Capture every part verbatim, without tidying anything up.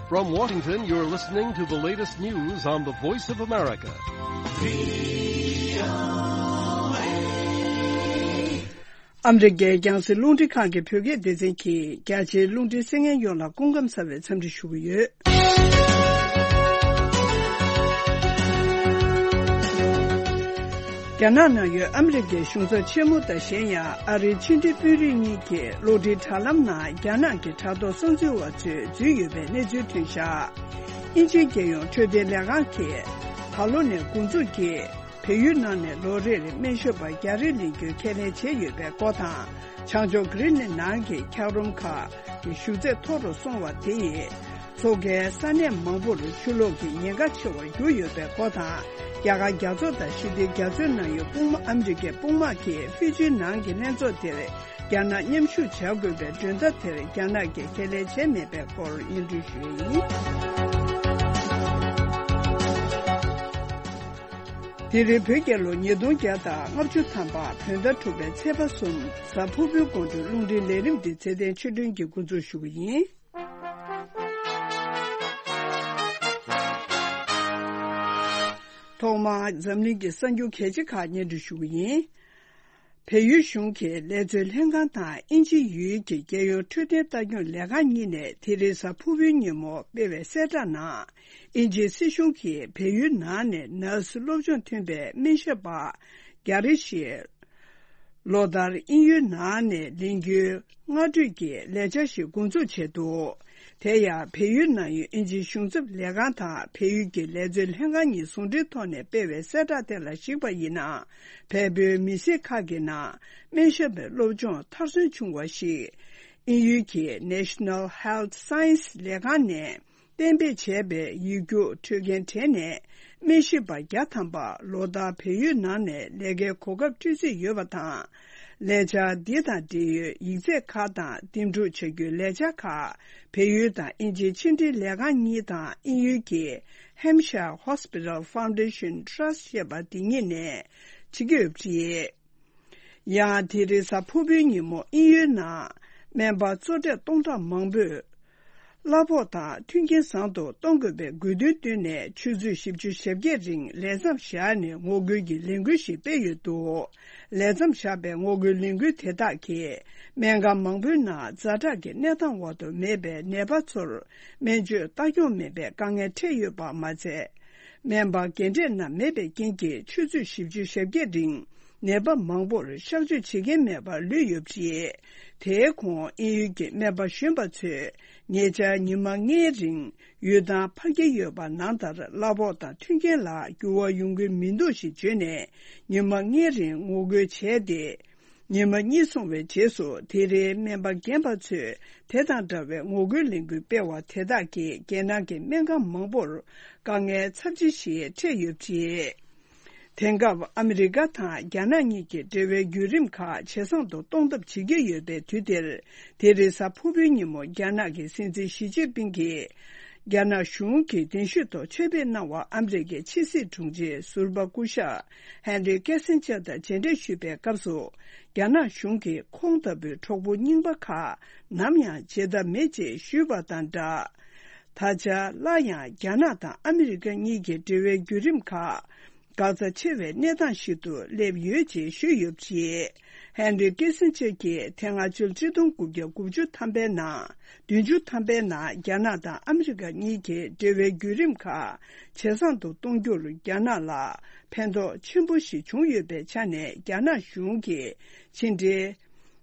From Washington, you're listening to the latest news on the Voice of America. ཨ་མི་རི་ཀའི་རྒྱང་སྲིང་རླུང་འཕྲིན་ཁང་གི་བོད་སྐད་སྡེ་ཚན་གྱིས་རྒྱ་ཆེའི་རླུང་འཕྲིན་གསན་མཁན་ཡོངས་ལ་སྐུ་ཁམས་བཟང་བའི་འཚམས་འདྲི་ཞུ་གི་ཡོད། རྒྱ་ནག་ནང་ཡོད་ཨ་མི་རི་ཀའི་གཞུང་ཚབ་ཆེན་མོ་དང་གཞན་ཡང་ཨ་རིའི་ཕྱི་འབྲེལ་དཔོན་རིགས་གཉིས་ཀྱིས་གློག་འཕྲིན་དྲ་ལམ་ནང་རྒྱ་ནག་གི་དྲ་ཐོག་གསར་འཛུལ་བ་ཚོས་འཛུལ་ཡོད་པའི་གནས་ཚུལ་ཐོན་བཞག་དབྱིན་ཇིའི་རྒྱལ་ཡོངས་འཕྲོད་བསྟེན་ལས་ཁང་གིས་ད་ལོ་ནས་འགོ་འཛུགས་ཀྱིས་བལ་ཡུལ་ནང་ནས་ལོ་རེར་སྨན་ཞབས་པ་བརྒྱ་རེ་ལེན་རྒྱུའི་ཁས་ལེན་བྱས་ཡོད་པའི་སྐོར་དང་། བྱང་ཕྱོགས་གྷི་རིན་ལན་ནང་གི་འཁྱགས་རོམ་ཁག་གི་ཞུགས་ཚད་མཐོ་རུ་སོང་བ་དེ་ཡིས། མཚོ་ཁའི་ས་གནས་མང་པོར་ཆུ་ལོག་གི་ཉེན་ཁ་ཆེ་བར་གྱུར་ཡོད་པའི་སྐོར་དང་། རྒྱ་གར་རྒྱ་མཚོ་དང་ཞི་བདེའི་རྒྱ་མཚོའི་ནང་ཡོད་དཔུང་དམག་ཨ་མི་རི་ཀའི་དཔུང་དམག་གིས་ཧྥི་ཇིའི་ནང་གི་ལྷན་ཚོགས་དེར་རྒྱ་ནག་མཉམ་ཞུགས་བྱ་དགོས་པའི་མགྲོན་བརྡ་དེར་རྒྱ་ནག་གིས་ཁས་ལེན་བྱས་མེད་པའི་སྐོར་སྙན་སྒྲོན་ཞུས་ཡིན། དེ་རིང་བོད་རྒྱལ་ལོ་ཉིས་སྟོང་བརྒྱ་དང་ལྔ་བཅུ་ཐམ་པ་བོད་ཟླ་དྲུག་པའི་ཚེས་པ་གསུམ་གཟའ་ཕུར་བུའི་དགོང་དྲོའི་རླུང་འཕྲིན་ལས་རིམ་འདི་ཚེ་བརྟན་ཆོས་སྒྲོན་གྱིས་འགོ་འཛུགས་ཞུ་གི་ཡིན། ཐོག་མར་འཛམ་གླིང་གི་གསར་འགྱུར་གལ་ཆེ་ཁག་སྙན་སྒྲོན་ཞུ་གི་ཡིན། བལ་ཡུལ་གཞུང་གི་ལས་བཟོའི་ལྷན་ཁང་དང་དབྱིན་ཇི་ཡུལ་གྱི་རྒྱལ་ཡོངས་འཕྲོད་བསྟེན་ལྟ་སྐྱོང་ལས་ཁང་གཉིས་ནས་དེ་རིང་གཟའ་ཕུར་བུའི་ཉིན་མོ་སྤེལ་བའི་གསལ་བསྒྲགས་ནང་། དབྱིན་ཇིའི་སྲིད་གཞུང་གིས་བལ་ཡུལ་ནང་ནས་ནར་སི་སློབ་སྦྱོང་ཐོན་པའི་སྨན་ཞབས་པ་བརྒྱ་རེ་བཞི། ལོ་ལྟར་དབྱིན་ཡུལ་ནང་ནས་ལེན་རྒྱུའི་སྔ་གྲོས་ཀྱི་ལས་འཆར་ཞིག་འགོ་འཛུགས་བྱས་འདུག་དེ་ཡང་བལ་ཡུལ་ནང་ཡོད་དབྱིན་ཇིའི་གཞུང་ཚབ་ལས་ཁང་དང་བལ་ཡུལ་གྱི་ལས་བཟོའི་ལྷན་ཁང་གཉིས་ཟུང་འབྲེལ་ཐོག་ནས་སྤེལ་བའི་གསལ་བསྒྲགས་དེ་ལ་གཞིགས་པ་ཡིན་ན། བལ་པོའི་མི་སེར་ཁག་གི་ནང་སྨན་ཞབས་པའི་སློབ་སྦྱོང་མཐར་སོན་བྱུང་བ་ཞིག་དབྱིན་ཡུལ་གྱི་National Health Science ལས་ཁང་ནས། གཏན་འབེབས་བྱས་པའི་ཡིག་རྒྱུགས་འཕྲོད་མཁན་གྲས་ནས་སྨན་ཞིབ་པ་བརྒྱ་ཐམ་པ་ལོ་ལྟར་བལ་ཡུལ་ནང་ནས་ལས་ཀའི་གོ་སྐབས་སྤྲོད་རྩིས་ཡོད་པ་དང་། ལས་འཆར་འདི་དང་འབྲེལ་ཡོད་ཡིག་ཚད་ཁག་དང་འདེམས་སྒྲུག་བྱ་རྒྱུའི་ལས་འཆར་ཁག་བལ་ཡུལ་དང་དབྱིན་ཇིའི་ཕྱི་འབྲེལ་ལས་ཁང་གཉིས་དང་དབྱིན་ཡུལ་གྱི་Hampshire Hospital Foundation Trust ཞེས་པ་འདི་གཉིས་ནས་བྱེད་ཀྱི་ཡོད་པ་རེད། ཡང་དེ་རིང་གཟའ་ཕུར་བུའི་ཉིན་མོ་དབྱིན་ཡུལ་ནང་སྨན་པ་གཙོ་གྲས་སྟོང་ཕྲག་མང་པོས་གླ་ཕོགས་དང་མཐུན་རྐྱེན་བཟང་དུ་གཏོང་དགོས་པའི་དགོས་འདུན་བཏོན་ནས་ཆུ་ཚོད་བཞི་བཅུ་ཞེ་བརྒྱད་རིང་ལས་མཚམས་བཞག་ནས་ངོ་རྒོལ་གྱི་ལས་འགུལ་ཞིག་སྤེལ་ཡོད་འདུག་ལས་མཚམས་བཞག་པའི་ངོ་རྒོལ་ལས་འགུལ་དེ་དག་གིས་སྨན་ཁང་མང་པོའི་ནང་ཛ་དྲག་གི་གནས་སྟངས་འོག་ཏུ་མེད་པའི་ནད་པ་ཚོར་སྨན་བཅོས་ལྟ་སྐྱོང་མེད་པའི་དཀའ་ངལ་འཕྲད་ཡོད་པ་མ་ཚད། སྨན་པ་རྒན་གྲས་རྣམས་མེད་པའི་རྐྱེན་གྱིས་ཆུ་ཚོད་བཞི་བཅུ་ཞེ་བརྒྱད་རིང་ནད་པ་མང་པོར་གཤག་བཅོས་བྱེད་མཁན་མེད་པར་ལུས་ཡོད་པ་རེད། དེའི་གོང་དབྱིན་ཡུལ་གྱི་སྨན་པ་གཞོན་པ་ཚོས་ཉེ་ཆར་ཉི་མ་ལྔའི་རིང་ཡུལ་ཐང་ཕར་འཁྱེར་ཡོད་པ་ནང་ལྟར་གླ་ཕོགས་དང་མཐུན་རྐྱེན་ལ་འགྱུར་བ་ཡོང་གི་མི་འདུག་ཞེས་བརྗོད་ནས་ཉི་མ་ལྔའི་རིང་ངོ་རྒོལ་བྱས་ཏེ། ཉི་མ་གཉིས་སོང་བའི་རྗེས་སུ་དེ་རིང་སྨན་པ་རྒན་པ་ཚོས་དེ་དང་འདྲ་བའི་ངོ་རྒོལ་ལས་འགུལ་སྤེལ་བ་དེ་དག་གིས་རྒྱལ་ནང་གི་སྨན་ཁང་མང་པོར་དཀའ་ངལ་ཚབས་ཆེ་ཞིག་འཕྲད་ཡོད་པ་རེད། དེང་སྐབས་ཨ་མི་རི་ཀ་དང་རྒྱ་ནག་གཉིས་ཀྱི་འབྲེལ་བའི་བརྒྱུད་རིམ་ཁག་ཇེ་བཟང་དུ་གཏོང་ཐབས་བྱེད་ཀྱི་ཡོད་པའི་དུས་འདིར། དེ་རིང་གཟའ་ཕུར་བུའི་ཉིན་མོ་རྒྱ་ནག་གི་སྲིད་འཛིན་ཞི་ཅིན་ཕིང་གིས་རྒྱ་ནག་གཞུང་གི་གདན་ཞུའི་ཐོག་ཆེད་ཕེབས་གནང་བར་ཨ་མི་རི་ཀའི་ཕྱི་སྲིད་དྲུང་ཆེ་ཟུར་པ་སྐུ་ཞབས་ཧན་རི་ཀེ་སིན་ཇར་དང་མཇལ་འཕྲད་ཞུས་པའི་སྐབས་སུ། རྒྱ་ནག་གཞུང་གིས་ཁོང་ལྟ་བུའི་གྲོགས་པོ་རྙིང་པ་ཁག་ནམ་ཡང་བརྗེད་ཐབས་མེད་ཅེས་ཞུས་པ་དང་སྦྲགས། ད་ཆ་སླར་ཡང་རྒྱ་ནག་དང་ཨ་མི་རི་ཀ་གཉིས་ཀྱི་འབྲེལ་བའི་བརྒྱུད་རིམ་ཁག་འགག་རྩ་ཆེ་བའི་གནས་སྟངས་ཤིག་ཏུ་སླེབས་ཡོད་ཅེས་ཞུས་ཡོད་པ་རེད། ཧན་རི་ཀེ་སིན་ཇར་གྱིས་དེ་སྔ་ཕྱི་ལོ་ཆིག་སྟོང་དགུ་བརྒྱ་དགུ་བཅུ་ཐམ་པའི་ནང་། བདུན་ཅུ་ཐམ་པའི་ནང་རྒྱ་ནག་དང་ཨ་མི་རི་ཀ་གཉིས་ཀྱི་འབྲེལ་བའི་བརྒྱུད་རིམ་ཁག་ཇེ་བཟང་དུ་གཏོང་རྒྱུར་རྒྱ་ནག་ལ་ཕན་ཐོགས་ཆེན་པོ་ཞིག་བྱུང་ཡོད་པའི་ཆ་ནས། རྒྱ་ནག་གཞུང་གིས་ཕྱི་འབྲེལ་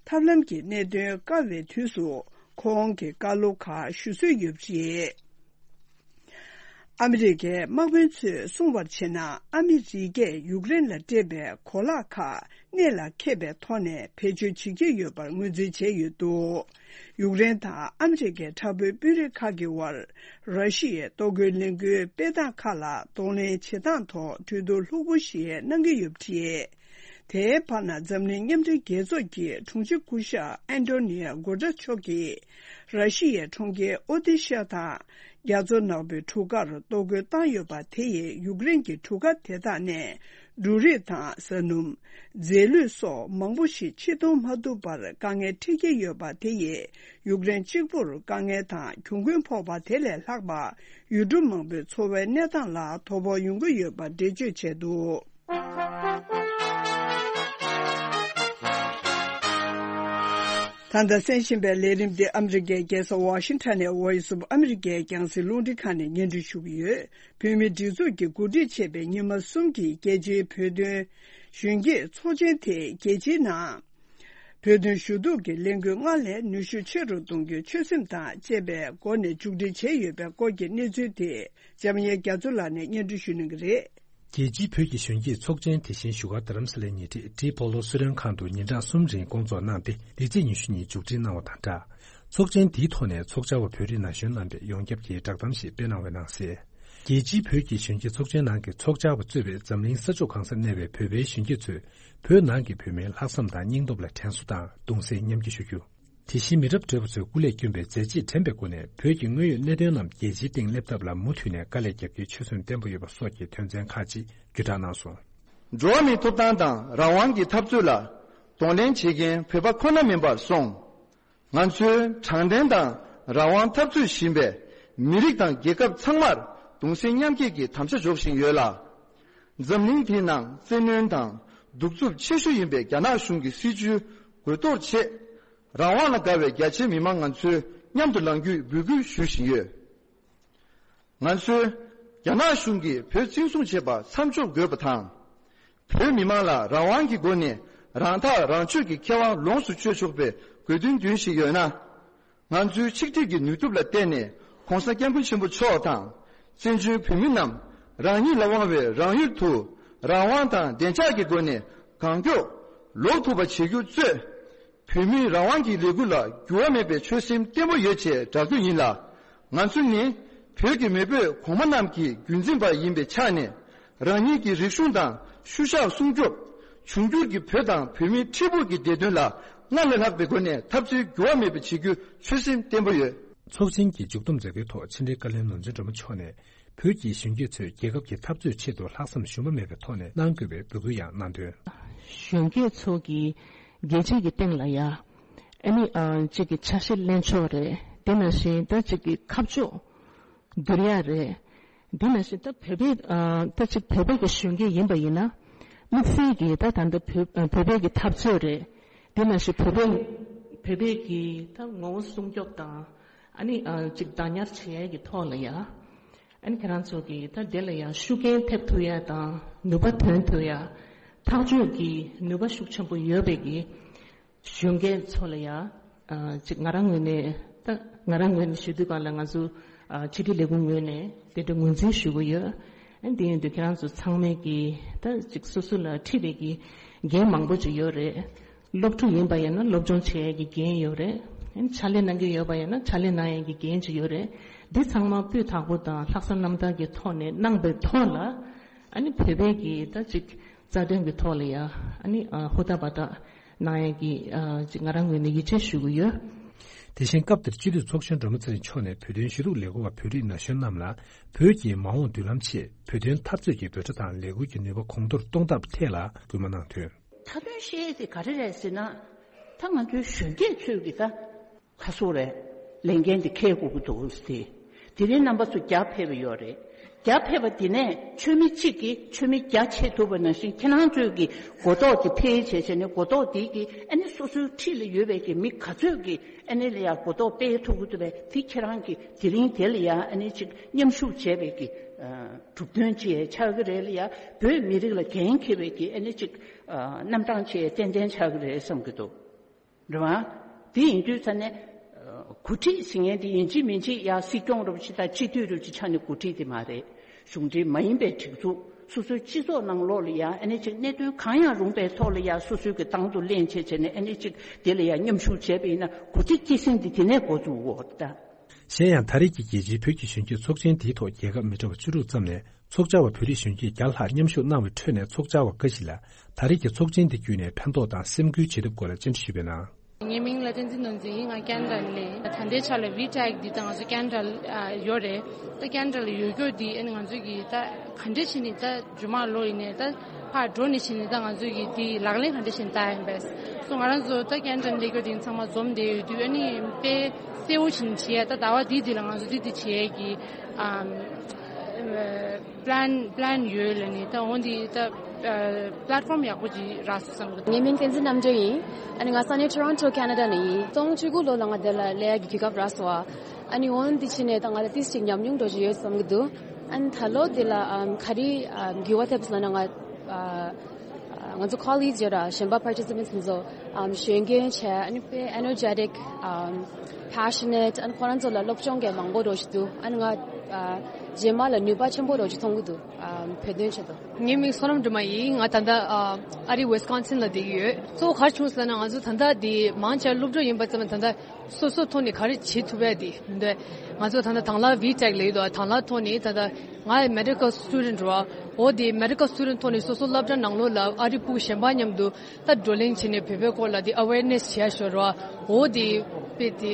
ཐབས་ལམ་གྱི་གནད་དོན་དཀའ་བའི་དུས་སུ་ཁོང་གི་བཀའ་སློབ་ཁག་ཞུ་སྲོལ་ཡོད་པ་རེད། ཨ་མི་རི་ཀའི་དམག་དཔོན་ཚོས་གསུངས་པར་བྱས་ན། ཨ་མི་རི་ཀས་ཡུཀ་རེན་ལ་སྤྲད་པའི་གོ་ལག་ཁག་གནད་ལ་འཁེལ་པའི་ཐོག་ནས་བེད་སྤྱོད་བྱེད་ཀྱི་ཡོད་པར་ངོས་འཛིན་བྱས་ཡོད་འདུག་ཡུཀ་རེན་དང་ཨ་མི་རི་ཀའི་དྲག་པོའི་དཔོན་རིགས་ཁག་གི་དབར། ར་ཤི་ཡའི་གཏོར་རྒོལ་ལས་འགུལ་སྤེལ་སྟངས་ཁག་ལ་གདོང་ལེན་བྱེད་སྟངས་ཐོག་གྲོས་བསྡུར་ལྷུག་པོ་ཞིག་གནང་གི་ཡོད་པ་རེད། དེའི་བར་ན། འཛམ་གླིང་མཉམ་འབྲེལ་རྒྱལ་ཚོགས་ཀྱི་དྲུང་ཆེ་སྐུ་ཞབས་ཨན་ཏོ་ནི་ཡ་གོ་ཏྲ་ཆོ་གིས་ར་ཤི་ཡའི་གྲོང་ཁྱེར་ཨོ་དེ་ཤ་དང་རྒྱ་མཚོ་ནག་པོའི་གྲུ་ཁར་གཏོར་རྒོལ་བཏང་ཡོད་པ་དེ་ཡིས་ཡུཀ་རེན་གྱི་གྲུ་ཁ་དེ་དག་ནས་ འབྲུ་རིགས་དང་ཟ་སྣུམ། རྫས་ལུད་སོགས་མང་པོ་ཞིག་ཕྱིར་གཏོང་མ་ཐུབ་པར་དཀའ་ངལ་འཕྲད་ཀྱི་ཡོད་པ་དེ་ཡིས་ཡུཀ་རེན་གཅིག་པུར་དཀའ་ངལ་དང་གྱོང་གུན་ཕོག་པ་དེ་ལས་ལྷག་པ། ཡུལ་གྲུ་མང་པོའི་འཚོ་བའི་གནས་སྟངས་ལ་དོ་ཕོག་ཡོང་གི་ཡོད་པ་འགྲེལ་བརྗོད་བྱས་འདུག་ད་ལྟ་གསན་བཞིན་པའི་ལས་རིམ་འདི་ཨ་མི་རི་ཀའི་རྒྱལ་ས་ཝ་ཤིང་ཊོན་ནས་Voice of America་རྒྱང་སྲིང་རླུང་འཕྲིན་ཁང་ནས་སྙན་སྒྲོན་ཞུ་གི་ཡོད། བོད་མིའི་སྒྲིག་འཛུགས་ཀྱིས་གོ་སྒྲིག་བྱས་པའི་ཉི་མ་གསུམ་གྱི་རྒྱལ་སྤྱིའི་བོད་དོན་གཞོན་སྐྱེས་ཚོགས་ཆེན་དེ་རྒྱལ་སྤྱིའི་ནང་བོད་དོན་ཞུ་གཏུག་གི་ལས་འགུལ་སྔར་ལས་ནུས་ཤུགས་ཆེ་རུ་གཏོང་རྒྱུའི་ཆོད་སེམས་དང་བཅས་པའི་སྒོ་ནས་མཇུག་སྒྲིལ་བྱས་ཡོད་པའི་སྐོར་གྱི་གནས་ཚུལ་དེ་འཇམ་དབྱངས་རྒྱ་མཚོ་ལགས་ནས་སྙན་སྒྲོན་ཞུ་གནང་གི་རེད། རྒྱལ་སྤྱིའི་བོད་ཀྱི་གཞོན་སྐྱེས་ཚོགས་ཆེན་དེ་བཞིན་བཞུགས་སྒར་རྡ་རམ་ས་ལའི་ཉེ་འཁྲིས་ཏྲི་པོ་ལོ་སུ་རེན་ཁང་དུ་ཉིན་གྲངས་གསུམ་རིང་སྐོང་ཚོགས་གནང་སྟེ། འདི་ཚེས་ཉི་ཤུ་ཉིན་མཇུག་སྒྲིལ་གནང་བ་དང་སྦྲགས། ཚོགས་ཆེན་འདིའི་ཐོག་ནས་ཚོགས་བཅར་བ་བོད་རིགས་ན་གཞོན་རྣམ་པས་ཡོངས་ཁྱབ་ཀྱི་བསྒྲགས་གཏམ་ཞིག་སྤེལ་གནང་བའི་ནང་གསལ། རྒྱལ་སྤྱིའི་བོད་ཀྱི་གཞོན་སྐྱེས་ཚོགས་ཆེན་ནང་གི་ཚོགས་བཅར་བ་གཙོས་པའི་འཛམ་གླིང་ས་ཕྱོགས་གང་སར་གནས་པའི་བོད་པའི་གཞོན་སྐྱེས་ཚོས་བོད་ནང་གི་བོད་མིའི་ལྷག་བསམ་དང་སྙིང་སྟོབས་ལ་དྲན་གསོ་དང་གདུང་སེམས་མཉམ་སྐྱེད་ཞུ་རྒྱུ། དེ་བཞིན་མི་རབས་བགྲེས་པ་ཚོས་སྐུ་ལས་བསྐྱོན་པའི་མཛད་རྗེས་དྲན་པའི་སྒོ་ནས་བོད་ཀྱི་དངོས་ཡོད་གནད་དོན་རྣམས་རྒྱལ་སྤྱིའི་སྟེང་སླེབས་ཐབས་ལ་མུ་མཐུད་ནས་དཀའ་ལས་རྒྱབ་རྒྱུའི་ཆོད་སེམས་བརྟན་པོ་ཡོད་པ་སོགས་ཀྱི་དོན་ཚན་ཁག་ཅིག་བརྒྱུད་བསྒྲགས་གནང་སོང་། འགྲོ་བ་མིའི་ཐོབ་ཐང་དང་རང་དབང་གི་འཐབ་རྩོད་ལ་གདོང་ལེན་བྱེད་མཁན་བོད་པ་ཁོ་ན་མིན་པར་སོང་། ང་ཚོའི་དྲང་བདེན་དང་རང་དབང་འཐབ་རྩོད་བཞིན་པའི་མི་རིགས་དང་རྒྱལ་ཁབ་ཚང་མར་གདུང་སེམས་མཉམ་སྐྱེད་ཀྱི་དམ་བཅའ་འཇོག་བཞིན་ཡོད་ལ། འཛམ་གླིང་འདིའི་ནང་བཙན་གནོན་དང་གདུག་རྩུབ་ཆེ་ཤོས་ཡིན་པའི་རྒྱ་ནག་གཞུང་གི་སྲིད་བྱུས་རྒོལ་གཏོར་ཆེད། རང་དབང་ལ་དགའ་བའི་རྒྱ་ཆེའི་མི་མང་ང་ཚོས་མཉམ་དུ་ལངས་རྒྱུའི་འབོད་སྐུལ་ཞུ་བཞིན་ཡོད། ང་ཚོས་རྒྱ་ནག་གཞུང་གིས་བོད་བཙན་བཟུང་བྱས་པ་མཚམས་འཇོག་དགོས་པ་དང་། བོད་མི་མང་ལ་རང་དབང་གི་སྒོ་ནས་རང་ཐག་རང་གཅོད་ཀྱི་ཁེ་དབང་ལོངས་སུ་སྤྱོད་ཆོག་པའི་དགོས་འདུན་འདོན་བཞིན་ཡོད་ན། ང་ཚོའི་ཆིག་སྒྲིལ་གྱི་ནུས་སྟོབས་ལ་བརྟེན་ནས་༸གོང་ས་༸སྐྱབས་མགོན་ཆེན་པོ་མཆོག་དང་། བཙན་བྱོལ་བོད་མི་རྣམས་རང་ཉིད་ལ་དབང་བའི་རང་ཡུལ་དུ་རང་དབང་དང་བདེ་འཇགས་ཀྱི་སྒོ་ནས་གང་མགྱོགས་ལོག་ཐུབ་པ་བྱེད་རྒྱུ་གཙོས། བོད་མིའི་རང་དབང་གི་ལས་འགུལ་ལ་འགྱུར་བ་མེད་པའི་ཆོད་སེམས་བརྟན་པོ་ཡོད་ཅེས་བསྒྲགས་རྒྱུ་ཡིན་ལ། ང་ཚོ་ནི་བོད་ཀྱི་མེས་པོས་གོང་མ་རྣམས་ཀྱི་རྒྱུན་འཛིན་པ་ཡིན་པའི་ཆ་ནས། རང་ཉིད་ཀྱི་རིག་གཞུང་དང་ཤུལ་བཞག་སྲུང་སྐྱོབ། འབྱུང་འགྱུར་གྱི་བོད་དང་བོད་མིའི་འཕྲལ་ཕུགས་ཀྱི་བདེ་དོན་ལ་སྔར་ལས་ལྷག་པའི་སྒོ་ནས་འཐབ་རྩོད་འགྱུར་བ་མེད་པ་བྱེད་རྒྱུའི་ཆོད་སེམས་བརྟན་པོ་ཡོད། ཚོགས་ཆེན་གྱི་མཇུག་བསྡོམས་མཛད་སྒོའི་ཐོག་ཕྱི་དྲིལ་བཀའ་བློན་ནོར་འཛིན་སྒྲོལ་མ་མཆོག་ནས། བོད་ཀྱི་གཞོན་སྐྱེས་ཚོས་རྒྱལ་ཁབ་ཀྱི་འཐབ་རྩོད་ཆེད་དུ་ལྷག་བསམ་ཞུམ་པ་མེད་པའི་ཐོག་ནས་གནང་དགོས་པའི་འབོད་སྐུལ་ཡང་གནང་དོན། གཞོན་སྐྱེས་ཚོ་གིས་རྒྱལ་སྤྱི་གི་སྟེང་ལ་ཡ། ཨ་ནི་ཨ་གཅིག་གི་ཆ་ཤས་ལེན་ཕྱོགས་རེད། དེ་ནང་བཞིན་ད་གཅིག་གི་ཁ་ཕྱོགས་བསྒྱུར་ཡ་རེད། དེ་ནང་བཞིན་ད་བོད་པའི་ཨ་ད་གཅིག་བོད་པའི་གི་གཞོན་སྐྱེས་ཡིན་པ་ཡིན་ན། དམིགས་བསལ་གྱི་ད་ད་ལྟ་བོད་ཨ་བོད་པའི་གི་འཐབ་རྩོད་རེད། དེ་ནང་བཞིན་བོད་པའི་བོད་པའི་གི་ད་ངོ་བོ་སྲུང་སྐྱོབ་དང་། ཨ་ནི་ཨ་གཅིག་བདག་ཉར་བྱེད་ཡ་གི་ཐོག་ལ་ཡ། ཨ་ནི་ཁྱེད་རང་ཚོ་གིས་ད་དེ་ལ་ཡང་ཤུགས་རྐྱེན་ཐེབས་ཐུབ་ཡ་དང་ནུས་པ་འདོན་ཐུབ་ཡ། ཐག་གཅོད་ཀྱི་ནུས་པ་ཤུགས་ཆེན་པོ་ཡོད་པའི་གི་གཞོན་སྐྱེས་ཚོ་ལ་ཡང་ཨ་ཅིག་ང་རང་ངོས་ནས་ད་ང་རང་ངོས་ནས་ཞུ་དུས་གང་ལ་ང་ཚོ་ཨ་ཕྱི་དྲིལ་ལས་ཁུངས་ངོས་ནས་དེ་འདྲ་ངོས་འཛིན་ཞུ་གི་ཡོད། ཨ་དེ་ཡིན་དུས་ཁྱེད་རང་ཚོ་ཚང་མས་གི་ད་ཅིག་སོ་སོ་ལ་འཁྲི་བའི་གི་འགན་མང་པོ་ཅིག་ཡོད་རེད། སློབ་ཕྲུག་ཡིན་པ་ཡིན་ན་སློབ་སྦྱོང་བྱེད་ཡས་ཀྱི་འགན་ཡོད་རེད། ཕྱག་ལས་གནང་གི་ཡོད་པ་ཡིན་ན་ཕྱག་ལས་གནང་ཡས་ཀྱི་འགན་ཅིག་ཡོད་རེད། འདི་ཚང་མ་སྤུས་དག་པོ་དང་ལྷག་བསམ་རྣམ་དག་གི་ཐོག་ནས་གནང་པའི་ཐོག་ལ། ཨ་ནི་བོད་པའི་གི་ད་ཅིག་རྩ་དོན་གྱི་ཐོག་ལ་ཡ་ཨ་ནི་ཧུར་ཐག་འབད་ཐག་གནང་ཡས་ཀྱི་ཅིག་ང་རང་ངོས་ནས་ཡིད་ཆེས་ཞུ་གི་ཡོད། དེ་བཞིན་སྐབས་དེར་སྤྱི་འཐུས་ཚོགས་གཞོན་སྒྲོལ་མ་ཚེ་རིང་མཆོག་ནས་བོད་དོན་ཞུ་གཏུག་ལས་འགུལ་བ་བོད་རིགས་ན་གཞོན་རྣམས་ལ་བོད་ཀྱི་མ་འོངས་མདུན་ལམ་ཆེད་བོད་དོན་འཐབ་རྩོད་ཀྱི་འབོད་སྒྲ་དང་ལས་འགུལ་གྱི་ནུས་པ་གོང་མཐོར་གཏོང་ཐབས་ཐད་ལ་སྐུལ་མ་གནང་དོན། མཐའ་དོན་བཤད་ཡས་དེ་ག་རེ་རེད་ཟེར་ན། ད་ང་ཚོའི་གཞོན་སྐྱེས་ཚོས་ཀྱི་ད་ཁ་སོ་རེད། ལས་འགན་དེ་འཁྱེར་དགོས་ཀྱི་འདུག་ཟེར། དེ་རིང་རྣམ་པ་ཚོ་རྒྱ་ཕེབས་པ་ཡོད་རེད། རྒྱ་ཕེབས་པ་དེ་ནས་ཆོས་མི་གཅིག་གིས་ཆོས་མི་བརྒྱ་ཆེ་ཐུབ་པ་ནང་བཞིན་ཁྱེད་རང་ཚོས་ཀྱི་གོ་རྟོགས་དེ་འཕེལ་བྱས་བྱས་ནས་གོ་རྟོགས་དེ་གི་ཨ་ནི་སོ་སོའི་འཁྲིས་ལ་ཡོད་པའི་གི་མི་ག་ཚོད་ཀྱི་ཨ་ནི་ལ་ཡ་གོ་རྟོགས་སྤེལ་ཐུབ་ཀྱི་འདུག་པས། དེ་ཁྱེད་རང་གི་དེ་རིང་དེ་ལ་ཡ་ཨ་ནི་ཅིག་མཉམ་ཞུགས་བྱས་པའི་གི་གྲུབ་དོན་ཅིག་ཆགས་ཀྱི་རེད་ལ་ཡ། བོད་མི་རིགས་ལ་འགན་འཁྱེར་བའི་གི་ཨ་ནི་ཅིག་རྣམ་གྲངས་ཅིག་ཏན་ཏན་ཆགས་ཀྱི་རེད་བསམ་གྱི་འདུག་རེད་བ། དེ་ཡིན་དུས་ཙ་ནས། གོ་སྒྲིག་ཟེར་མཁན་དེ་ཡིན་གཅིག་མིན་གཅིག་ཡ་སྲིད་སྐྱོང་རུ་ཆེ་དང་སྤྱི་འཐུས་རུ་ཆེ་ཆ་ནས་གོ་སྒྲིག་དེ་མ་རེད། གཞུང་འབྲེལ་མ་ཡིན་པའི་སྒྲིག་འཛུགས་སོ་སོའི་སྤྱི་ཚོགས་ནང་ལོགས་ལ་ཡ་ཨ་ནི་ཅིག་གནད་དོན་གང་ཡང་རུང་པའི་ཐོག་ལ་ཡ་སོ་སོའི་གི་ཏང་དུ་ལེན་བྱས་བྱས་ནས་ཨ་ནི་ཅིག་དེ་ལ་ཡ་མཉམ་ཞུགས་བྱས་པ་ཡིན་ན་གོ་སྒྲིག་སྐྱེད་སྲིང་དེ་དེ་ནས་འགོ་བཙུགས་འོ་ད། གཞན་ཡང་ད་རེས་ཀྱི་རྒྱལ་སྤྱིའི་བོད་ཀྱི་གཞོན་སྐྱེས་ཚོགས་ཆེན་དེའི་ཐོག་རྒྱལ་ཁབ་མི་འདྲ་བ་བཅུ་དྲུག་ཙམ་ནས། ཚོགས་བཅར་བ་བོད་རིགས་གཞོན་སྐྱེས་བརྒྱ་ལྷག་མཉམ་ཞུགས་གནང་བའི་ཁྲོད་ནས་ཚོགས་བཅར་བ་འགའ་ཞིག་ལ་ད་རེས་ཀྱི་ཚོགས་ཆེན་འདི་བརྒྱུད་ནས་ཕན་ཐོགས་དང་སེམས་འགུལ་བྱེད་ཐབས་སྐོར་ལ་བཅར་འདྲི་ཞུས་པའི་ནང་། ངའི་མིང་ལ་བསྟན་འཛིན་ནོར་འཛིན་ཡིན། ང་ཁེ་ན་ཌ་ནས་ལས། ད་ལྟའི་ཆ་ལ་ཝི་ཊེག་འདི་ད་ང་ཚོ་ཁེ་ན་ཌ་ལ་ཡོད་རེད། ད་ཁེ་ན་ཌ་ལ་ཡོད་རྒྱུ་འདི་ཨ་ནི་ང་ཚོ་གི་ད་ག་འདྲ་བྱས་ནས་ད་རྗེས་མ་ལོ་ཡིན་ནས་ད་ཕར་འགྲོ་ནས་བྱས་ནས་ད་ང་ཚོ་གི་འདི་ལག་ལེན་ག་འདྲ་བྱས་ནས་བསྟར་ཡིན་པས་སོ། ང་རང་ཚོ་ད་ཁེ་ན་ཌ་ནས་སླེབས་རྒྱུ་འདི་ཚང་མ་འཛོམས་བསྡད་ཡོད་དུས་ཨ་ནི་དཔེ་གསལ་བོ་བྱས་ནས་བྱེད་ཡ། ད་ཟླ་བ་འདི་འདི་ལ་ང་ཚོ་འདི་འདི་བྱེད་ཡ་གི་ཨམ། པི་ལན་པི་ལན་ཡོད་ལ་ནི་ད་འོ་འདི་ད་པི་ལེཊ་ཕོམ་ཡག་པོ་ཅིག་རག་སོང་བསམ་གི་འདུག་ངའི་མིང་བསྟན་འཛིན་རྣམ་གྲོལ་ཡིན། ཨ་ནི་ང་ས་གནས་ཊོ་རོན་ཊོ་ཁེ་ན་ཌ་ནས་ཡིན། སྟོང་བཅུ་དགུ་ལོ་ལ་ང་འདི་ལ་སླེབས་ཡག་གི་གོ་སྐབས་རག་སོང་བ། ཨ་ནི་འོ་འདི་ཕྱིན་ནས་ད་ང་ལ་ཏིས་ཅིག་ཉམས་མྱོང་འགྲོ་བཞིན་ཡོད་བསམ་གི་འདུག་ཨ་ནི་ད་ལོ་འདི་ལ་ཨམ་ག་རེ་ཨམ་འགྱུར་བ་ཐེབས་སོང་ན་ང་ཨ། ང་ཚོ་ཀོ་ལིག་ཡོད་ར་གཞན་པ་པར་ཊི་སི་པེན་ཊི་ཚོ་ཨམ་གཞོན་སྐྱེས་བྱས། ཨ་ནི་དཔེ་ཨེ་ནར་ཇེ་ཊིག་ཨམ་པེ་ཤ་ནེཊ། ཨ་ནི་ཁོ་རང་ཚོ་ལ་སློབ་སྦྱོང་གི་མང་པོ་འགྲོ་བཞིན་འདུག་ཨ་ནི་ང་ཨ་རྗེས་མ་ལ་ནུས་པ་ཆེན་པོ་འགྲོ་བཞིན་མཐོང་གི་འདུག་ཨམ་བོད་དོན་ཆེད་དུ། ངའི་མིང་བསོད་ནམས་སྒྲོལ་མ་ཡིན། ང་ད་ལྟ་ཨ་ཨ་རི་ཝི་སི་ཀོན་སིན་ལ་བསྡད་ཀྱི་ཡོད། གཙོ་བོ་ག་རེ་བྱུང་ཟེར་ན་ང་ཚོ་ད་ལྟ་འདི་མང་ཆེ་སློབ་ཕྲུག་ཡིན་པ་ཙམ་ད་ལྟ་སོ་སོའི་ཐོག་ནས་ག་རེ་བྱེད་ཐུབ་ཡ་དེ་འདི་ང་ཚོ་ད་ལྟ་དང་བླངས་ཝི་ཊེག་ལབ་ཡོད་དོ། དང་བླངས་ཐོག་ནས་ད་ལྟ་ང་མེ་ཌི་ཀལ་སི་ཊུ་ཌེན་ཊི་རེད་བ། འོ་དེ་མེ་ཌི་ཀལ་སི་ཊུ་ཌེན་ཊི་ཐོག་ནས་སོ་སོ་སློབ་གྲྭ་ནང་ལོགས་ལ་ཨ་རི་ཕྲུ་གུ་གཞན་པ་མཉམ་དུ་ད་བགྲོ་གླེང་བྱས་ནས་བོད་པའི་སྐོར་ལ་དེ་ཨ་ཝེར་ནེ་སི་བྱས་ཤོར་བ། འོ་དེ་དཔེ་དེ་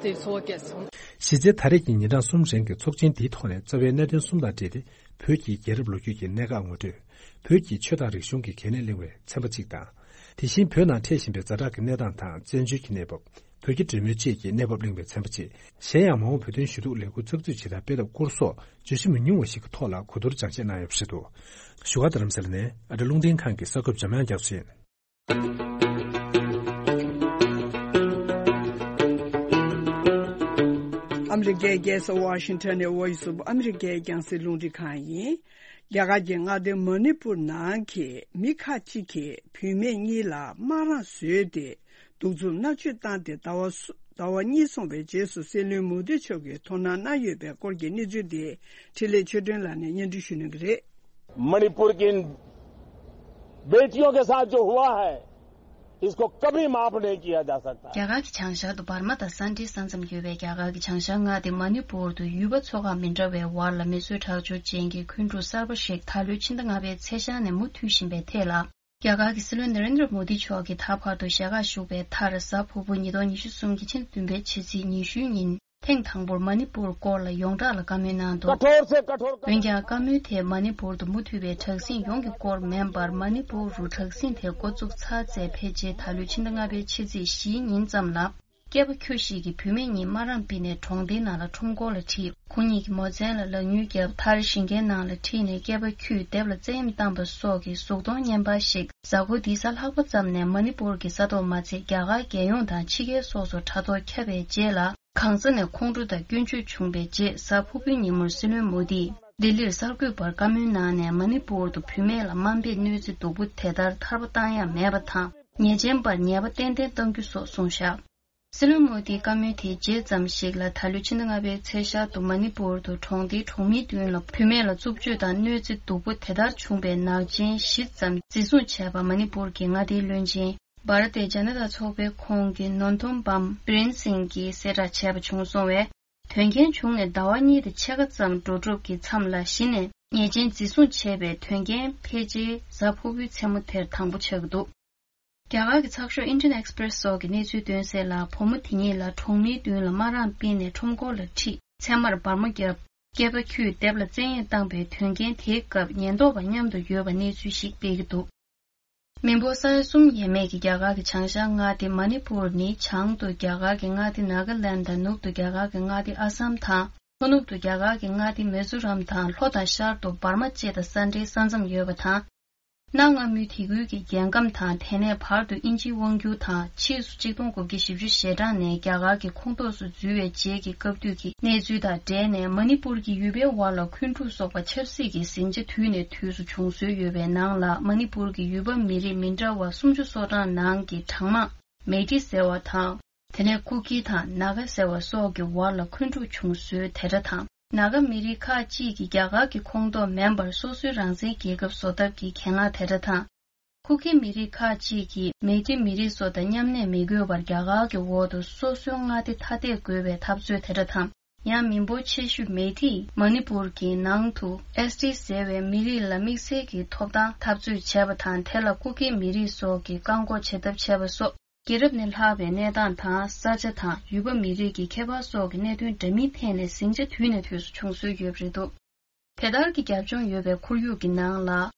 དེ་ཚོར་བ་སྐྱེས་སོང་། གཞི་རྩའི་ད་རེས་ཀྱི་ཉིན་གྲངས་གསུམ་རིང་གི་ཚོགས་ཆེན་འདིའི་ཐོག་ནས་རྩ་བའི་གནད་དོན་གསུམ་དང་འབྲེལ་ཏེ། བོད་ཀྱི་རྒྱལ་རབས་ལོ་རྒྱུས་ཀྱི་གནད་འགག་ངོ་སྤྲོད། བོད་ཀྱི་ཆོས་དང་རིག་གཞུང་གི་གལ་གནད་གླེང་བའི་ཚན་པ་གཅིག་དང་། དེ་བཞིན་བོད་ནང་འཕྲད་བཞིན་པའི་ཛ་དྲག་གི་གནས་སྟངས་དང་བཙན་བྱོལ་གྱི་གནས་བབ། བོད་ཀྱི་འབྲེལ་མོལ་བཅས་ཀྱི་གནས་བབ་གླེང་བའི་ཚན་པ་བཅས། གཞན་ཡང་མ་འོངས་བོད་དོན་ཞུ་གཏུག་ལས་འགུལ་ཚགས་ཚུད་བྱེད་ཐབས་སྤེལ་ཐབས་སྐོར་སོགས་བརྗོད་གཞི་མི་ཉུང་བ་ཞིག་གི་ཐོག་ལ་གོ་བསྡུར་སྦྱང་བཤད་གནང་ཡོད་པ་རེད་འདུག་བཞུགས་སྒར་རྡ་རམ་ས་ལ་ནས་ཨ་རི་རླུང་འཕྲིན་ཁང་གི་གསར་འགོད་པ་འཇམ་དབྱངས་རྒྱ་མཚོ་ཡིན། ཨ་མི་རི་ཀའི་རྒྱལ་ས་ཝ་ཤིང་ཊོན་ནས་ཝོ་ཡིས་ཨོཕ་ཨ་མི་རི་ཀའི་རྒྱང་སྲིང་རླུང་འཕྲིན་ཁང་ཡིན། རྒྱ་གར་གྱི་མངའ་སྡེ་མ་ནི་པུར་ནང་གི་མི་ཁག་ཅིག་གིས་བུད་མེད་གཉིས་ལ་དམག་རང་བཟོས་ཏེ། གདུག་རྩུབ་མནར་གཅོད་བཏང་སྟེ་ཟླ་བ་སུ་ཟླ་བ་གཉིས་སོང་བའི་རྗེས་སུ་སྲིད་བློན་མོ་དི་མཆོག་གིས་དོ་སྣང་གནང་ཡོད་པའི་སྐོར་གྱི་གནས་ཚུལ་དེ་འཕྲིན་ལས་ཆོས་སྒྲོན་ལགས་ནས་སྙན་སྒྲོན་ཞུ་གནང་གི་རེད། मणिपुर की इन बेटियों के साथ जो हुआ है, इसको कभी माफ नहीं किया जा सकता। རྒྱ་གར་གྱི་བྱང་ཤར་དུ་འབར་མ་དང་ས་འབྲེལ་ས་མཚམས་ཡོད་པའི་རྒྱ་གར་གྱི་བྱང་ཤར་མངའ་སྡེ་མ་ནི་པུར་དུ་ཡུལ་པ་ཚོ་ཁག་མི་འདྲ་བའི་བར་ལ་མི་གསོད་ཁྲག་སྦྱོར་ཅན་གྱི་འཁོན་འཁྲུག་གསར་པ་ཞིག་ད་ལོའི་ཕྱི་ཟླ་ལྔ་པའི་ཚེས་ཤར་ནས་མུ་མཐུད་བཞིན་པའི་ཐད་ལ། རྒྱ་གར་གྱི་སྲིད་བློན་ནེ་རེན་དྲ་མོ་དི་མཆོག་གིས་ད་བར་དུ་ཞལ་ཁ་ཞུགས་པའི་མཐར། གཟའ་ཕུར་བུ་ཉིས་སྟོང་ཉི་ཤུ་གསུམ་གྱི་ཕྱི་ཟླ་བདུན་པའི་ཕྱི་ཚེས་ཉི་ཤུའི་ཉིན་ཐེངས་དང་པོར་མ་ནི་པུར་སྐོར་ལ་ཡོངས་གྲགས་ལ་བཀའ་མོལ་གནང་འདུག་འོན་ཀྱང་བཀའ་མོལ་དེས་མ་ནི་པུར་དུ་མུ་མཐུད་པའི་དྲག་ཟིང་ཡོངས་ཀྱི་སྐོར་མིན་པར། མ་ནི་པུར་རུ་དྲག་ཟིང་དེ་འགོ་བཙུགས་ཚར་ཚེ་ཕལ་ཆེར་ད་ལོའི་ཕྱི་ཟླ་ལྔ་པའི་ཕྱི་ཚེས་བཞིའི་ཉིན་ཙམ་ལ། སྐྱེས་པ་ཁྱུ་ཞིག་གིས་བུད་མེད་གཉིས་དམག་རམ་ཕུད་ནས་གྲོང་སྡེའི་ནང་ལ་ཁྲོམ་སྐོར་ལ་ཁྲིད། ཁོ་གཉིས་ཀྱིས་མོ་ཚན་ལ་ལག་མྱུལ་བརྒྱབ། མཐར་ཞིང་ཁའི་ནང་ལ་ཁྲིད་ནས་སྐྱེས་པ་ཁྱུས་སྡེབ་ལ་བཙན་གཡེམ་བཏང་པ་སོགས་ཀྱི་གཟུགས་མཐོང་བརྙན་པར་ཞིག་གཟའ་འཁོར་འདིའི་གཟའ་ལྷག་པ་ཙམ་ནས་མ་ནི་པུར་གྱི་ས་ཐོག་མ་ཚད་རྒྱ་གར་རྒྱལ་ཡོངས་དང་ཕྱི་རྒྱལ་སོགས་སུ་དྲ་ཐོག་ཁྱབ་པའི་རྗེས་ལ། གང་ས་ནས་ཁོང་ཁྲོ་དང་སྐྱོན་བརྗོད་བྱུང་བའི་རྗེས། གཟའ་ཕུར་བུའི་ཉིན་མོར་སྲིད་བློན་མོ་དིས་ལྡི་ལིར་གསར་འགོད་པར་བཀའ་མོལ་གནང་ནས། མ་ནི་པུར་དུ་བུད་མེད་ལ་དམའ་འབེབས་གནོད་འཚེ་སྡུག་པོ་དེ་ལྟར་ཐར་པ་བཏང་ཡ་མེད་པ་དང་། ཉེས་ཅན་པར་ཉེས་པ་ཏན་ཏན་གཏང་རྒྱུ་སོགས་གསུངས་བཞག་སྲིད་བློན་མོ་དིའི་བཀའ་མོལ་དེའི་རྗེས་ཙམ་ཞིག་ལ། ད་ལོའི་ཕྱི་ཟླ་ལྔ་པའི་ཚེས་ཤར་དུ་མ་ནི་པུར་དུ་གྲོང་སྡེའི་གྲོང་མིའི་མདུན་ལ་བུད་མེད་ལ་རྩུབ་སྤྱོད་དང་གནོད་འཚེ་སྡུག་པོ་དེ་ལྟར་བྱུང་བའི་ནག་ཅན་བཞི་ཙམ་འཛིན་བཟུང་བྱས་པ། མ་ནི་པུར་གྱི་མངའ་སྡེའི་བློན་ཆེན་བྷ་ར་ཏི་ཇ་ན་ཏ་ཚོགས་པའི་ཁོངས་ཀྱི་ནོན་ཐོམ་བམ་བི་རེན་སིང་གིས་གསལ་བསྒྲགས་བྱས་པ་བྱུང་སོང་བས། དོན་རྐྱེན་བྱུང་ནས་ཟླ་བ་གཉིས་དང་ཕྱེད་ཀ་ཙམ་འགྲོ་གྲབས་ཀྱི་མཚམས་ལ་གཞི་ནས་ཉེས་ཅན་འཛིན་བཟུང་བྱས་པའི་དོན་རྐྱེན་ཕལ་ཆེར་གཟའ་ཕུར་བུའི་མཚན་མོ་དེར་དང་པོ་ཆགས་ཀྱི་འདུག་རྒྱ་གར་གྱི་ཚགས་ཤོག་ཨིན་ཌི་ཡན་ཨེགས་པི་རེ་སི་སོགས་ཀྱིས་གནས་ཚུལ་བཏོན་གསལ་ལ། བུ་མོ་དེ་གཉིས་ལ་གྲོང་མིའི་མདུན་ལ་དམག་རམ་སྤེལ་ནས་ཁྲོམ་སྐོར་ལ་ཁྲིད། མཚན་མར་སྦར་མོ་བརྒྱབ། སྐྱེས་པ་ཁྱུས་སྡེབ་ལ་བཙན་གཡེམ་བཏང་པའི་དོན་རྐྱེན་དེའི་སྐབས་ཉེན་རྟོག་པ་མཉམ་དུ་ཡོད་པ་གནས་ཚུལ་ཞིག་སྤེལ་གྱི་འདུག་མི་འབོར་ས་ཡ་གསུམ་ཡས་མས་ཀྱི་རྒྱ་གར་གྱི་བྱང་ཤར་མངའ་སྡེ་མ་ནི་པུར་ནི་བྱང་དུ་རྒྱ་གར་གྱི་མངའ་སྡེ་ནཱ་ག་ལན་དང་། ནུབ་ཏུ་རྒྱ་གར་གྱི་མངའ་སྡེ་ཨ་སམ་དང་། ལྷོ་ནུབ་ཏུ་རྒྱ་གར་གྱི་མངའ་སྡེ་མི་ཛོ་རམ་དང་། ལྷོ་དང་ཤར་དུ་འབར་མ་བཅས་དང་ས་འབྲེལ་ས་མཚམས་ཡོད་པ་དང་། གནའ་སྔ་མོའི་དེ་ཁུལ་གྱི་རྒྱལ་ཁམས་དང་། དེ་ནས་བར་དུ་དབྱིན་ཇིའི་དབང་སྒྱུར་དང་། ཕྱིས་སུ་གཅིག་སྟོང་དགུ་བརྒྱ་བཞི་བཅུ་ཞེ་གྲངས་ནས་རྒྱ་གར་གྱི་ཁོངས་གཏོགས་སུ་འཛུལ་བའི་རྗེས་ཀྱི་སྐབས་དུས་ཀྱི་གནས་ཚུལ་དང་འབྲེལ་ནས། མ་ནི་པུར་གྱི་ཡུལ་པའི་དབར་ལ་འཁོན་འཁྲུག་སོགས་པ་ཆབ་སྲིད་ཀྱི་ཟིང་ཆ་དུས་ནས་དུས་སུ་བྱུང་སྲོལ་ཡོད་པའི་ནང་ལ། མ་ནི་པུར་གྱི་ཡུལ་པ་མི་རིགས་མི་འདྲ་བ་སུམ་ཅུ་སོ་གྲངས་ནང་གི་གྲངས་མང་མེ་ཏི་ཟེར་བ་དང་། དེ་ནས་ཀུ་ཀི་དང་ནཱ་ག་ཟེར་བ་སོགས་ཀྱི་བར་ལ་འཁོན་འཁྲུག་བྱུང་སྲོལ་དེ་འདྲ་དང་། ནཱ་ག་མི་རིགས་ཁག་ཅིག་གིས་རྒྱ་གར་གྱི་ཁོངས་གཏོགས་མིན་པར་སོ་སོའི་རང་བཙན་རྒྱལ་ཁབ་བཟོ་ཐབས་ཀྱི་གྱེན་ལངས་དེ་འདྲ་དང་། ཀུ་ཀི་མི་རིགས་ཁག་ཅིག་གིས་མེ་ཏི་མི་རིགས་ཚོ་དང་མཉམ་གནས་མི་དགོས་པར་རྒྱ་གར་གྱི་འོག་ཏུ་སོ་སོའི་མངའ་སྡེ་ཐ་དད་དགོས་པའི་འཐབ་རྩོད་དེ་འདྲ་དང་། ཡང་མི་འབོར་ཆེ་ཤོས་མེ་ཏིས་མ་ནི་པུར་གྱི་ནང་དུ་ཨེས་ཏི་ཟེར་བའི་མི་རིགས་ལ་དམིགས་བསལ་གྱི་ཐོབ་ཐང་འཐབ་རྩོད་བྱས་པ་དང་། དེ་ལ་ཀུ་ཀི་མི་རིགས་སོགས་ཀྱིས་བཀག་འགོག་བྱེད་ཐབས་བྱས་པ་སོགས། རྒྱལ་རབས་ནས་ལྷག་པའི་གནས་སྟངས་དང་། ས་ཆ་དང་། ཡུལ་པ་མི་རིགས་ཀྱི་ཁྱད་པར་སོགས་ཀྱི་གནད་དོན་འདྲ་མིན་ཐད་ནས་ཟིང་ཆ་དུས་ནས་དུས་སུ་བྱུང་སྲོལ་ཡོད་པ་རེད་འདུག་དེ་ལྟར་གྱི་རྒྱབ་ལྗོངས་ཡོད་པའི་ཁོར་ཡུག་གི་ནང་ལ།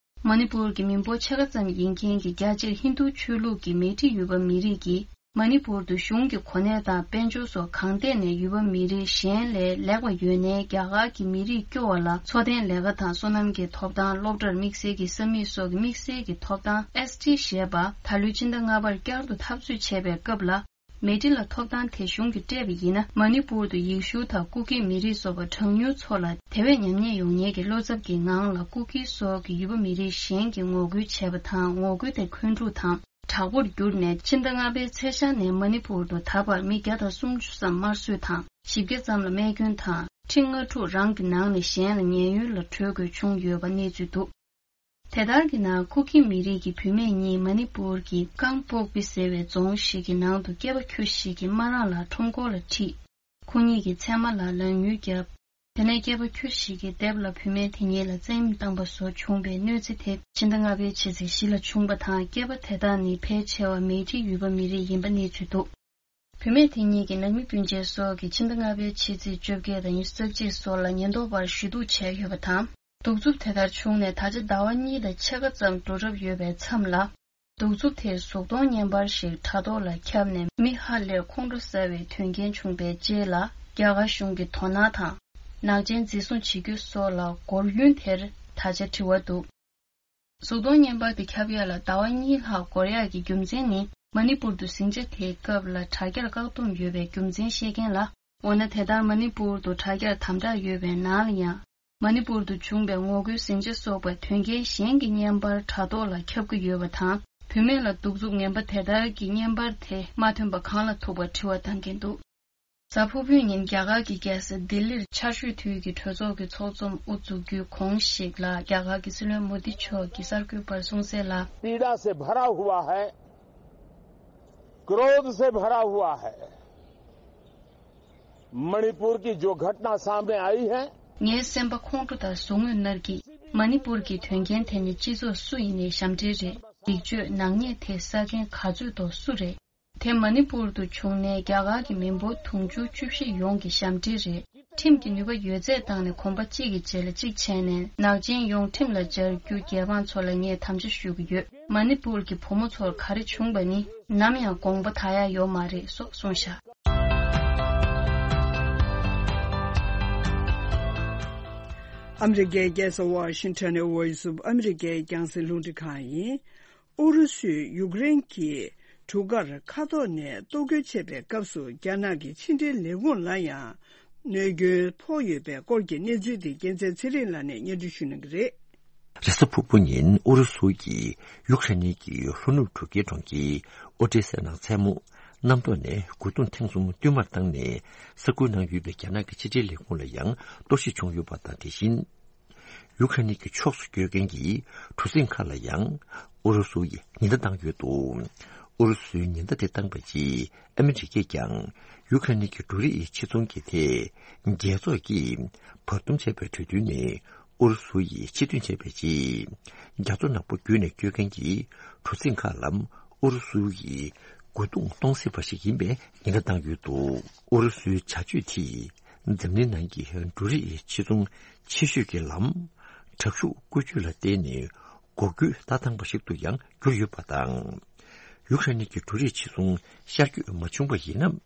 མ་ནི་པུར་གྱི་མི་འབོར་ཕྱེད་ཀ་ཙམ་ཡིན་མཁན་གྱི་རྒྱ་ཆེར་ཧིན་རྡུ་ཆོས་ལུགས་ཀྱི་མེ་ཏི་ཡུལ་པ་མི་རིགས་ཀྱིས། མ་ནི་པུར་དུ་གཞུང་གི་གོ་གནས་དང་དཔལ་འབྱོར་སོགས་གང་ཐད་ནས་ཡུལ་པ་མི་རིགས་གཞན་ལས་ལེགས་པ་ཡོད་ནའི། རྒྱ་གར་གྱི་མི་རིགས་སྐྱོ་བ་ལ་འཚོ་རྟེན་ལས་ཀ་དང་། སོ་ནམ་གྱི་ཐོབ་ཐང་། སློབ་གྲྭར་དམིགས་བསལ་གྱི་ས་མིག་སོགས་ཀྱི་དམིགས་བསལ་གྱི་ཐོབ་ཐང་། ཨེས་ཊི་ཞེས་པ། ད་ལོའི་ཕྱི་ཟླ་ལྔ་པར་བསྐྱར་དུ་འཐབ་རྩོད་བྱས་པའི་སྐབས་ལ། མེ་ཏི་ལ་ཐོབ་ཐང་དེ་གཞུང་གིས་སྤྲད་པ་ཡིན་ན། མ་ནི་པུར་དུ་ཡེ་ཤུ་དང་ཀུ་ཀི་མི་རིགས་སོགས་པ་གྲངས་ཉུང་ཚོ་ལ་དེ་བས་ཉམས་ཉེས་ཡོང་ཉེན་གྱི་བློ་འཚབ་ཀྱི་ངང་ལ། ཀུ་ཀི་སོགས་ཀྱི་ཡུལ་པ་མི་རིགས་གཞན་གྱིས་ངོ་རྒོལ་བྱས་པ་དང་། ངོ་རྒོལ་དེ་འཁོན་འཁྲུག་དང་དྲག་པོར་གྱུར་ནས། ཕྱི་ཟླ་ལྔ་པའི་ཚེས་ཤར་ནས་མ་ནི་པུར་དུ་ད་བར་མི་བརྒྱ་དང་སུམ་ཅུ་ཙམ་དམར་གསོད་དང་། བཞི་བརྒྱ་ཙམ་ལ་རྨས་སྐྱོན་དང་། ཁྲི་ལྔ་དྲུག་རང་གི་ནང་ནས་གཞན་ལ་ཉེན་གཡོལ་ལ་བྲོས་དགོས་བྱུང་ཡོད་པ་གནས་ཚུལ་འདུག་དེ་ལྟར་གྱི་ནང་། ཀུ་ཀི་མི་རིགས་ཀྱི་བུད་མེད་གཉིས་མ་ནི་པུར་གྱི་ཀང་པོག་པི་ཟེར་བའི་རྫོང་ཞིག་གི་ནང་དུ་སྐྱེས་པ་ཁྱུ་ཞིག་གིས་མ་རང་ལ་ཁྲོམ་སྐོར་ལ་ཁྲིད། ཁོ་གཉིས་ཀྱི་ཚེར་མ་ལ་ལག་གཉུལ་བརྒྱབ། དེ་ནས་སྐྱེས་པ་ཁྱུ་ཞིག་གིས་དེབ་ལ་བུད་མེད་དེ་གཉིས་ལ་བཙན་གཡེམ་བཏང་པ་བཟོ་བྱུང་བའི་གནོད་འཚེ་དེ་ཕྱི་ཟླ་ལྔ་པའི་ཕྱི་ཚེས་བཞི་ལ་བྱུང་བ་དང་། སྐྱེས་པ་དེ་དག་ནི་ཕལ་ཆེ་བ་མེ་ཏི་ཡུལ་པ་མི་རིགས་ཡིན་པ་གནས་ཚུལ་འདུག་བུད་མེད་དེ་གཉིས་ཀྱི་ནང་མི་སྤུན་མཆེད་སོགས་ཀྱིས་ཕྱི་ཟླ་ལྔ་པའི་ཕྱི་ཚེས་བཅོ་བརྒྱད་དང་ཉི་ཤུ་རྩ་གཅིག་སོགས་ལ་ཉེན་རྟོག་པར་ཞུ་གཏུག་བྱས་ཡོད་པ་དང་། གདུག་རྩུབ་དེ་ལྟར་བྱུང་ནས་ད་ཆ་ཟླ་བ་གཉིས་དང་ཕྱེད་ཀ་ཙམ་འགྲོ་གྲབས་ཡོད་པའི་མཚམས་ལ། གདུག་རྩུབ་དེས་གཟུགས་མཐོང་བརྙན་པར་ཞིག་དྲ་ཐོག་ལ་ཁྱབ་ནས་མི་ཧ་ལས་ཁོང་ཁྲོ་ཟ་བའི་དོན་རྐྱེན་བྱུང་པའི་རྗེས་ལ། རྒྱ་གར་གཞུང་གིས་དོ་སྣང་དང་། ནག་ཅན་འཛིན་བཟུང་བྱེད་རྒྱུ་སོགས་ལ་རྒོལ་ཡུན་དེར་ད་ཆ་དྲི་བ་འདུག་གཟུགས་མཐོང་བརྙན་པར་དེ་ཁྱབ་ཡ་ལ་ཟླ་བ་གཉིས་ལྷག་འགོར་ཡག་གི་རྒྱུ་མཚན་ནི། མ་ནི་པུར་དུ་ཟིང་ཆ་དེའི་སྐབས་ལ་དྲ་རྒྱར་བཀག་སྡོམ་ཡོད་པའི་རྒྱུ་མཚན་བཤད་མཁན་ལ། འོ་ན་དེ་ལྟར་མ་ནི་པུར་དུ་དྲ་རྒྱར་དམ་དྲག་ཡོད་པའི་ནང་ལ་ཡང་། མ་ནི་པུར་དུ་བྱུང་བའི་ངོ་རྒོལ་ཟིང་ཆ་སོགས་པ་དོན་རྐྱེན་གཞན་གྱི་བརྙན་པར་དྲ་ཐོག་ལ་ཁྱབ་ཀྱི་ཡོད་པ་དང་། བུད་མེད་ལ་གདུག་རྩུབ་ངན་པ་དེ་ལྟར་གྱི་བརྙན་པར་དེ་མ་ཐོན་པ་གང་ལ་ཐུག་པར་དྲི་བ་བཏང་གིན་འདུག་གཟའ་ཕུར་བུའི་ཉིན་རྒྱ་གར་གྱི་རྒྱལ་ས་ལྡི་ལིར་ཆར་ཞོད་དུས་ཀྱི་གྲོས་ཚོགས་ཀྱི་ཚོགས་འཛོམས་དབུ་འཛུགས་རྒྱུའི་གོང་ཞིག་ལ་རྒྱ་གར་གྱི་སྲིད་བློན་མོ་དི་མཆོག་གིས་གསར་འགོད་པར་གསུངས་གསལ་ལ། पीड़ा से भरा हुआ है, क्रोध से भरा हुआ है। मणिपुर की जो घटना सामने आई है, ངའི་སེམས་པ་ཁོང་ཁྲོ་དང་ཟུག་རྔུས་མནར་གྱིས། མ་ནི་པུར་གྱི་དོན་རྐྱེན་དེ་ནི་སྤྱི་ཚོགས་སུ་ཡིན་ནའི་ཞབས་འདྲེན་རེད། སྡིག་སྤྱོད་ནག་ཉེས་དེ་བསགས་མཁན་ག་ཚོད་དོ་སུ་རེད། དེ་མ་ནི་པུར་དུ་བྱུང་ནའི་རྒྱ་གར་གྱི་མི་འབོར་དུང་ཕྱུར་བཅུ་བཞི་ཡོངས་ཀྱི་ཞབས་འདྲེན་རེད། ཁྲིམས་ཀྱི་ནུས་པ་ཡོད་ཚད་བཏང་ནས་གོམ་པ་གཅིག་གི་རྗེས་ལ་གཅིག་བྱས་ནས་ནག་ཅན་ཡོངས་ཁྲིམས་ལ་སྦྱར་རྒྱུ་རྒྱལ་འབངས་ཚོ་ལ་ངས་དམ་བཅའ་ཞུ་གི་ཡོད། མ་ནི་པུར་གྱི་བུ་མོ་ཚོར་ག་རེ་བྱུང་བ་ནི་ནམ་ཡང་དགོངས་པ་དག་ཡ་ཡོད་མ་རེད་སོགས་གསུངས་བཞག་ཨ་མི་རི་ཀའི་རྒྱལ་ས་ཝ་ཤིང་ཊོན་ནས་Voice of America་རྒྱང་སྲིང་རླུང་འཕྲིན་ཁང་ཡིན། ཨུ་རུ་སུས་ཡུཀ་རེན་གྱི་གྲུ་ཁར་མཁའ་ཐོག་ནས་གཏོར་རྒོལ་བྱས་པའི་སྐབས་སུ་རྒྱ་ནག་གི་ཕྱི་འབྲེལ་ལས་ཁུངས་ལ་ཡང་གནོད་སྐྱོན་ཕོག་ཡོད་པའི་སྐོར་གྱི་གནས་ཚུལ་དེ་རྒྱལ་མཚན་ཚེ་རིང་ལགས་ནས་སྙན་སྒྲོན་ཞུ་གནང་གི་རེད། རེས་གཟའ་ཕུར་བུ་ཉིན་ཨུ་རུ་སུ་ཡིས་ཡུཀ་རེན་གྱི་ལྷོ་ནུབ་འབྲུག་རྒྱལ་གྲོང་ཁྱེར་ཨོ་ཏེ་སའི་ནང་མཚན་མོ་གནམ་ཐོག་ནས་རྒོལ་རྡུང་ཐེངས་གསུམ་བསྟུད་མར་བཏང་ནས་ས་ཁུལ་ནང་ཡོད་པའི་རྒྱ་ནག་གི་ཕྱི་འབྲེལ་ལས་ཁུངས་ལ་ཡང་གཏོར་བཤིག་བྱུང་ཡོད་པ་དང་། དེ་བཞིན། ཡུཀ་རེན་གྱི་ཕྱོགས་སུ་སྐྱོད་མཁན་གྱི་གྲུ་གཟིངས་ཁག་ལ་ཡང་ཨུ་རུ་སུ་ཡིས་ཉེན་བརྡ་བཏང་ཡོད་འདུག་ཨུ་རུ་སུའི་ཉེན་བརྡ་དེ་བཏང་བའི་རྗེས་ཨ་མི་རི་ཀས་ཀྱང་ཡུཀ་རེན་གྱི་འབྲུ་རིགས་ཕྱིར་ཚོང་གི་ཐད་རྒྱལ་ཚོགས་ཀྱིས་བར་འདུམ་བྱས་པའི་གྲོས་མཐུན་ནས་ཨུ་རུ་སུ་ཡིས་ཕྱིར་འདོན་བྱས་པའི་རྗེས། རྒྱ་མཚོ་ནག་པོ་བརྒྱུད་ནས་སྐྱོད་མཁན་གྱི་གྲུ་གཟིངས་ཁག་ལ་ཨུ་རུ་སུ་ཡིས་རྒོལ་རྡུང་གཏོང་སྲིད་པ་ཞིག་ཡིན་པའི་ཉེན་བརྡ་བཏང་ཡོད་འདུག་ཨུ་རུ་སུའི་བྱ་སྤྱོད་དེས་འཛམ་གླིང་ནང་གི་འབྲུ་རིགས་ཕྱིར་ཚོང་ཆེ་ཤོས་ཀྱི་ལམ། དྲག་ཤུགས་བཀོལ་སྤྱོད་ལ་བརྟེན་ནས་འགོག་རྒོལ་ལྟ་སྟངས་པ་ཞིག་ཏུ་ཡང་གྱུར་ཡོད་པ་དང་། ཡུཀ་རེན་གྱི་འབྲུ་རིགས་ཕྱིར་ཚོང་ཤར་བསྐྱོད་མ་བྱུང་བ་ཡིན་ན།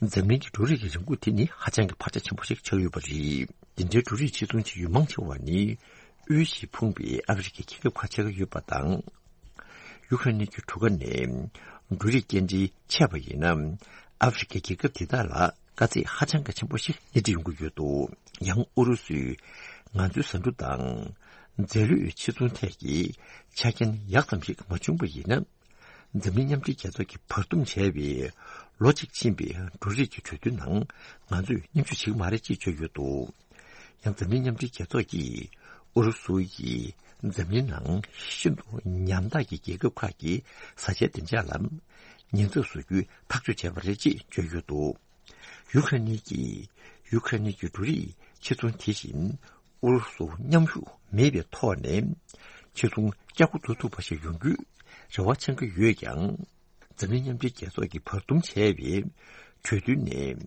འཛམ་གླིང་གི་འབྲུ་རིགས་ཀྱི་རིན་གོང་དེ་ནི་ཧ་ཅང་གི་འཕར་ཆ་ཆེན་པོ་ཞིག་ཆགས་ཡོད་པ་རེད། འདི་འདྲའི་འབྲུ་རིགས་ཕྱིར་ཚོང་བྱེད་ཡུལ་མང་ཆེ་བ་ནི་དབུལ་ཞིང་ཕོངས་པའི་ཨ་ཧྥེ་རི་ཁའི་རྒྱལ་ཁབ་ཁག་ཆགས་ཀྱི་ཡོད་པ་དང་། ཡུཀ་རེན་གྱི་གྲུ་ཁ་ནས་འབྲུ་རིགས་སྐྱེལ་འདྲེན་བྱས་པ་ཡིན་ན། ཨ་ཧྥེ་རི་ཁའི་རྒྱལ་ཁབ་དེ་དག་ལ་དཀའ་ཚེགས་ཧ་ཅང་གི་ཆེན་པོ་ཞིག་སྣེ་ཁྲིད་ཡོང་གི་ཡོད་འདུག་ཡང་ཨུ་རུ་སུས་ང་ཚོའི་ཟ་འབྲུ་དང་རྫས་ལུད་ཕྱིར་ཚོང་ཐད་ཀྱི་ཆ་རྐྱེན་ཡག་ཙམ་ཞིག་མ་བྱུང་བ་ཡིན་ན། འཛམ་གླིང་མཉམ་འབྲེལ་རྒྱལ་ཚོགས་ཀྱིས་བར་འདུམ་བྱས་པའི་ལོ་གཅིག་ཕྱིན་པའི་འབྲུ་རིགས་ཀྱི་གྲོས་མཐུན་ནང་ང་ཚོས་མཉམ་ཞུགས་བྱེད་ཀྱི་མ་རེད་ཅེས་བརྗོད་ཡོད་འདུག་ཡང་འཛམ་གླིང་མཉམ་འབྲེལ་རྒྱལ་ཚོགས་ཀྱིས་ཨུ་རུ་སུ་ཡིས་འཛམ་གླིང་ནང་ཤིན་ཏུ་ཉམ་ཐག་གི་རྒྱལ་ཁབ་ཁག་གི་བཟའ་བཅའི་བདེ་འཇགས་ལ་ཉེན་ཚབས་བཟོ་རྒྱུའི་ཐག་གཅོད་བྱས་པ་རེད་ཅེས་བརྗོད་ཡོད་འདུག་ཡུཀ་རེན་གྱིས་ཡུཀ་རེན་གྱི་འབྲུ་རིགས་ཕྱིར་ཚོང་དེ་བཞིན་ཨུ་རུ་སུ་མཉམ་ཞུགས་མེད་པའི་ཐོག་ནས་ཕྱིར་ཚོང་བསྐྱར་འགོ་འཛུགས་ཐུབ་པ་ཞིག་ཡོང་རྒྱུའི་རེ་བ་འཆང་གི་ཡོད་ཀྱང་། འཛམ་གླིང་མཉམ་འབྲེལ་རྒྱལ་ཚོགས་ཀྱིས་བར་འདུམ་བྱས་པའི་གྲོས་མཐུན་ནས་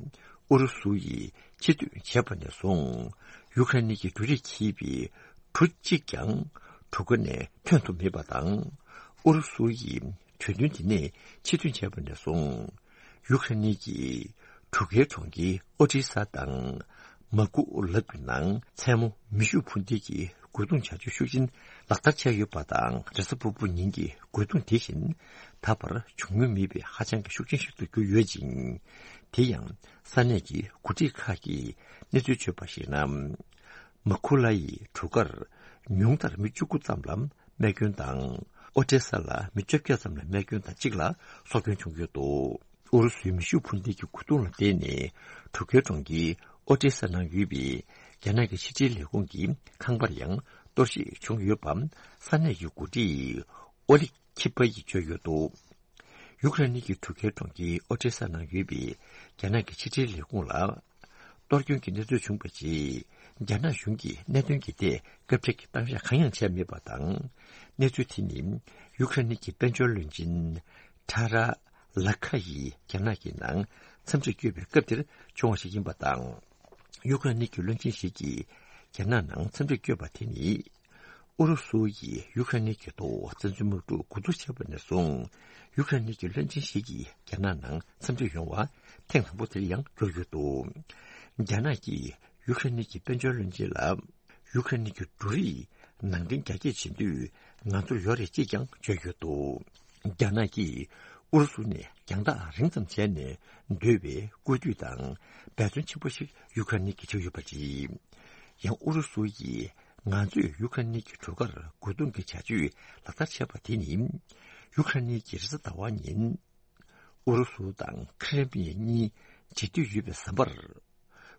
ཨུ་རུ་སུ་ཡིས་ཕྱིར་འཐེན་བྱས་པ་ནས་བཟུང་ཡུ་ཁ་ནི་གི་འབྲུ་རིགས་འཁྱེར་བའི་གྲུ་གཅིག་ཀྱང་གྲུ་ཁ་ནས་ཐོན་ཐུབ་མེད་པ་དང་། ཨུ་རུ་སུ་ཡིས་གྲོས་མཐུན་དེ་ནས་ཕྱིར་འཐེན་བྱས་པ་ནས་བཟུང་ཡུ་ཁ་ནི་གི་གྲུ་ཁའི་གྲོང་ཁྱེར་ཨོ་ཏི་ས་དང་། མ་ཀུ་ལབ་ཀྱི་ནང་མཚན་མོ་མེ་ཤུགས་འཕུར་མདེལ་གྱི་རྒོལ་རྡུང་བྱ་སྤྱོད་ཤུགས་ཆེན་ལག་བསྟར་བྱས་ཡོད་པ་དང་། རེས་གཟའ་ཕུར་བུ་ཉིན་གྱི་རྒོལ་རྡུང་དེ་བཞིན་ད་བར་བྱུང་མྱོང་མེད་པའི་ཧ་ཅང་གི་ཤུགས་ཆེན་ཞིག་ཏུ་གྱུར་ཡོད་ཅིང་། དེ་ཡང་ས་གནས་ཀྱི་འགོ་ཁྲིད་ཁག་གིས་གནས་ཚུལ་བརྗོད་པར་གཞིགས་ན། མ་ཁུ་ལ་ཡི་གྲུ་ཁར་ཉུང་མཐར་མི་བཅུ་དགུ་ཙམ་ལ་རྨས་སྐྱོན་དང་། ཨོ་ཏེ་ས་ལ་མི་བཅོ་བརྒྱད་ཙམ་ལ་རྨས་སྐྱོན་དང་གཅིག་ལ་སྲོག་སྐྱོན་བྱུང་ཡོད་འདུག་ཨུ་རུ་སུའི་མེ་ཤུགས་འཕུར་མདེལ་གྱི་རྒོལ་རྡུང་ལ་བརྟེན་ནས་གྲུ་ཁའི་གྲོང་ཁྱེར་ཨོ་ཏེ་ས་ནང་ཡོད་པའི་རྒྱ་ནག་གི་ཕྱི་འབྲེལ་ལས་ཁུངས་ཀྱི་ཁང་པར་ཡང་གཏོར་བཤིག་བྱུང་ཡོད་པ་ས་གནས་ཀྱི་འགོ་ཁྲིད་ཨོ་ལི་ཁི་པ་ཡིས་བརྗོད་ཡོད་འདུག་ཡུ་ཁ་རེན་གྱི་གྲུ་ཁའི་གྲོང་ཁྱེར་ཨོ་ཏེ་ས་ནང་ཡོད་པའི་རྒྱ་ནག་གི་ཕྱི་འབྲེལ་ལས་ཁུངས་ལ། གཏོར་སྐྱོན་གྱི་གནས་ཚུལ་བྱུང་བ་རྗེས། རྒྱ་ནག་གཞུང་གིས་གནད་དོན་གྱི་ཐད་སྐད་ཆ་གི་གཏམ་བཤད་གང་ཡང་བྱས་མེད་པ་དང་། གནས་ཚུལ་དེ་ནི་ཡུ་ཁ་རེན་གྱི་དཔལ་འབྱོར་བློན་ཆེན་ཁྲ་ར་ལ་ཁ་ཡིས་རྒྱ་ནག་གི་ནང་འཚམས་འདྲིར་བསྐྱོད་པའི་སྐབས་དེར་བྱུང་བ་ཞིག་ཡིན་པ་དང་། ཡུ་ཁ་རེན་གྱི་བློན་ཆེན་ཞིག་གིས་རྒྱ་ནག་ནང་འཚམས་འདྲིར་བསྐྱོད་པ་དེ་ནི། ཨུ་རུ་སུ་ཡིས་ཡུ་ཁ་རེན་གྱི་ཐོག་བཙན་འཛུལ་དམག་འཁྲུག་འགོ་འཛུགས་བྱས་པ་ནས་བཟུང་། ཡུ་ཁ་རེན་གྱི་བློན་ཆེན་ཞིག་གིས་རྒྱ་ནག་ནང་འཚམས་འདྲིར་ཡོང་བ་ཐེངས་དང་པོ་དེར་ཡང་གྱུར་ཡོད་འདུག་རྒྱ་ནག་གིས་ཡུ་ཁ་རེན་གྱི་དཔལ་འབྱོར་བློན་ཆེན་ལ། ཡུ་ཁ་རེན་གྱི་འབྲུ་རིགས་ནང་འདྲེན་རྒྱ་སྐྱེད་བྱེད་འདོད་ང་ཚོར་ཡོད་རེད་ཅེས་ཀྱང་བརྗོད་ཡོད་འདུག་རྒྱ་ནག་གིས་ཨུ་རུ་སུ་ནས་རྒྱང་ཐག་རིང་ཙམ་བྱས་ནས་སྡོད་པའི་སྐུལ་འདེད་དང་འབད་བརྩོན་ཆེན་པོ་ཞིག་ཡུ་ཁ་རེན་གྱིས་བྱས་ཡོད་པ་རེད། ཡང་ཨུ་རུ་སུ་ཡིས་ང་ཚོས་ཡུ་ཁ་རེན་གྱི་གྲུ་ཁར་རྒོལ་རྡུང་གི་བྱ་སྤྱོད་ལག་བསྟར་བྱས་པ་དེ་ནི། ཡུ་ཁ་རེན་གྱིས་རེས་གཟའ་ཟླ་བ་ཉིན། ཨུ་རུ་སུ་དང་ཁི་རེ་མི་ཡ་གཉིས་འབྱེད་འདོད་ཡོད་པའི་ཟམ་པར།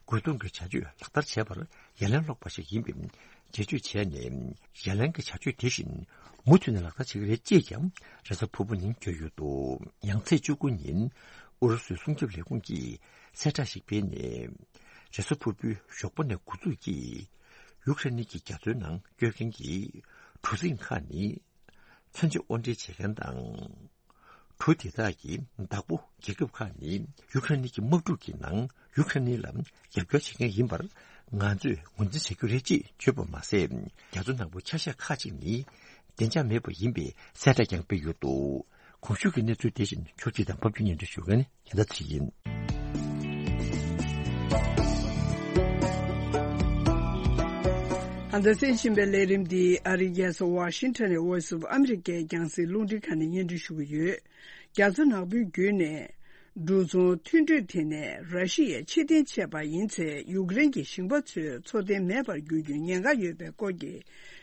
རྒོལ་རྡུང་གི་བྱ་སྤྱོད་ལག་བསྟར་བྱས་པར་ཡ་ལན་སློག་པ་ཞིག་ཡིན་པའི་འགྲེལ་བརྗོད་བྱས་ནས། ཡ་ལན་གྱི་བྱ་སྤྱོད་དེ་བཞིན་མུ་མཐུད་ནས་ལག་བསྟར་བྱེད་ཀྱི་རེད་ཅེས་ཀྱང་རེས་གཟའ་ཕུར་བུ་ཉིན་བརྗོད་ཡོད་འདུག་ཡང་ཚེས་བཅུ་དགུ་ཉིན་ཨུ་རུ་སུའི་སྲུང་སྐྱོབ་ལས་ཁུངས་ཀྱིས་གསལ་བསྒྲགས་ཤིག་སྤེལ་ནས། རེས་གཟའ་ཕུར་བུའི་ཞོགས་པ་ནས་འགོ་འཛུགས་ཀྱིས་ཡུ་ཁ་རེན་གྱི་རྒྱ་མཚོའི་ནང་སྐྱོད་མཁན་གྱི་གྲུ་གཟིངས་ཁག་ནི། མཚོན་ཆ་དབོར་འདྲེན་བྱེད་མཁན་དང་། གྲུ་དེ་དག་གི་བདག་པོ་རྒྱལ་ཁབ་ཁག་ནི་ཡུ་ཁ་རེན་གྱི་དམག་འཁྲུག་གི་ནང་ཡུ་ཁ་རེན་ལ་རྒྱབ་སྐྱོར་བྱེད་མཁན་ཡིན་པར་ང་ཚོས་ངོས་འཛིན་བྱ་རྒྱུ་རེད་ཅེས་བརྗོད་པ་མ་ཟད། རྒྱ་མཚོ་ནག་པོའི་ཆ་ཤས་ཁག་ཅིག་ནི་བདེ་འཇགས་མེད་པ་ཡིན་པའི་གསལ་བསྒྲགས་ཀྱང་སྤེལ་ཡོད་འདུག་གོང་ཞུས་ཀྱི་གནས་ཚུལ་དེ་བཞིན་ཕྱོགས་སྒྲིག་དང་ཕབ་སྒྱུར་སྙན་སྒྲོན་ཞུ་མཁན་ནི་རྒྱལ་མཚན་ཚེ་རིང་ཡིན། ད་ལྟ་གསན་བཞིན་པའི་ལས་རིམ་འདི་ཨ་རིའི་རྒྱལ་ས་ཝ་ཤིང་ཊོན་ནས་Voice of America རྒྱང་སྲིང་རླུང་འཕྲིན་ཁང་ནས་སྙན་སྒྲོན་ཞུ་གི་ཡོད། རྒྱ་མཚོ་ནག་པོའི་བརྒྱུད་ནས་འབྲུ་ཚོང་མཐུན་གྲོས་དེ་ནས་ར་ཤི་ཡས་ཕྱིར་འཐེན་བྱས་པ་ཡིན་ཚེ། ཡུཀ་རེན་གྱི་ཞིང་པ་ཚོའི་འཚོ་རྟེན་མེད་པར་འགྱུར་རྒྱུའི་ཉེན་ཁ་ཡོད་པའི་སྐོར་གྱི་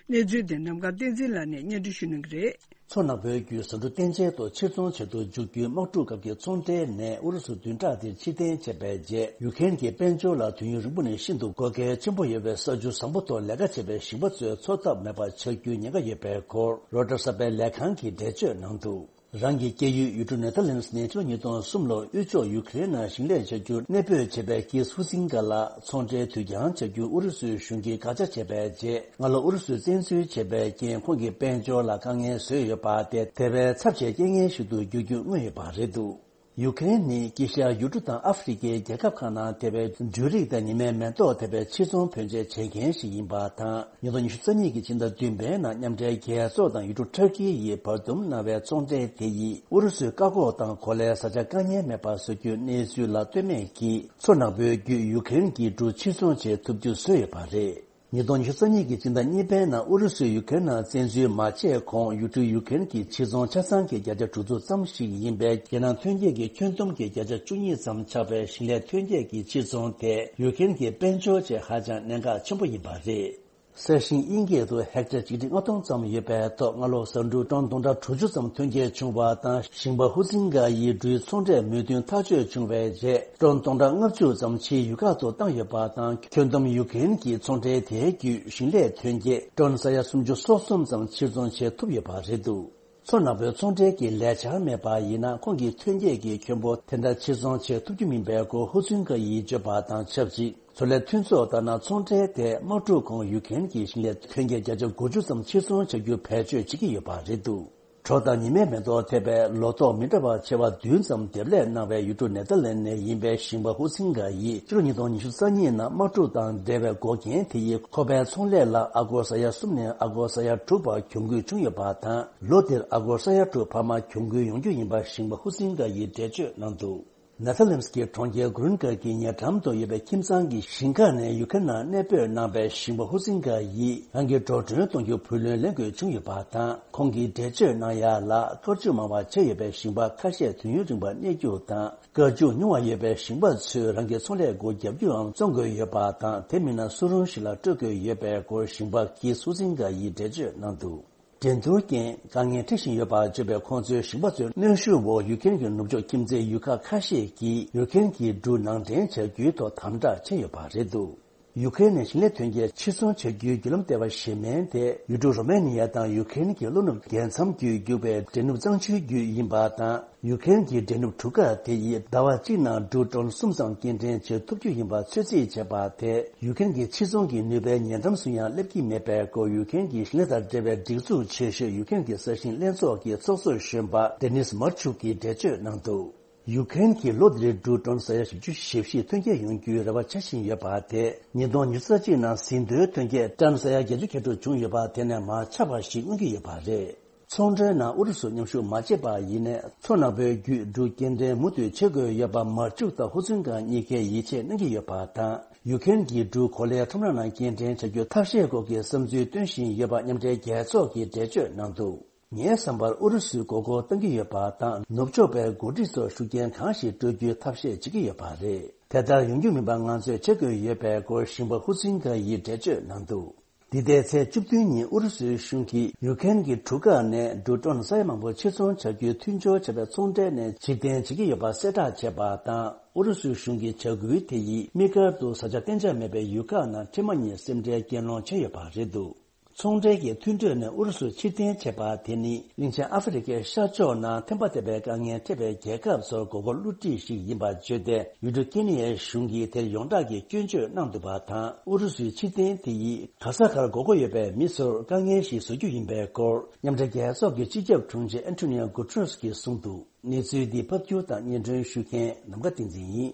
གནས་ཚུལ་དེ་ནམ་མཁའ་བསྟན་འཛིན་ལགས་ནས་སྙན་སྒྲོན་ཞུ་གནང་གི་རེད། མཚོ་ནག་པོའི་བརྒྱུད་ཟ་འབྲུ་བསྟན་ཆེན་དུ་ཕྱིར་ཚོང་བྱེད་དུ་འཇུག་རྒྱུའི་དམག་འཁྲུག་སྐབས་ཀྱི་ཚོང་འབྲེལ་ནས་ཨུ་རུ་སུ་བདུན་ཕྲག་འདིར་ཕྱིར་འཐེན་བྱས་པའི་རྗེས། ཡུ་ཁེན་གྱི་དཔལ་འབྱོར་ལ་དུས་ཡུན་རིང་པོ་ནས་ཤིན་ཏུ་དགོས་གལ་ཆེན་པོ་ཡོད་པའི་ས་ཆུ་བཟང་པོ་ཐོག་ལས་ཀ་བྱེད་པའི་ཞིང་པ་ཚོའི་འཚོ་ཐབས་མེད་པར་ཆགས་རྒྱུའི་ཉེན་ཁ་ཡོད་པའི་སྐོར། རོའི་ཊར་གསར་པའི་ལས་ཁང་གིས་འགྲེལ་བརྗོད་གནང་འདུག་རང་གི་སྐྱེས་ཡུལ་ཡུལ་གྲུ་ནེ་ཐར་ལན་སི་ནས་ཕྱི་ལོ་ཉིས་སྟོང་གསུམ་ལོར་དབུས་ཕྱོགས་ཡུ་ཁེ་རེན་ནང་ཞིང་ལས་བྱ་རྒྱུར་གནས་སྤོས་བྱས་པའི་ཀིས་ཧུ་སིན་ཀ་ལ་ཚོང་འབྲེལ་དུས་འགྱངས་བྱ་རྒྱུ་ཨུ་རུ་སུའི་གཞུང་གིས་དགག་བྱ་བྱས་པའི་རྗེས། སྔ་ལོ་ཨུ་རུ་སུས་བཙན་འཛུལ་བྱས་པའི་རྐྱེན་ཁོང་གི་དཔལ་འབྱོར་ལ་དཀའ་ངལ་བཟོས་ཡོད་པ་དེ་དེ་བས་ཚབས་ཆེའི་རྐྱེན་ངན་ཞིག་ཏུ་འགྱུར་རྒྱུ་མངོན་ཡོད་པ་རེད་འདུག་ཡུ་ཁེ་རེན་ནི་དཀྱིལ་ཤར་ཡུལ་གྲུ་དང་ཨ་ཧྥེ་རི་ཁའི་རྒྱལ་ཁབ་ཁག་ནང་དེ་བས་འབྲུ་རིགས་དང་ཉི་མའི་མེ་ཏོག་དེ་བས་ཕྱིར་ཚོང་བུན་འཇལ་བྱེད་མཁན་ཞིག་ཡིན་པ་དང་། ཉིས་སྟོང་ཉི་ཤུ་རྩ་གཉིས་ཀྱི་ཕྱི་ཟླ་བདུན་པའི་ནང་མཉམ་འབྲེལ་རྒྱལ་ཚོགས་དང་ཡུལ་གྲུ་ཊར་ཀི་ཡིས་བར་འདུམ་གནང་བའི་ཚོང་འབྲེལ་དེ་ཡིས་ཨུ་རུ་སུའི་བཀག་འགོག་དང་གོ་ལའི་བཟའ་བཅའ་དཀའ་ངལ་མེད་པར་བཟོ་རྒྱུའི་གནས་ཚུལ་ལ་ལྟོས་མེད་ཀྱིས། མཚོ་ནག་པོའི་བརྒྱུད་ཡུ་ཁེ་རེན་གྱི་འབྲུ་ཕྱིར་ཚོང་བྱེད་ཐུབ་རྒྱུ་བཟོས་ཡོད་པ་རེད། ཉིས་སྟོང་ཉི་ཤུ་རྩ་གཉིས་ཀྱི་ཕྱི་ཟླ་གཉིས་པའི་ནང་ཨུ་རུ་སུས་ཡུ་ཁེ་རེན་ནང་བཙན་འཛུལ་མ་བྱས་གོང་། ཡུལ་གྲུ་ཡུ་ཁེ་རེན་གྱི་ཕྱིར་ཚོང་ཆ་ཚང་གི་བརྒྱ་ཆ་དྲུག་ཅུ་ཙམ་ཞིག་ཡིན་པའི་རྒྱལ་ནང་ཐོན་སྐྱེད་ཀྱི་ཁྱོན་བསྡོམས་ཀྱི་བརྒྱ་ཆ་བཅུ་གཉིས་ཙམ་ཆགས་པའི་ཞིང་ལས་ཐོན་སྐྱེད་ཀྱི་ཕྱིར་ཚོང་དེ་ཡུ་ཁེ་རེན་གྱི་དཔལ་འབྱོར་ཆེད་ཧ་ཅང་གནད་འགག་ཆེན་པོ་ཡིན་པ་རེད། ས་ཞིང་དབྱིན་སྐད་དུ་ཧེག་ཊར་ཆིག་ཁྲི་ལྔ་སྟོང་ཙམ་ཡོད་པའི་ཐོག་སྔ་ལོ་ཟ་འབྲུ་ཊོན་སྟོང་ཕྲག་དྲུག་ཅུ་ཙམ་ཐོན་སྐྱེད་བྱུང་བ་དང་། ཞིང་པ་ཧུ་སིན་ག་ཡིས་འབྲུའི་ཚོང་འབྲེལ་མོས་མཐུན་ཐག་གཅོད་བྱུང་བའི་རྗེས། ཊོན་སྟོང་ཕྲག་ལྔ་བཅུ་ཙམ་ཕྱིའི་ཡུལ་ཁག་ཏུ་བཏང་ཡོད་པ་དང་། ཁྱོན་བསྡོམས་ཡུ་ཁེ་རེན་གྱི་ཚོང་འབྲེལ་དེའི་བརྒྱུད་ཞིང་ལས་ཐོན་སྐྱེད་ཊོན་ས་ཡ་སུམ་ཅུ་སོ་གསུམ་ཙམ་ཕྱིར་ཚོང་བྱེད་ཐུབ་ཡོད་པ་རེད་འདུག་མཚོ་ནག་པོའི་ཚོང་འབྲེལ་གྱི་ལས་འཆར་མེད་པ་ཡིན་ན། ཁོང་གི་ཐོན་སྐྱེད་ཀྱི་ཁྱོན་པོ་དེ་འདྲ་ཕྱིར་ཚོང་བྱེད་ཐུབ་རྒྱུ་མིན་པའི་སྐོར་ཧུ་ཚུན་ཀ་ཡིས་བརྗོད་པ་དང་ཆབས་ཅིག་མཚོ་ལས་མཐུན་ཚོགས་ལྟར་ན། ཚོང་འབྲེལ་དེས་དམག་འཁྲུག་གོང་ཡུ་ཁེ་རེན་གྱི་ཞིང་ལས་ཐོན་སྐྱེད་བརྒྱ་ཆ་དགུ་བཅུ་ཙམ་ཕྱིར་ཚོང་བྱ་རྒྱུ་བེད་སྤྱོད་བྱེད་ཀྱི་ཡོད་པ་རེད་འདུག་གྲོ་དང་ཉི་མའི་མེ་ཏོག་ཐེབས་པའི་ལོ་ཏོག་མི་འདྲ་བ་ཆེ་བ་བདུན་ཙམ་འདེབས་ལས་གནང་བའི་ཡུལ་གྲུ་ནེ་ཐར་ལན་ནས་ཡིན་པའི་ཞིང་པ་ཧུ་སིན་ག་ཡིས་ཕྱི་ལོ་ཉིས་སྟོང་ཉི་ཤུ་རྩ་གཉིས་ནང་དམག་འཁྲུག་དང་འབྲེལ་བའི་འགོག་རྐྱེན་དེ་ཡིས་ཁོ་པའི་ཚོང་ལས་ལ་ཨ་སྒོར་ས་ཡ་གསུམ་ནས་ཨ་སྒོར་ས་ཡ་དྲུག་བར་གྱོང་གུད་བྱུང་ཡོད་པ་དང་། ལོ་འདིར་ཨ་སྒོར་ས་ཡ་དྲུག་འཕར་མ་གྱོང་གུད་ཡོང་རྒྱུ་ཡིན་པ་ཞིང་པ་ཧུ་སིན་ག་ཡིས་འགྲེལ་བརྗོད་གནང་འདུག་ནེ་ཐར་ལེན་སི་གི་གྲོང་ཁྱེར་གུ་རུན་གར་གྱི་ཉེ་འགྲམ་དུ་ཡོད་པའི་ཁྱིམ་ཚང་གི་ཞིང་ཁ་ནས་ཡུ་ཁེན་ནང་གནས་སྤོས་གནང་བའི་ཞིང་པ་ཧུ་སིན་ག་ཡིས་རང་གི་འགྲོ་གྲོན་གཏོང་རྒྱུ་བུ་ལོན་ལེན་དགོས་བྱུང་ཡོད་པ་དང་། ཁོང་གིས་འགྲེལ་བརྗོད་གནང་ཡ་ལ། དཀར་ཆུ་མང་བ་ཆགས་ཡོད་པའི་ཞིང་པ་ཁ་ཤས་དུས་ཡུན་རིང་བ་གནས་རྒྱུ་དང་། དཀར་ཆུ་ཉུང་བ་ཡོད་པའི་ཞིང་པ་ཚོས་རང་གི་ཚོང་ལས་སྒོ་བརྒྱབ་རྒྱུའང་བཙོང་དགོས་ཡོད་པ་དང་། དེ་མིན་ན་སུ་རུང་ཞིག་ལ་སྤྲོད་དགོས་ཡོད་པའི་སྐོར་ཞིང་པ་ཀི་སུ་སིན་ག་ཡིས་འགྲེལ་བརྗོད་གནང་འདུག་འགྲན་བསྡུར་རྐྱེན། དཀའ་ངལ་འཕྲད་བཞིན་ཡོད་པ་བརྗོད་པའི་ཁོང་ཚོའི་ཞིང་པ་ཚོའི་གནོན་ཤུགས་འོག་ཡུ་ཁེན་གྱི་ནུབ་ཕྱོགས་ཁྱིམ་མཚེས་ཡུལ་ཁག་ཁ་ཤས་ཀྱིས་ཡུ་ཁེན་གྱི་འབྲུ་ནང་འདྲེན་བྱ་རྒྱུའི་ཐོག་དམ་དྲག་བྱས་ཡོད་པ་རེད་འདུག་ཡུ་ཁེན་ནས་ཞིང་ལས་ཐོན་སྐྱེད་ཕྱིར་ཚོང་བྱ་རྒྱུའི་བརྒྱུད་ལམ་ལྟེ་བ་གཞན་མིན་དེ། ཡུལ་གྲུ་རོ་མེ་ནི་ཡ་དང་ཡུ་ཁེན་གྱི་ལྷོ་ནུབ་རྒྱལ་མཚམས་བརྒྱུད་རྒྱུག་པའི་འདྲེན་གནོན་གཙང་ཆུའི་བརྒྱུད་ཡིན་པ་དང་། ཡུ་ཁེན་གྱི་འདྲེན་གནོན་གྲུ་ཁ་དེ་ཡིས་ཟླ་བ་གཅིག་ནང་འབྲུ་ཊོན་གསུམ་ཙམ་སྐྱེལ་འདྲེན་བྱེད་ཐུབ་རྒྱུ་ཡིན་པ་ཚོད་རྩིས་བྱས་པ་དེས། ཡུ་ཁེན་གྱི་ཕྱིར་ཚོང་གི་ནུས་པའི་ཉེ་འགྲམ་སུ་ཡང་སླེབས་ཀྱི་མེད་པའི་སྐོར། ཡུ་ཁེན་གྱི་ཞིང་ལས་དང་འབྲེལ་བའི་སྒྲིག་འཛུགས་ཆེ་ཤོས་ཡུ་ཁེན་གྱི་ས་ཞིང་ལྷན་ཚོགས་ཀྱི་ཚོགས་གཙོ་གཞོན་པ་ཌེ་ནིས་མར་ཆུག་གིས་འགྲེལ་བརྗོད་གནང་འདུག་ཡུ་ཁེན་གྱིས་ལོ་འདིར་འབྲུ་ཊོན་ས་ཡ་བཞི་བཅུ་ཞེ་བཞི་ཐོན་སྐྱེད་ཡོང་རྒྱུའི་རེ་བ་བྱ་བཞིན་ཡོད་པ་དེ། ཉིས་སྟོང་ཉི་ཤུ་རྩ་གཅིག་ནང་ཟིན་ཐོའི་ཐོན་སྐྱེད་ཊོན་ས་ཡ་བརྒྱད་ཅུ་གྱ་དྲུག་བྱུང་ཡོད་པ་དེ་ནས་མར་ཆག་པ་ཞིག་མངོན་གྱི་ཡོད་པ་རེད། ཚོང་འབྲེལ་ནང་ཨུ་རུ་སུ་མཉམ་ཞུགས་མ་བྱས་པ་ཡིན་ནའི། མཚོ་ནག་པོའི་བརྒྱུད་འབྲུ་སྐྱེལ་འདྲེན་མུ་མཐུད་བྱེད་དགོས་ཡོད་པ། མར་ཆུག་དང་ཧུ་ཚུན་ཀང་གཉིས་ཀས་ཡིད་ཆེས་གནང་གི་ཡོད་པ་དང་། ཡུ་ཁེན་གྱི་འབྲུ་གོ་ལའི་ཁྲོམ་ར་ནང་སྐྱེལ་འདྲེན་བྱ་རྒྱུ་ཐབས་ཤེས་སྐོར་གྱི་བསམ་ཚུལ་སྟོན་བཞིན་ཡོད་པ་མཉམ་འབྲེལ་རྒྱལ་ཚོགས་ཀྱིས་འགྲེལ་བརྗོད་གནང་འདུག་ངའི་བསམ་པར་ཨུ་རུ་སུས་མགོ་སྐོར་གཏང་གི་ཡོད་པ་དང་། ནུབ་ཕྱོགས་པའི་འགོ་ཁྲིད་ཚོར་ཤུགས་རྐྱེན་གང་ཞིག་སྤྲོད་རྒྱུའི་ཐབས་ཤེས་བྱེད་ཀྱི་ཡོད་པ་རེད། དེ་ལྟར་ཡོང་རྒྱུ་མིན་པ་ང་ཚོས་བྱེད་དགོས་ཡོད་པའི་སྐོར་ཞིང་པ་ཧུ་ཚིན་ཀ་ཡིས་འགྲེལ་བརྗོད་གནང་འདུག་འདི་ཟླའི་ཚེས་བཅུ་བདུན་ཉིན་ཨུ་རུ་སུའི་གཞུང་གིས་ཡུ་ཁེན་གྱི་གྲུ་ཁ་ནས་འབྲུ་ཊོན་ས་ཡ་མང་པོ་ཕྱིར་ཚོང་བྱ་རྒྱུའི་མཐུན་སྦྱོར་བྱས་པའི་ཚོང་འབྲེལ་ནས་ཕྱིར་འཐེན་བྱེད་ཀྱི་ཡོད་པ་གསལ་བསྒྲགས་བྱས་པ་དང་། ཨུ་རུ་སུའི་གཞུང་གི་བྱ་འགུལ་དེ་ཡིས་དམིགས་བཀར་དུ་བཟའ་བཅའ་གཏན་འཇགས་མེད་པའི་ཡུལ་ཁག་ནང་འཕྲལ་མ་ཉིད་སེམས་ཁྲལ་སྐྱེལ་སློང་བྱས་ཡོད་པ་རེད་འདུག་ཚོང་འབྲེལ་གྱི་མཐུན་གྲོས་ནས་ཨུ་རུ་སུ་ཕྱིར་འཐེན་བྱས་པ་དེ་ནི། གླིང་ཆེན་ཨ་ཧྥེ་རི་ཁའི་ཤར་ཕྱོགས་ནང་ཐན་པ་ཐེབས་པའི་དཀའ་ངལ་འཕྲད་པའི་རྒྱལ་ཁབ་ཚོར་མགོ་སྐོར་བསླུ་བྲིད་ཞིག་ཡིན་པ་བརྗོད་དེ། ཡུལ་གྲུ་ཀེ་ནི་ཡའི་གཞུང་གིས་དེར་ཡོངས་གྲགས་ཀྱི་སྐྱོན་བརྗོད་གནང་འདུག་པ་དང་། ཨུ་རུ་སུའི་ཕྱིར་འཐེན་དེ་ཡིས་ག་ས་གར་མགོ་སྐོར་ཡོད་པའི་མི་ཚོར་དཀའ་ངལ་ཞིག་བཟོ་རྒྱུ་ཡིན་པའི་སྐོར། མཉམ་འབྲེལ་རྒྱལ་ཚོགས་ཀྱི་སྤྱི་ཁྱབ་དྲུང་ཆེ་ཨན་ཐོ་ནི་ཡོ་གུ་ཊ་རེས་ཀྱིས་གསུངས་འདུག་གནས་ཚུལ་འདི་ཕབ་སྒྱུར་དང་སྙན་སྒྲོན་ཞུ་མཁན་ནམ་མཁའ་བསྟན་འཛིན་ཡིན།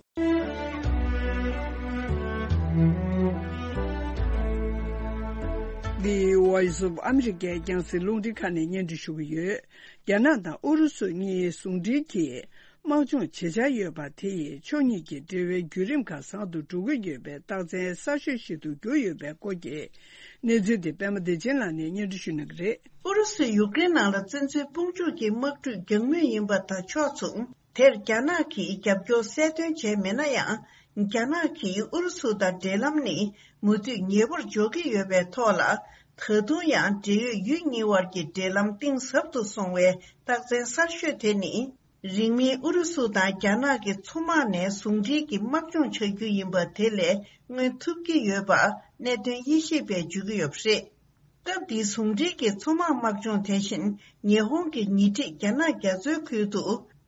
འདི་Voice of America རྒྱང་སྲིང་རླུང་འཕྲིན་ཁང་ནས་སྙན་སྒྲོན་ཞུ་གི་ཡོད། རྒྱ་ནག་དང་ཨུ་རུ་སུ་གཉིས་ཟུང་འབྲེལ་གྱིས་དམག་སྦྱོང་བྱེད་འཆར་ཡོད་པ་དེ་ཡིས་ཕྱོགས་གཉིས་ཀྱི་འབྲེལ་བའི་བརྒྱུད་རིམ་ཁག་བཟང་དུ་འགྲོ་གི་ཡོད་པའི་རྟགས་མཚན་གསར་ཤོས་ཤིག་ཏུ་གྱུར་ཡོད་པའི་སྐོར་གྱི་གནས་ཚུལ་དེ་པད་མ་བདེ་ཆེན་ལགས་ནས་སྙན་སྒྲོན་ཞུ་གནང་གི་རེད། ཨུ་རུ་སུས་ཡུཀ་རེན་ནང་ལ་བཙན་འཛུལ་དཔུང་འཇུག་གི་དམག་འཁྲུག་རྒྱག་མུས་ཡིན་པ་དང་ཕྱོགས་མཚུངས། དེར་རྒྱ་ནག་གིས་རྒྱབ་སྐྱོར་གསལ་སྟོན་བྱས་མེད་ན་ཡང་། རྒྱ་ནག་གིས་ཨུ་རུ་སུ་དང་འབྲེལ་ལམ་ནི་མུ་མཐུད་ཉེ་པོར་འཇོག་གི་ཡོད་པའི་ཐོག་ལ། ད་དུང་ཡང་འབྲེལ་ཡོད་ཡུལ་གཉིས་དབར་གྱི་འབྲེལ་ལམ་གཏིང་ཟབ་ཏུ་སོང་བའི་རྟགས་མཚན་གསར་ཤོས་དེ་ནི། རིང་མིན་ཨུ་རུ་སུ་དང་རྒྱ་ནག་གི་མཚོ་དམག་ནས་ཟུང་འབྲེལ་གྱི་དམག་སྦྱོང་བྱ་རྒྱུ་ཡིན་པ་དེ་ལས་མངོན་ཐུབ་ཀྱི་ཡོད་པ་གནད་དོན་དབྱེ་ཞིབ་པས་བརྗོད་ཀྱི་ཡོད་པ་རེད། སྐབས་འདིའི་ཟུང་འབྲེལ་གྱི་མཚོ་དམག་དམག་སྦྱོང་དེ་བཞིན་ཉི་ཧོང་གི་ཉེ་འཁྲིས་རྒྱ་ནག་རྒྱ་མཚོའི་ཁུལ་དུ་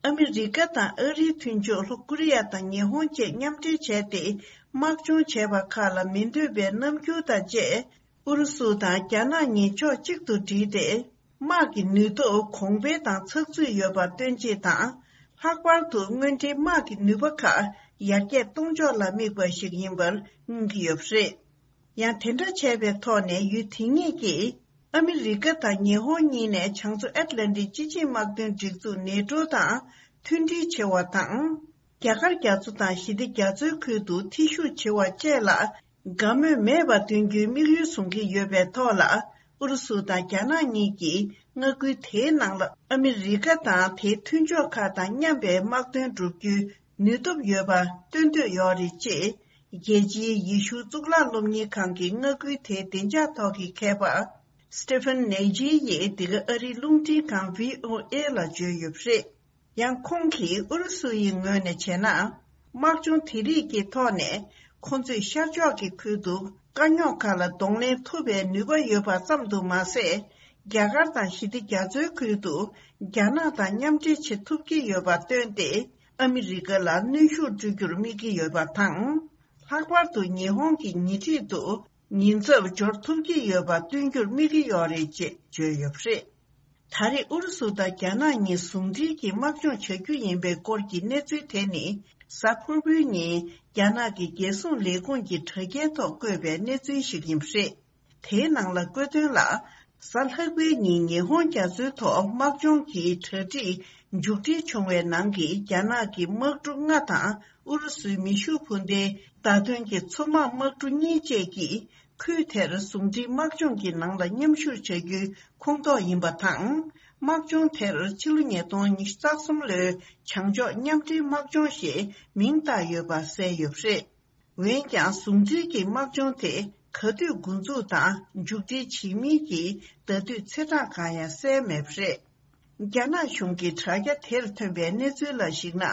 ཨ་མི་རི་ཀ་དང་ཨ་རིའི་མཐུན་ཕྱོགས་ལྷོ་ཀོ་རི་ཡ་དང་ཉི་ཧོང་བཅས་མཉམ་འབྲེལ་བྱས་ཏེ་དམག་སྦྱོང་བྱས་པ་ཁག་ལ་མི་འདོད་པའི་རྣམ་འགྱུར་དང་བཅས། ཨུ་རུ་སུ་དང་རྒྱ་ནག་གཉིས་ཕྱོགས་གཅིག་ཏུ་བསྒྲིལ་ཏེ། དམག་གི་ནུས་སྟོབས་གོང་འཕེལ་དང་ཚགས་ཚུད་ཡོད་པ་སྟོན་ཆེད་དང་། ལྷག་པར་དུ་དངོས་འབྲེལ་དམག་གི་ནུས་པ་ཁག་ཡར་རྒྱས་གཏོང་ཕྱོགས་ལ་དམིགས་པ་ཞིག་ཡིན་པར་མངོན་གྱི་ཡོད་པ་རེད། ཡང་དེ་འདྲ་བྱས་པའི་ཐོག་ནས་ཡུལ་དེ་གཉིས་ཀྱིས་ཨ་མི་རི་ཀ་དང་ཉི་ཧོང་གཉིས་ནས་བྱང་མཚོ་ཨེཊ་ལན་ཏིག་སྤྱི་ཆིངས་དམག་དོན་སྒྲིག་འཛུགས་ནེ་ཊོ་དང་མཐུན་སྒྲིལ་བྱེད་པ་དང་། རྒྱ་གར་རྒྱ་མཚོ་དང་ཞི་བདེ་རྒྱ་མཚོའི་ཁུལ་དུ་ཐེ་ཞུགས་བྱེད་པ་བཅས་ལ་དགའ་མོས་མེད་པ་སྟོན་རྒྱུའི་དམིགས་ཡུལ་བཟུང་གི་ཡོད་པའི་ཐོག་ལ། ཨུ་རུ་སུ་དང་རྒྱ་ནག་གཉིས་ཀྱིས་མངའ་ཁུལ་དེའི་ནང་ལ་ཨ་མི་རི་ཀ་དང་དེའི་མཐུན་ཕྱོགས་ཁག་དང་མཉམ་པའི་དམག་དོན་བསྒྲུབ་རྒྱུའི་ནུས་སྟོབས་ཡོད་པ་སྟོན་འདོད་ཡོད་རེད་ཅེས། རྒྱལ་སྤྱིའི་ཡེ་ཤུ་གཙུག་ལག་སློབ་གཉེར་ཁང་གི་མངའ་ཁུལ་དེའི་བདེ་འཇགས་ཐོག་གི་མཁས་པ་Stephen Naji ཡིས་འདི་ག་ཨ་རིའི་རླུང་འཕྲིན་ཁང་བྷི་ཨོ་ཨེ་ལ་བརྗོད་ཡོད་པ་རེད། ཡང་ཁོང་གིས་ཨུ་རུ་སུ་ཡི་ངོས་ནས་བྱས་ན། དམག་སྦྱོང་དེ་རིགས་ཀྱི་ཐོག་ནས་ཁོ་ཚོས་ཤར་ཕྱོགས་ཀྱི་ཁུལ་དུ་དཀའ་རྙོག་ཁག་ལ་གདོང་ལེན་ཐུབ་པའི་ནུས་པ་ཡོད་པ་ཙམ་དུ་མ་ཟད། རྒྱ་གར་དང་ཞི་བདེ་རྒྱ་མཚོའི་ཁུལ་དུ་རྒྱ་ནག་དང་མཉམ་འབྲེལ་བྱེད་ཐུབ་ཀྱི་ཡོད་པ་བཏོན་ཏེ། ཨ་མི་རི་ཀ་ལ་གནོན་ཤུགས་སྤྲོད་རྒྱུར་དམིགས་ཀྱི་ཡོད་པ་དང་། ལྷག་པར་དུ་ཉི་ཧོང་གི་ཉེ་འཁྲིས་དུ་ཉེན་ཚབས་སྦྱོར་ཐུབ་ཀྱི་ཡོད་པ་སྟོན་རྒྱུར་དམིགས་ཀྱི་ཡོད་རེད་ཅེས་བརྗོད་ཡོད་པ་རེད། ད་རེས་ཨུ་རུ་སུ་དང་རྒྱ་ནག་གཉིས་ཟུང་འབྲེལ་གྱིས་དམག་སྦྱོང་བྱ་རྒྱུ་ཡིན་པའི་སྐོར་གྱི་གནས་ཚུལ་དེ་ནི། གཟའ་ཕུར་བུའི་ཉིན་རྒྱ་ནག་གི་རྒྱལ་སྲུང་ལས་ཁུངས་ཀྱི་དྲ་རྒྱའི་ཐོག་བཀོད་པའི་གནས་ཚུལ་ཞིག་ཡིན་པ་རེད། དེའི་ནང་ལ་བཀོད་དོན་ལ། གཟའ་ལྷག་པའི་ཉིན་ཉི་ཧོང་རྒྱ་མཚོའི་ཐོག་དམག་སྦྱོང་གི་གྲ་སྒྲིག་མཇུག་སྒྲིལ་བྱུང་བའི་ནང་གི་རྒྱ་ནག་གི་དམག་གྲུ་ལྔ་དང་ཨུ་རུ་སུའི་མེ་ཤུགས་འཕུར་མདེལ་བརྡ་སྟོན་གྱི་མཚོ་དམག་དམག་གྲུ་གཉིས་བཅས་ཀྱིས། ཁུལ་དེར་ཟུང་འབྲེལ་དམག་སྦྱོང་གི་ནང་ལ་མཉམ་ཞུགས་བྱ་རྒྱུའི་ཁོངས་གཏོགས་ཡིན་པ་དང་། དམག་སྦྱོང་དེར་ཕྱི་ལོ་ཉིས་སྟོང་ཉི་ཤུ་རྩ་གསུམ་ལོའི་བྱང་ཕྱོགས་མཉམ་འབྲེལ་དམག་སྦྱོང་ཞེས་མིང་བཏགས་ཡོད་པ་གསལ་ཡོད་པ་རེད། འོན་ཀྱང་ཟུང་འབྲེལ་གྱི་དམག་སྦྱོང་དེ་ག་དུས་འགོ་འཛུགས་དང་མཇུག་སྒྲིལ་བྱེད་མིན་གྱི་ཟླ་དུས་ཚེས་གྲངས་གང་ཡང་གསལ་མེད་པ་རེད། རྒྱ་ནག་གཞུང་གི་དྲ་རྒྱ་དེར་ཐོན་པའི་གནས་ཚུལ་ལ་གཞིགས་ན།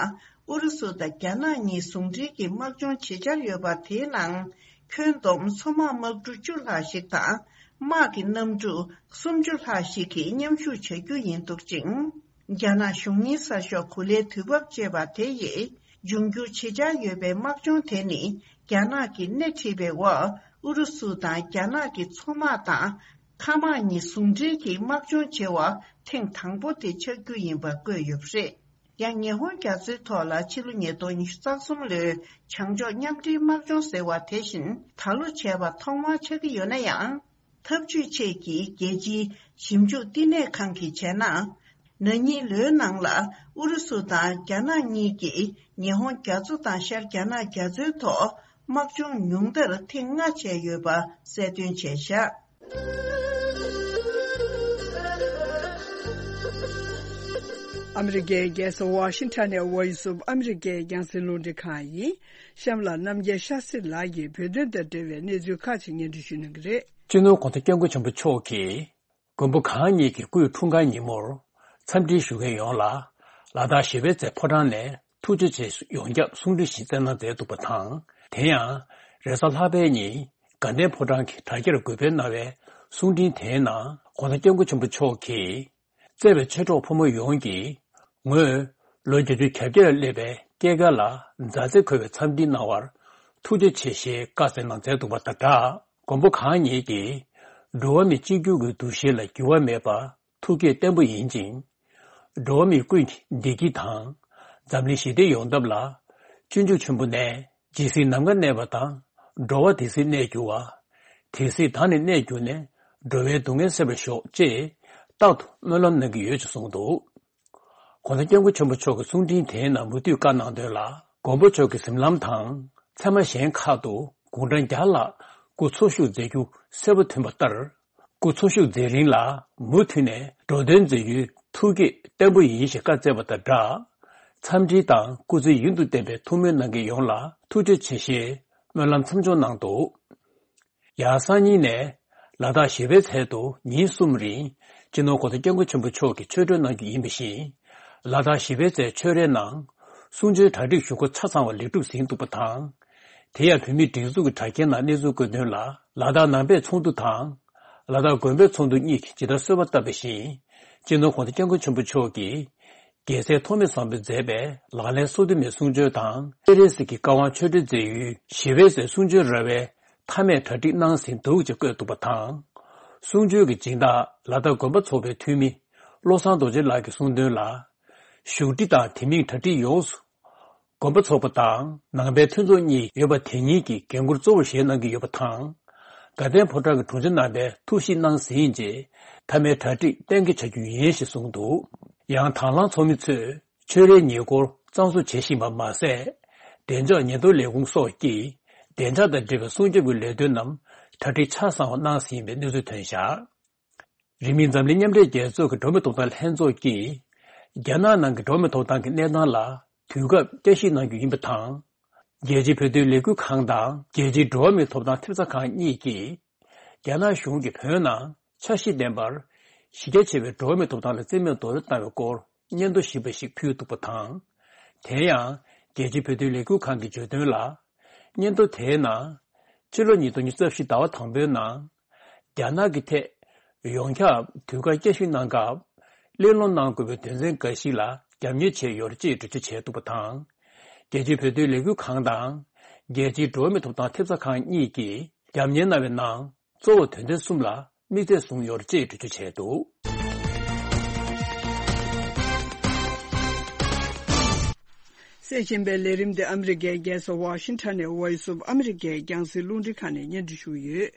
ཨུ་རུ་སུ་དང་རྒྱ་ནག་གཉིས་ཟུང་འབྲེལ་གྱི་དམག་སྦྱོང་བྱེད་འཆར་ཡོད་པ་དེའི་ནང་། ཁྱོན་བསྡོམས་མཚོ་དམག་དམག་གྲུ་བཅུ་ལྷག་ཞིག་དང་། དམག་གི་གནམ་གྲུ་སུམ་ཅུ་ལྷག་ཞིག་གིས་མཉམ་ཞུགས་བྱ་རྒྱུ་ཡིན་འདུག་ཅིང་། རྒྱ་ནག་གཞུང་གཉེར་གསར་ཤོག་གུ་ལའི་དུས་བབ་ཅེས་པ་དེ་ཡིས། འབྱུང་འགྱུར་བྱེད་འཆར་ཡོད་པའི་དམག་སྦྱོང་དེ་ནི། རྒྱ་ནག་གིས་སྣེ་ཁྲིད་པའི་འོག་ཨུ་རུ་སུ་དང་རྒྱ་ནག་གི་མཚོ་དམག་དང་། མཁའ་དམག་གཉིས་ཟུང་འབྲེལ་གྱིས་དམག་སྦྱོང་བྱེད་པ་ཐེངས་དང་པོ་དེ་ཆགས་རྒྱུ་ཡིན་པ་བཀོད་ཡོད་པ་རེད། ཡང་ཉི་ཧོང་རྒྱ་མཚོའི་ཐོག་ལ་ཕྱི་ལོ་ཉིས་སྟོང་ཉི་ཤུ་རྩ་གསུམ་ལོའི་བྱང་ཕྱོགས་མཉམ་འབྲེལ་དམག་སྦྱོང་ཟེར་བ་དེ་བཞིན་ད་ལོ་བྱས་པ་ཐོག་མར་ཆགས་ཀྱི་ཡོད་ན་ཡང་། འཐབ་ཇུས་ཆེད་ཀྱི་རྒྱལ་སྤྱིའི་ཞིབ་འཇུག་བསྟི་གནས་ཁང་གིས་བྱས་ན། ན་ནིང་ལོའི་ནང་ལ་ཨུ་རུ་སུ་དང་རྒྱ་ནག་གཉིས་ཀྱིས་ཉི་ཧོང་རྒྱ་མཚོ་དང་ཤར་རྒྱ་ནག་རྒྱ་མཚོའི་ཐོག་དམག་སྦྱོང་ཉུང་མཐར་ཐེངས་ལྔ་བྱས་ཡོད་པ་གསལ་སྟོན་བྱས་བཞག། ཨ་མི་རི་ཀའི་རྒྱལ་ས་ཝ་ཤིང་ཊོན་ནས་Voice of America་རྒྱང་སྲིང་རླུང་འཕྲིན་ཁང་ཡིན། གཤམ་ལ་རྣམ་རྒྱལ་ཤཱ་སྲི་ལགས་ཀྱིས་བོད་དོན་དང་འབྲེལ་བའི་གནས་ཚུལ་ཁག་ཅིག་སྙན་སྒྲོན་ཞུ་གནང་གི་རེད། སྤྱི་ནོར་༧གོང་ས་༧སྐྱབས་མགོན་ཆེན་པོ་མཆོག་གིས། མགོན་པོ་གང་ཉིད་ཀྱི་སྐུའི་འཁྲུངས་སྐར་ཉིན་མོར། འཚམས་འདྲི་ཞུ་མཁན་ཡོངས་ལ། ལ་དྭགས་བཞི་པའི་རྩེ་ཕོ་བྲང་ནས་ཐུགས་རྗེ་ཆེ་ཞུ་ཡོངས་ཁྱབ་གསུང་འཕྲིན་ཞིག་བསྩལ་གནང་མཛད་འདུག་པ་དང་། དེ་ཡང་། རེས་གཟའ་ལྷག་པའི་ཉིན། དགའ་ལྡན་ཕོ་བྲང་གི་དྲ་རྒྱར་འགོད་སྤེལ་གནང་བའི་གསུང་འཕྲིན་དེའི་ནང་། ༸གོང་ས་༸སྐྱབས་མགོན་ཆེན་པོ་མཆོག་གིས། བརྩེ་བའི་ཆོས་གྲོགས་ཕོ་མོ་ཡོངས་ཀྱིས། ངོས་ལོ་བརྒྱད་ཅུ་གྱ་བརྒྱད་ལ་སླེབས་པའི་སྐྱེས་སྐར་ལ་མཛའ་བརྩེ་འཁོལ་བའི་འཚམས་འདྲི་གནང་བར་ཐུགས་རྗེ་ཆེ་ཞེས་བཀའ་སྩལ་གནང་མཛད་འདུག་པ་དང་སྦྲགས། མགོན་པོ་གང་ཉིད་ཀྱིས་འགྲོ་བ་མི་གཅིག་གྱུར་གྱི་འདུ་ཤེས་ལ་འགྱུར་བ་མེད་པར་ཐུགས་བསྐྱེད་བརྟན་པོ་ཡིན་ཅིང་། འགྲོ་བ་མི་ཀུན་གྱི་བདེ་སྐྱིད་དང་། འཛམ་གླིང་ཞི་བདེ་ཡོང་ཐབས་ལ། སྤྱོད་འཇུག་ཆེན་པོ་ནས། ཇི་སྲིད་ནམ་མཁའ་གནས་པ་དང་། འགྲོ་བ་དེ་སྲིད་གནས་འགྱུར་བ། དེ་སྲིད་བདག་ནི་གནས་གྱུར་ནས། འགྲོ་བའི་སྡུག་བསྔལ་སེལ་བར་ཤོག་ཅེས་རྟག་ཏུ་སྨོན་ལམ་གནང་གི་ཡོད་ཅེས་གསུངས་འདུག ༸གོང་ས་༸སྐྱབས་མགོན་ཆེན་པོ་མཆོག་གི་གསུང་འཕྲིན་དེའི་ནང་མུ་མཐུད་བཀའ་གནང་དོན་ལ། མགོན་པོ་མཆོག་གི་གཟིམ་ལམ་དང་། མཚན་མ་གཞན་ཁག་ཏུ་དགུང་གྲངས་བརྒྱ་ལྷག་སྐུ་འཚོ་བཞུགས་མཛད་རྒྱུ་གསལ་པོ་ཐོན་པ་ལྟར། སྐུ་འཚོ་བཞུགས་མཛད་རིང་ལ་མུ་མཐུད་ནས་འགྲོ་དོན་མཛད་རྒྱུའི་ཐུགས་བསྐྱེད་བརྟན་པོ་ཡིན་ཞེས་བཀའ་སྩལ་བ་དང་སྦྲགས། འཚམས་འདྲི་དང་སྐུ་ཚེ་ཡུན་དུ་བརྟན་པའི་ཐུགས་སྨོན་གནང་མཁན་ཡོངས་ལ་ཐུགས་རྗེ་ཆེ་ཞེས་སྨོན་ལམ་མཚམས་སྦྱོར་གནང་འདུག་ཡང་སང་ཉིན་ནས་ལ་དྭགས་བཞི་པའི་ཚལ་དུ་ཉིན་གསུམ་རིང་སྤྱི་ནོར་༸གོང་ས་༸སྐྱབས་མགོན་ཆེན་པོ་མཆོག་གིས་ཆོས་འཁོར་གནང་རྒྱུ་ཡིན་པ་བཞིན། ལ་དྭགས་བཞི་པའི་ཚལ་ཆོས་རའི་ནང་གསུང་ཆོས་གྲ་སྒྲིག་ཞུ་སྒོ་ཆ་ཚང་བ་ལེགས་གྲུབ་ཟིན་འདུག་པ་དང་། དེ་ཡང་བོད་མིའི་སྒྲིག་འཛུགས་ཀྱི་དྲ་རྒྱའི་ནང་གནས་ཚུལ་བཀོད་དོན་ལ། ལ་དྭགས་ནང་པའི་ཚོགས་འདུ་དང་། ལ་དྭགས་དགོན་པའི་ཚོགས་འདུ་གཉིས་ཀྱིས་ཇི་ལྟར་གསོལ་བ་བཏབ་པ་བཞིན། སྤྱི་ནོར་༸གོང་ས་༸སྐྱབས་མགོན་ཆེན་པོ་མཆོག་གིས། རྒྱལ་སྲས་ཐོགས་མེད་བཟང་པོས་མཛད་པའི་ལག་ལེན་སོ་བདུན་མའི་གསུང་ཆོས་དང་། སྤེན་རས་གཟིགས་ཀྱི་བཀའ་དབང་ཆོས་འབྲེལ་མཛད་ཡུལ་ཞི་བའི་ཚལ་གསུང་ཆོས་ར་བའི་མཐའ་མའི་གྲ་སྒྲིག་གནང་ཟིན་འདུག་ཅེས་བཀོད་འདུག་པ་དང་། གསུང་ཆོས་ཀྱི་སྦྱིན་བདག་ལ་དྭགས་དགོན་པ་ཚོགས་པའི་འཐུས་མི་བློ་བཟང་རྡོ་རྗེ་ལགས་ཀྱིས་གསུངས་དོན་ལ། བཞུགས་ཁྲི་དང་དེ་མིན་གྲ་སྒྲིག་ཡོངས་སུ། དགོན་པ་ཚོགས་པ་དང་ནང་པའི་མཐུན་ཚོགས་གཉིས་ཡོད་པ་དེ་གཉིས་ཀྱིས་འགན་འཁུར་གཙོ་བོར་བཞེས་གནང་གི་ཡོད་པ་དང་། དགའ་ལྡན་ཕོ་བྲང་གི་དྲུང་ཆེ་རྣམ་པས་ཐུགས་ཞིབ་གནང་ཟིན་རྗེས་མཐའ་མའི་གྲ་སྒྲིག་གཏན་འཁེལ་བྱ་རྒྱུ་ཡིན་ཞེས་གསུངས་འདུག་ཡང་དྭང་བླངས་ཚོགས་མི་ཚོས་ཆོས་རའི་ཉེ་འཁོར་གཙང་བཟོ་བྱེད་བཞིན་པ་མ་ཟད། བདེ་འཇགས་ཉེན་རྟོག་ལས་ཁུངས་སོགས་ཀྱིས་བདེ་འཇགས་དང་འབྲེལ་བའི་སྲུང་སྐྱོབ་ཀྱི་ལས་དོན་རྣམས་གྲ་སྒྲིག་ཆ་ཚང་བ་གནང་ཟིན་པའི་གནས་ཚུལ་ཐོན་བཞག་རིང་མིན་འཛམ་གླིང་མཉམ་འབྲེལ་རྒྱལ་ཚོགས་ཀྱི་འགྲོ་བ་མིའི་ཐོབ་ཐང་ལྷན་ཚོགས་ཀྱིས། རྒྱ་ནག་ནང་གི་འགྲོ་བ་མིའི་ཐོབ་ཐང་གི་གནས་སྟངས་ལ་དུས་སྐབས་བསྐྱར་ཞིབ་གནང་རྒྱུ་ཡིན་པ་དང་། རྒྱལ་སྤྱིའི་བོད་དོན་ལས་འགུལ་ཁང་དང་རྒྱལ་སྤྱིའི་འགྲོ་བ་མིའི་ཐོབ་ཐང་ཐེབས་རྩ་ཁང་གཉིས་ཀྱིས། རྒྱ་ནག་གཞུང་གིས་བོད་ནང་འཆར་གཞི་ལྡན་པར་གཞི་རྒྱ་ཆེ་བའི་འགྲོ་བ་མིའི་ཐོབ་ཐང་ལ་བརྩི་མེད་རྡོག་རོལ་བཏང་བའི་སྐོར་སྙན་ཐོ་ཞིབ་པ་ཞིག་ཕུལ་འདུག་པ་དང་། དེ་ཡང་རྒྱལ་སྤྱིའི་བོད་དོན་ལས་འགུལ་ཁང་གིས་བརྗོད་དོན་ལ། སྙན་ཐོ་དེའི་ནང་། ཕྱི་ལོ་ཉིས་སྟོང་ཉི་ཤུ་རྩ་བཞི་ཟླ་བ་དང་པོའི་ནང་། རྒྱ་ནག་གི་ཐད་ཡོངས་ཁྱབ་དུས་བཀག་བསྐྱར་ཞིབ་གནང་སྐབས། གླེང་སློང་གནང་དགོས་པའི་དོན་ཚན་འགའ་ཞིག་ལ་རྒྱབ་གཉེར་བྱས་ཡོད་རེད་ཅེས་འགྲེལ་བརྗོད་བྱས་འདུག་པ་དང་། རྒྱལ་སྤྱིའི་བོད་དོན་ལས་འགུལ་ཁང་དང་། རྒྱལ་སྤྱིའི་འགྲོ་བ་མིའི་ཐོབ་ཐང་ཐེབས་རྩ་ཁང་གཉིས་ཀྱིས་རྒྱབ་གཉེར་གནང་བའི་ནང་། གཙོ་བོ་དོན་ཚན་གསུམ་ལ་དམིགས་ཚད་བཟུང་ཡོད་རེད་ཅེས་འགྲེལ་བརྗོད་བྱས་འདུག་གསན་བཞིན་པའི་ལས་རིམ་འདི་ཨ་མི་རི་ཀའི་རྒྱལ་ས་ཝ་ཤིང་ཊོན་ནས་Voice of America་རྒྱང་སྲིང་རླུང་འཕྲིན་ཁང་ནས་སྙན་སྒྲོན་ཞུ་གི་ཡོད།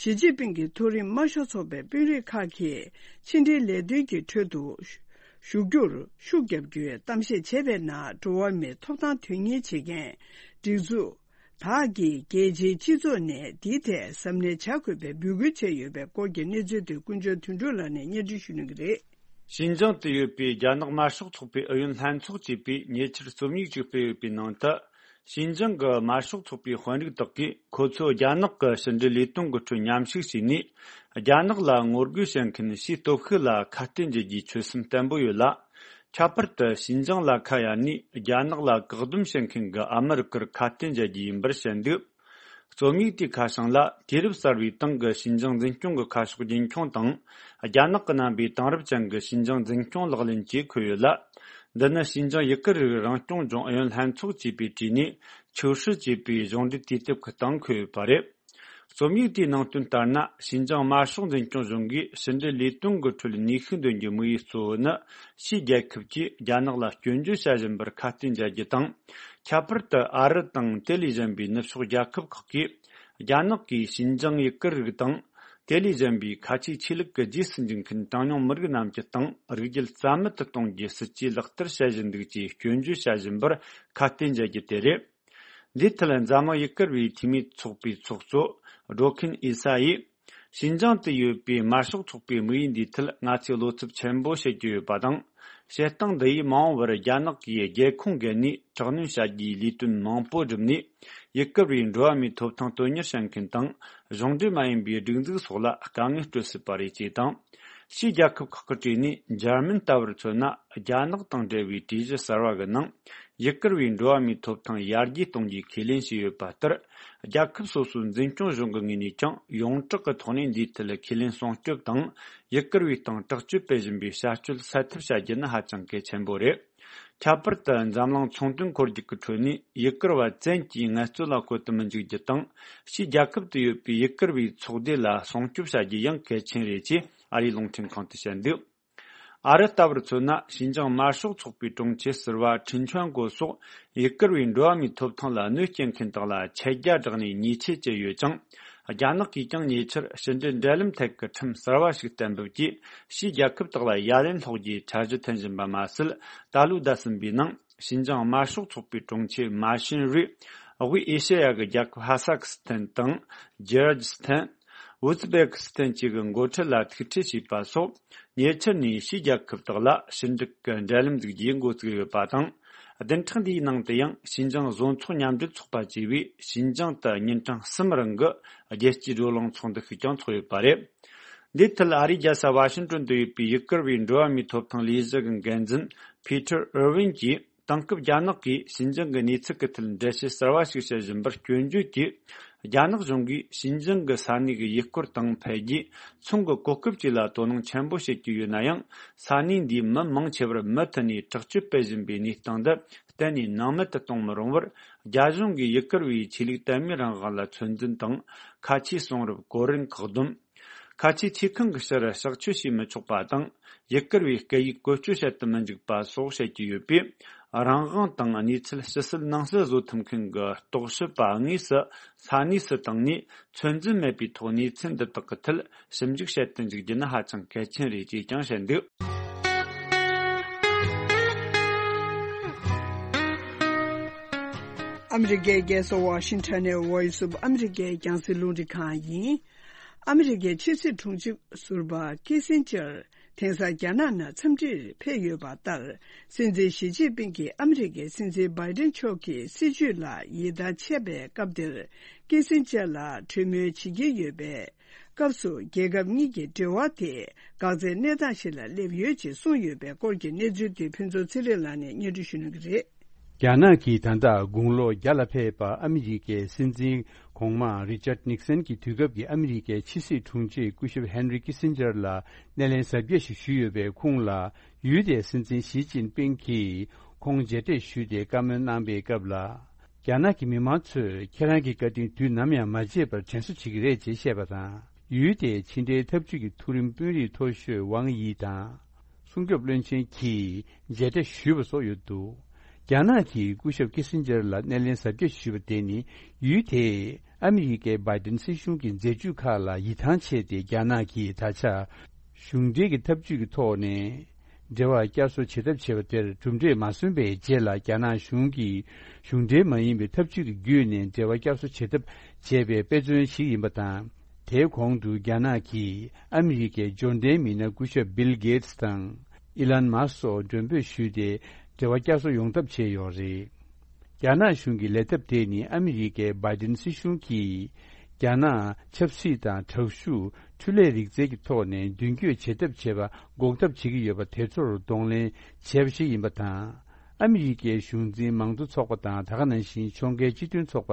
ཞི་ཅིན་ཕིང་གི་མཐོ་རིམ་དམར་ཤོག་ཚོགས་པའི་དཔོན་རིགས་ཁག་གིས་ཕྱི་འབྲེལ་ལས་དོན་གྱི་ཁྲོད་དུ་ཞུགས་རྒྱུར་ཤུགས་རྒྱབ་རྒྱུའི་གཏམ་བཤད་བྱས་པའི་ནང་། འགྲོ་བ་མིའི་ཐོབ་ཐང་དོན་གཉེར་བྱེད་མཁན་སྒྲིག་འཛུགས་དག་གིས་རྒྱལ་སྤྱིའི་སྤྱི་ཚོགས་ནས་འདིའི་ཐད་གཟབ་ནན་བྱ་དགོས་པའི་འབོད་སྐུལ་བྱས་ཡོད་པའི་སྐོར་གྱི་གནས་ཚུལ་དེ་ཀུན་མཁྱེན་དོན་གྲུབ་ལགས་ནས་སྙན་སྒྲོན་ཞུ་གནང་གི་རེད། ཞིན་ཅང་དུ་ཡོད་པའི་རྒྱ་ནག་དམར་ཤོག་ཚོགས་པའི་ཨུ་ཡོན་ལྷན་ཚོགས་ཅེས་པས་ཉེ་ཆར་རྩོམ་ཡིག་ཅིག་སྤེལ་ཡོད་པའི་ནང་དུ། ཞིན་ཅང་གི་དམར་ཤོག་ཚོགས་པའི་དཔོན་རིགས་དག་གིས་ཁོ་ཚོས་རྒྱ་ནག་གི་ཕྱི་འབྲེལ་ལས་དོན་གྱི་ཁྲོད་མཉམ་ཞུགས་བྱས་ནས། རྒྱ་ནག་ལ་ངོ་རྒོལ་བྱེད་མཁན་ཕྱིའི་སྟོབས་ཤུགས་ལ་ཁ་གཏད་འཇལ་རྒྱུའི་ཆོད་སེམས་བརྟན་པོ་ཡོད་ལ། ཁྱད་པར་དུ་ཞིན་ཅང་ལ་ཁ་གཡར་ནས་རྒྱ་ནག་ལ་བཀག་སྡོམ་བྱེད་མཁན་གྱི་ཨ་མི་རི་ཀར་ཁ་གཏད་འཇལ་རྒྱུ་ཡིན་པར་བཤད་འདུག། རྩོམ་ཡིག་དེའི་ཁ་བྱང་ལ། དུས་རབས་གསར་བའི་ཏང་གི་ཞིན་ཅང་འཛིན་སྐྱོང་གི་ཁ་ཕྱོགས་རྒྱུན་འཁྱོངས་དང་། རྒྱ་ནག་གི་རྣམ་པའི་དེང་རབས་ཅན་གྱི་ཞིན་ཅང་འཛིན་སྐྱོང་ལག་ལེན་བཅས་འཁོད་ཡོད་ལ། འདི་ནི་ཞིན་ཅང་ཡུ་གུར་རིགས་རང་སྐྱོང་ལྗོངས་ཨུ་ཡོན་ལྷན་ཚོགས་ཅེས་པའི་བྲིས་ནས་ཆོས་སྲིད་ཅེས་པའི་གཞུང་འབྲེལ་དུས་དེབ་ཀྱི་སྟེང་འཁོད་ཡོད་པ་རེད། རྩོམ་ཡིག་དེའི་ནང་དོན་ལྟར་ན། ཞིན་ཅང་དམར་ཤོག་འཛིན་སྐྱོང་གཞུང་གིས་ཕྱི་འབྲེལ་ལས་དོན་གྱི་ཁྲོད་ནུས་ཤུགས་འདོན་རྒྱུའི་དམིགས་ཡུལ་གཙོ་བོ་ནི། ཕྱིའི་རྒྱལ་ཁབ་ཀྱིས་རྒྱ་ནག་ལ་སྐྱོན་བརྗོད་བྱ་བཞིན་པར་ཁ་གཏད་འཇལ་རྒྱུ་དང་། ཁྱད་པར་དུ་ཨ་རི་དང་དེ་ལས་གཞན་པའི་ནུབ་ཕྱོགས་རྒྱལ་ཁབ་ཁག་གིས། རྒྱ་ནག་གིས་ཞིན་ཅང་ཡུ་གུར་རིགས་དང་། དེ་ལས་གཞན་པའི་ཁ་ཆེའི་ཆོས་ལུགས་ཀྱི་རྗེས་སུ་འཇུག་མཁན་གྲངས་ཉུང་མི་རིགས་རྣམས་ཀྱི་སྟེང་རིགས་རྒྱུད་རྩ་མེད་དུ་གཏོང་རྒྱུའི་སྲིད་ཇུས་ལག་བསྟར་བྱེད་བཞིན་འདུག་ཅེས་སྐྱོན་བརྗོད་བྱ་བཞིན་པར་ཁ་གཏད་འཇལ་རྒྱུ་དེ་རེད། འདིའི་ཐད་འཛམ་གླིང་ཡུ་གུར་བའི་འཐུས་མིའི་ཚོགས་པའི་ཚོགས་གཙོ་ཌོ་ཁིན་ཨི་ས་ཡིས། ཞིན་ཅང་དུ་ཡོད་པའི་དམར་ཤོག་ཚོགས་པའི་དམིགས་ཡུལ་འདིའི་ཐད་ང་ཚོས་བློ་འཚབ་ཆེན་པོ་བྱེད་ཀྱི་ཡོད་པ་དང་། བྱེད་སྟངས་འདི་ཡིས་མ་འོངས་པར་རྒྱ་ནག་གིས་རྒྱལ་ཁོངས་བརྒལ་ནས་དྲག་གནོན་བྱ་རྒྱུའི་ལས་དོན་མང་པོ་བསྒྲུབས་ནས། ཡུ་གུར་བའི་འགྲོ་བ་མིའི་ཐོབ་ཐང་དོན་གཉེར་བྱེད་མཁན་དང་། གཞུང་འབྲེལ་མ་ཡིན་པའི་སྒྲིག་འཛུགས་སོགས་ལ་དཀའ་ངལ་སྤྲོད་སྲིད་པ་རེད་ཅེས་དང་། ཕྱིའི་རྒྱལ་ཁབ་ཁག་གི་གྲས་ནས་འཇར་མན་ལྟ་བུར་མཚོན་ན། རྒྱ་ནག་དང་འབྲེལ་བའི་གྲོས་གཞི་གསར་བ་གི་ནང་། ཡུ་གུར་བའི་འགྲོ་བ་མིའི་ཐོབ་ཐང་ཡར་རྒྱས་གཏོང་རྒྱུའི་ཁས་ལེན་བྱས་ཡོད་པ་ལྟར། རྒྱལ་ཁབ་སོ་སོའི་འཛིན་སྐྱོང་གཞུང་གི་ངོས་ནས་ཀྱང་ཡོངས་གྲགས་ཀྱི་ཐོག་ནས་འདིའི་ཐད་ཁས་ལེན་སྲུང་སྐྱོབ་དང་། ཡུ་གུར་བའི་སྟེང་དྲག་སྤྱོད་སྤེལ་བཞིན་པའི་བྱ་སྤྱོད་སེལ་ཐབས་བྱ་རྒྱུ་ནི་ཧ་ཅང་གལ་ཆེན་པོ་རེད། ཁྱད་པར་དུ་འཛམ་གླིང་ཚོང་དོན་འཁོར་རྒྱུག་གི་ཁྲོད་ནས་ཡུ་གུར་བ་བཙན་གྱིས་ངལ་རྩོལ་ལ་བཀོལ་དུ་མི་འཇུག་རྒྱུ་དང་། ཕྱིའི་རྒྱལ་ཁབ་ཏུ་ཡོད་པའི་ཡུ་གུར་བའི་ཚོགས་སྡེ་ལ་སྲུང་སྐྱོབ་བྱ་རྒྱུ་ཡང་གལ་ཆེན་རེད་ཅེས་ཨ་རིའི་རླུང་འཕྲིན་ཁང་དུ་བཤད་འདུག། ཨ་རི་ལྟ་བུར་མཚོན་ན། ཞིན་ཅང་དམར་ཤོག་ཚོགས་པའི་དྲུང་ཆེ་ཟུར་པ་ཁྲིན་ཆོན་གོ་སོགས་ཡུ་གུར་བའི་འགྲོ་བ་མིའི་ཐོབ་ཐང་ལ་གནོད་སྐྱེལ་མཁན་དག་ལ་ཆད་རྒྱ་བསྒྲགས་ནས་ཉེས་ཆད་བཅད་ཡོད་ཅིང་། རྒྱ་ནག་གིས་ཀྱང་ཉེ་ཆར་ཕྱི་འབྲེལ་འབྲེལ་ལམ་ཐད་ཀྱི་ཁྲིམས་གསར་བ་ཞིག་གཏན་འབེབས་ཀྱིས། ཕྱིའི་རྒྱལ་ཁབ་དག་ལ་ཡ་ལན་སློག་རྒྱུའི་འཆར་གཞི་འཐེན་བཞིན་པ་མ་ཟད། ད་ལོའི་ཟླ་གསུམ་པའི་ནང་། ཞིན་ཅང་དམར་ཤོག་ཚོགས་པའི་དྲུང་ཆེ་མ་ཤིན་རུས། དབུས་ཨེ་ཤེ་ཡ་གི་རྒྱལ་ཁབ་ཧ་ས་ཁི་སི་ཐན་དང་། ཇེ་ར་ཇི་སི་ཐན། ཨུ་ཛི་བེ་ཀི་སི་ཐན་བཅས་ཀྱི་འགོ་ཁྲིད་ལ་ཐུག་འཕྲད་བྱས་པ་སོགས། ཉེ་ཆར་ནས་ཕྱིའི་རྒྱལ་ཁབ་དག་ལ་ཕྱི་འབྲེལ་གྱི་འབྲེལ་ལམ་འཛུགས་རྒྱུའི་འགོ་བཙུགས་ཡོད་པ་དང་། བདུན་ཕྲག་འདིའི་ནང་དུ་ཡང་། ཞིན་ཅང་བཟོ་ཚོགས་མཉམ་འབྲེལ་ཚོགས་པ་བཅས་པས་ཞིན་ཅང་དུ་ཉིན་གྲངས་གསུམ་རིང་གི་རྒྱལ་སྤྱིའི་བགྲོ་གླེང་ཚོགས་འདུ་ཞིག་ཀྱང་ཚོགས་ཡོད་པ་རེད། འདིའི་ཐད་ཨ་རིའི་རྒྱལ་ས་ཝ་ཤིང་ཏོན་དུ་ཡོད་པའི་ཡུ་གུར་བའི་འགྲོ་བ་མིའི་ཐོབ་ཐང་ལས་གཞི་གི་འགན་འཛིན་ཕི་ཐར་ཨིར་ཝིན་གྱིས། དེང་སྐབས་རྒྱ་ནག་གིས་ཞིན་ཅང་གི་གནས་ཚུལ་གྱི་ཐད་འགྲེལ་བཤད་གསར་བ་ཞིག་བྱེད་བཞིན་པར་སྐྱོན་བརྗོད་ཀྱིས། རྒྱ་ནག་གཞུང་གིས་ཞིན་ཅང་གི་ས་གནས་ཀྱི་ཡུལ་སྐོར་དང་འཕེལ་རྒྱས། ཚོང་གི་གོ་སྐབས་བཅས་ལ་དོ་སྣང་ཆེན་པོ་བྱེད་ཀྱི་ཡོད་ན་ཡང་། ས་གནས་འདིའི་མི་མང་ཆེ་བར་མུ་མཐུད་ནས་དྲག་སྤྱོད་སྤེལ་བཞིན་པའི་གནས་སྟངས་འདི་གཏན་ནས་སྣང་མེད་དུ་གཏོང་མི་རུང་བར། རྒྱ་གཞུང་གིས་ཡུ་གུར་བའི་ཆོས་ལུགས་དད་མོས་རང་དབང་ལ་ཚོད་འཛིན་དང་། ཁ་ཆེའི་གསུང་རབ་གོ་རིམ་བཀག་སྡོམ། ཁ་ཆེའི་ཆེ་ཁང་གི་ཕྱིར་གཤག་བཅོས་བྱེད་མི་ཆོག་པ་དང་། ཡུ་གུར་བའི་སྐད་ཡིག་བཀོལ་སྤྱོད་བྱེད་དུ་མི་འཇུག་པ་སོགས་བཤད་ཀྱི་ཡོད་པས། རང་དབང་དང་གནས་ཚུལ་ཕྱི་གསལ་ནང་གསལ་བཟོ་ཐུབ་མཁན་གྱི་རྟོག་ཞིབ་པ་དངོས་སུ་ས་གནས་སུ་བཏང་ནས། ཚོད་འཛིན་མེད་པའི་ཐོག་གནས་ཚུལ་འདི་དག་གི་ཐད་ཞིབ་འཇུག་བྱེད་དུ་འཇུག་རྒྱུ་ནི་ཧ་ཅང་གལ་ཆེན་རེད་ཅེས་ཀྱང་བཤད་འདུག། ཨ་མི་རི་ཀའི་རྒྱལ་ས་ཝ་ཤིང་ཊོན་ནས་Voice of America་རྒྱང་སྲིང་རླུང་འཕྲིན་ཁང་ཡིན། ཨ་མི་རི་ཀའི་ཕྱི་སྲིད་དྲུང་ཆེ་ཟུར་པ་ཀི་སིན་ཇར་དེང་སང་རྒྱ་ནག་ནང་འཚམས་འདྲིར་ཕེབས་ཡོད་པ་ལྟར། སྲིད་འཛིན་ཞི་ཅིན་ཕིང་གིས་ཨ་མི་རི་ཀའི་སྲིད་འཛིན་བྷའི་ཏིན་མཆོག་གི་སྲིད་བྱུས་ལ་ཡིད་ཐང་ཆད་པའི་སྐབས་འདིར། ཀི་སིན་ཇར་ལ་གྲོས་མོལ་བྱེད་ཀྱི་ཡོད་པའི་སྐབས་སུ། རྒྱལ་ཁབ་གཉིས་ཀྱི་འབྲེལ་བ་དེ་འགག་རྩའི་གནས་སྟངས་ཤིག་ལ་སླེབས་ཡོད་ཅེས་གསུངས་ཡོད་པའི་སྐོར་གྱི་གནས་ཚུལ་དེ་ཕུན་ཚོགས་ཚེ་རིང་ལགས་ནས་སྙན་སྒྲོན་ཞུ་གནང་གི་རེད། རྒྱ་ནག་གིས་ད་ལྟ་དགུང་ལོ་བརྒྱ་ལ་ཕེབས་པ་ཨ་མི་རི་ཀའི་སྲིད་འཛིན་གོང་མ་རི་ཅར་ནིག་སན་གྱི་དུས་སྐབས་ཀྱི་ཨ་མི་རི་ཀའི་ཕྱི་སྲིད་དྲུང་ཆེ་སྐུ་ཞབས་ཧན་རི་ཀི་སིན་ཇར་ལ་སྣེ་ལེན་གཟབ་རྒྱས་ཤིག་ཞུས་ཡོད་པའི་ཁུངས་ལ། ཡུལ་དེའི་སྲིད་འཛིན་ཞི་ཅིན་ཕིང་གིས་ཁོང་མཇལ་འཕྲད་ཞུས་ཏེ་བཀའ་མོལ་གནང་པའི་སྐབས་ལ། རྒྱ་ནག་གི་མི་མང་ཚོས་ཁྱེད་རང་གི་བཀའ་དྲིན་དུས་ནམ་ཡང་མ་བརྗེད་པར་དྲན་གསོ་བྱེད་ཀྱི་རེད་ཅེས་བཤད་པ་དང་། ཡུལ་དེའི་ཕྱི་འབྲེལ་འཐབ་ཇུས་ཀྱི་མཐོ་རིམ་དཔོན་རིགས་མཐོ་ཤོས་ཝང་དབྱི་དང་། སྲུང་སྐྱོབ་བློན་ཆེན་གྱིས་མཇལ་འཕྲད་ཞུས་པ་སོགས་ཡོད་འདུག། རྒྱ་ནག་གིས་སྐུ་ཞབས་ཀི་སིན་ཇར་ལ་སྣེ་ལེན་གཟབ་རྒྱས་ཞུས་པ་དེ་ནི། ཡུལ་དེས་ཨ་མི་རི་ཀའི་བྷའི་ཏིན་སྲིད་གཞུང་གི་མཛད་ཇུས་ཁག་ལ་ཡིད་ཐང་ཆད་དེ། རྒྱ་ནག་གིས་ད་ཆ་གཞུང་འབྲེལ་གྱི་ཐབས་ཇུས་ཀྱི་ཐོག་ནས་འབྲེལ་བ་བསྐྱར་གསོ་བྱེད་ཐབས་བྱས་པ་དེར་གྲུབ་འབྲས་མ་སོན་པའི་རྗེས་ལ། རྒྱ་ནག་གཞུང་གིས་གཞུང་འབྲེལ་མ་ཡིན་པའི་ཐབས་ཇུས་ཀྱི་བརྒྱུད་ནས་འབྲེལ་བ་བསྐྱར་གསོ་བྱེད་ཐབས་བྱས་པའི་དཔེ་མཚོན་ཞིག་ཡིན་པ་དང་། དེའི་གོང་དུ་རྒྱ་ནག་གིས་ཨ་མི་རི་ཀའི་འབྱོར་ལྡན་མི་སྣ་སྐུ་ཞབས་བིལ་གེ་ཏི་དང་ཨི་ལན་མཱ་སོགས་མགྲོན་འབོད་ཞུས་ཏེ། འབྲེལ་བ་བསྐྱར་གསོ་ཡོང་ཐབས་བྱས་ཡོད་རེད། རྒྱ་ནག་གཞུང་གི་ལས་ཐབས་དེ་ནི་ཨ་མི་རི་ཀའི་བྷའི་ཏིན་སྲིད་གཞུང་གིས་རྒྱ་ནག་ཆབ་སྲིད་དང་དྲག་ཤུགས་འཕྲུལ་ལས་རིག་རྩལ་གྱི་ཐོག་ནས་མདུན་སྐྱོད་བྱེད་ཐབས་བྱེད་པ་འགོག་ཐབས་བྱེད་ཀྱི་ཡོད་པ་དེ་ཚོར་གདོང་ལེན་བྱས་པ་ཞིག་ཡིན་པ་དང་། ཨ་མི་རི་ཀའི་གཞུང་འཛིན་མང་གཙོ་ཚོགས་པ་དང་། ད་ག་ནང་བཞིན་ཕྱོགས་འགལ་སྤྱི་མཐུན་ཚོགས་པ་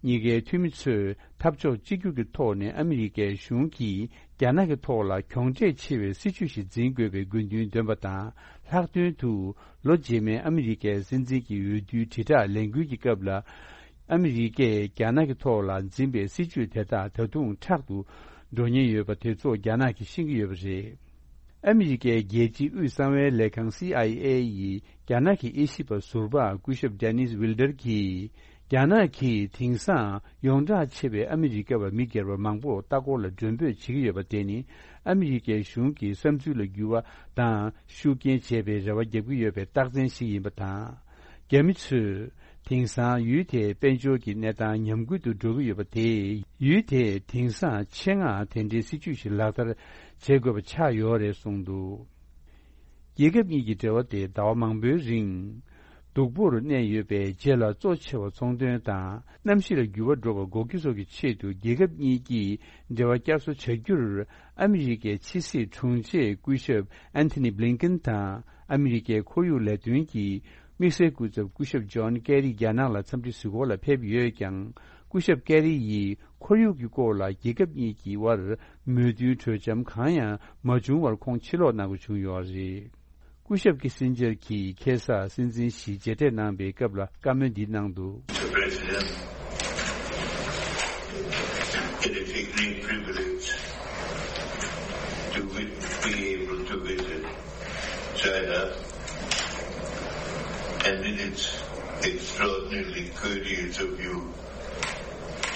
གཉིས་ཀའི་འཐུས་མི་ཚོས་འཐབ་ཕྱོགས་གཅིག་གྱུར་གྱི་ཐོག་ནས་ཨ་མི་རི་ཀའི་གཞུང་གིས་རྒྱ་ནག་གི་ཐོག་ལ་གྱོང་འབྲས་ཆེ་བའི་སྲིད་བྱུས་ཤིག་འཛིན་དགོས་པའི་དགོས་འདུན་འདོན་པ་དང་། ལྷག་དོན་དུ་ལོ་རྗེས་མའི་ཨ་མི་རི་ཀའི་སྲིད་འཛིན་གྱི་འོས་བསྡུའི་དྲིལ་བསྒྲགས་ལས་འགུལ་གྱི་སྐབས་ལ། ཨ་མི་རི་ཀས་རྒྱ་ནག་གི་ཐོག་ལ་འཛིན་པའི་སྲིད་བྱུས་དེ་དག་ད་དུང་དྲག་ཏུ་འགྲོ་ཉེན་ཡོད་པ་དེ་ཚོ་རྒྱ་ནག་གིས་ཤེས་ཀྱི་ཡོད་པ་རེད། ཨ་མི་རི་ཀའི་རྒྱལ་སྤྱིའི་དབུས་གསང་བའི་ལས་ཁང་སི་ཨའི་ཨེ་ཡིས་རྒྱ་ནག་གི་དབྱེ་ཞིབ་པ་ཟུར་པ་སྐུ་ཞབས་ཌེ་ནིས་ཝིལ་ཌར་གྱིས། རྒྱ་ནག་གིས་དེང་སང་ཡོངས་གྲགས་ཆེ་བའི་ཨ་མི་རི་ཀ་བ་མི་སྒེར་པ་མང་པོ་ལྟ་སྐོར་ལ་མགྲོན་འབོད་བྱེད་ཀྱི་ཡོད་པ་དེ་ནི། ཨ་མི་རི་ཀའི་གཞུང་གི་བསམ་ཚུལ་ལ་འགྱུར་བ་དང་ཤུགས་རྐྱེན་བྱེད་པའི་རེ་བ་བརྒྱབ་ཀྱི་ཡོད་པའི་རྟགས་མཚན་ཞིག་ཡིན་པ་དང་། རྒྱ་མི་ཚོས་དེང་སང་ཡུལ་དེའི་དཔལ་འབྱོར་གྱི་གནས་སྟངས་ཉམས་རྒུད་དུ་འགྲོ་གི་ཡོད་པ་དེས། ཡུལ་དེས་དེང་སང་ཆེད་མངགས་དེ་འདྲའི་སྲིད་བྱུས་ཤིག་ལག་བསྟར་བྱེད་དགོས་པ་ཆགས་ཡོད་རེད་གསུངས་འདུག། རྒྱལ་ཁབ་གཉིས་ཀྱི་འབྲེལ་བ་དེ་ཟླ་བ་མང་པོའི་རིང་སྡུག་པོར་གནས་ཡོད་པའི་རྗེས་ལ། གཙོ་ཆེ་བ་ཚོང་དོན་དང་གནམ་གཤིས་ལ་འགྱུར་བ་འགྲོ་བ་འགོག་རྒྱུ་སོགས་ཀྱི་ཆེད་དུ། རྒྱལ་ཁབ་གཉིས་ཀྱིས་འབྲེལ་བ་བསྐྱར་གསོ་བྱ་རྒྱུར། ཨ་མི་རི་ཀའི་ཕྱི་སྲིད་དྲུང་ཆེ་སྐུ་ཞབས་ཨན་ཐི་ནི་བྷི་ལིན་ཀིན་དང་། ཨ་མི་རི་ཀའི་ཁོར་ཡུག་ལས་དོན་གྱི་དམིགས་བསལ་སྐུ་ཚབ་སྐུ་ཞབས་ཇོན་ཀེ་རི་རྒྱ་ནག་ལ་འཚམས་འདྲི་གཟིགས་སྐོར་ལ་ཕེབས་ཡོད་ཀྱང་། སྐུ་ཞབས་ཀེ་རི་ཡིས་ཁོར་ཡུག་གི་སྐོར་ལ་རྒྱལ་ཁབ་གཉིས་ཀྱི་དབར་མོས་མཐུན་གྲོས་འཆམ་གང་ཡང་མ་བྱུང་བར་ཁོང་ཕྱིར་ལོག་གནང་དགོས་བྱུང་ཡོད་རེད། སྐུ་ཞབས་ཀི་སིན་ཇར་གྱིས་ཁ་སང་སྲིད་འཛིན་ཞིས་མཇལ་འཕྲད་གནང་པའི་སྐབས་ལ་བཀའ་མོལ་འདི་གནང་འདུག། Mister President, it is a great privilege to vi- be able to visit China, and it is extraordinarily courteous of you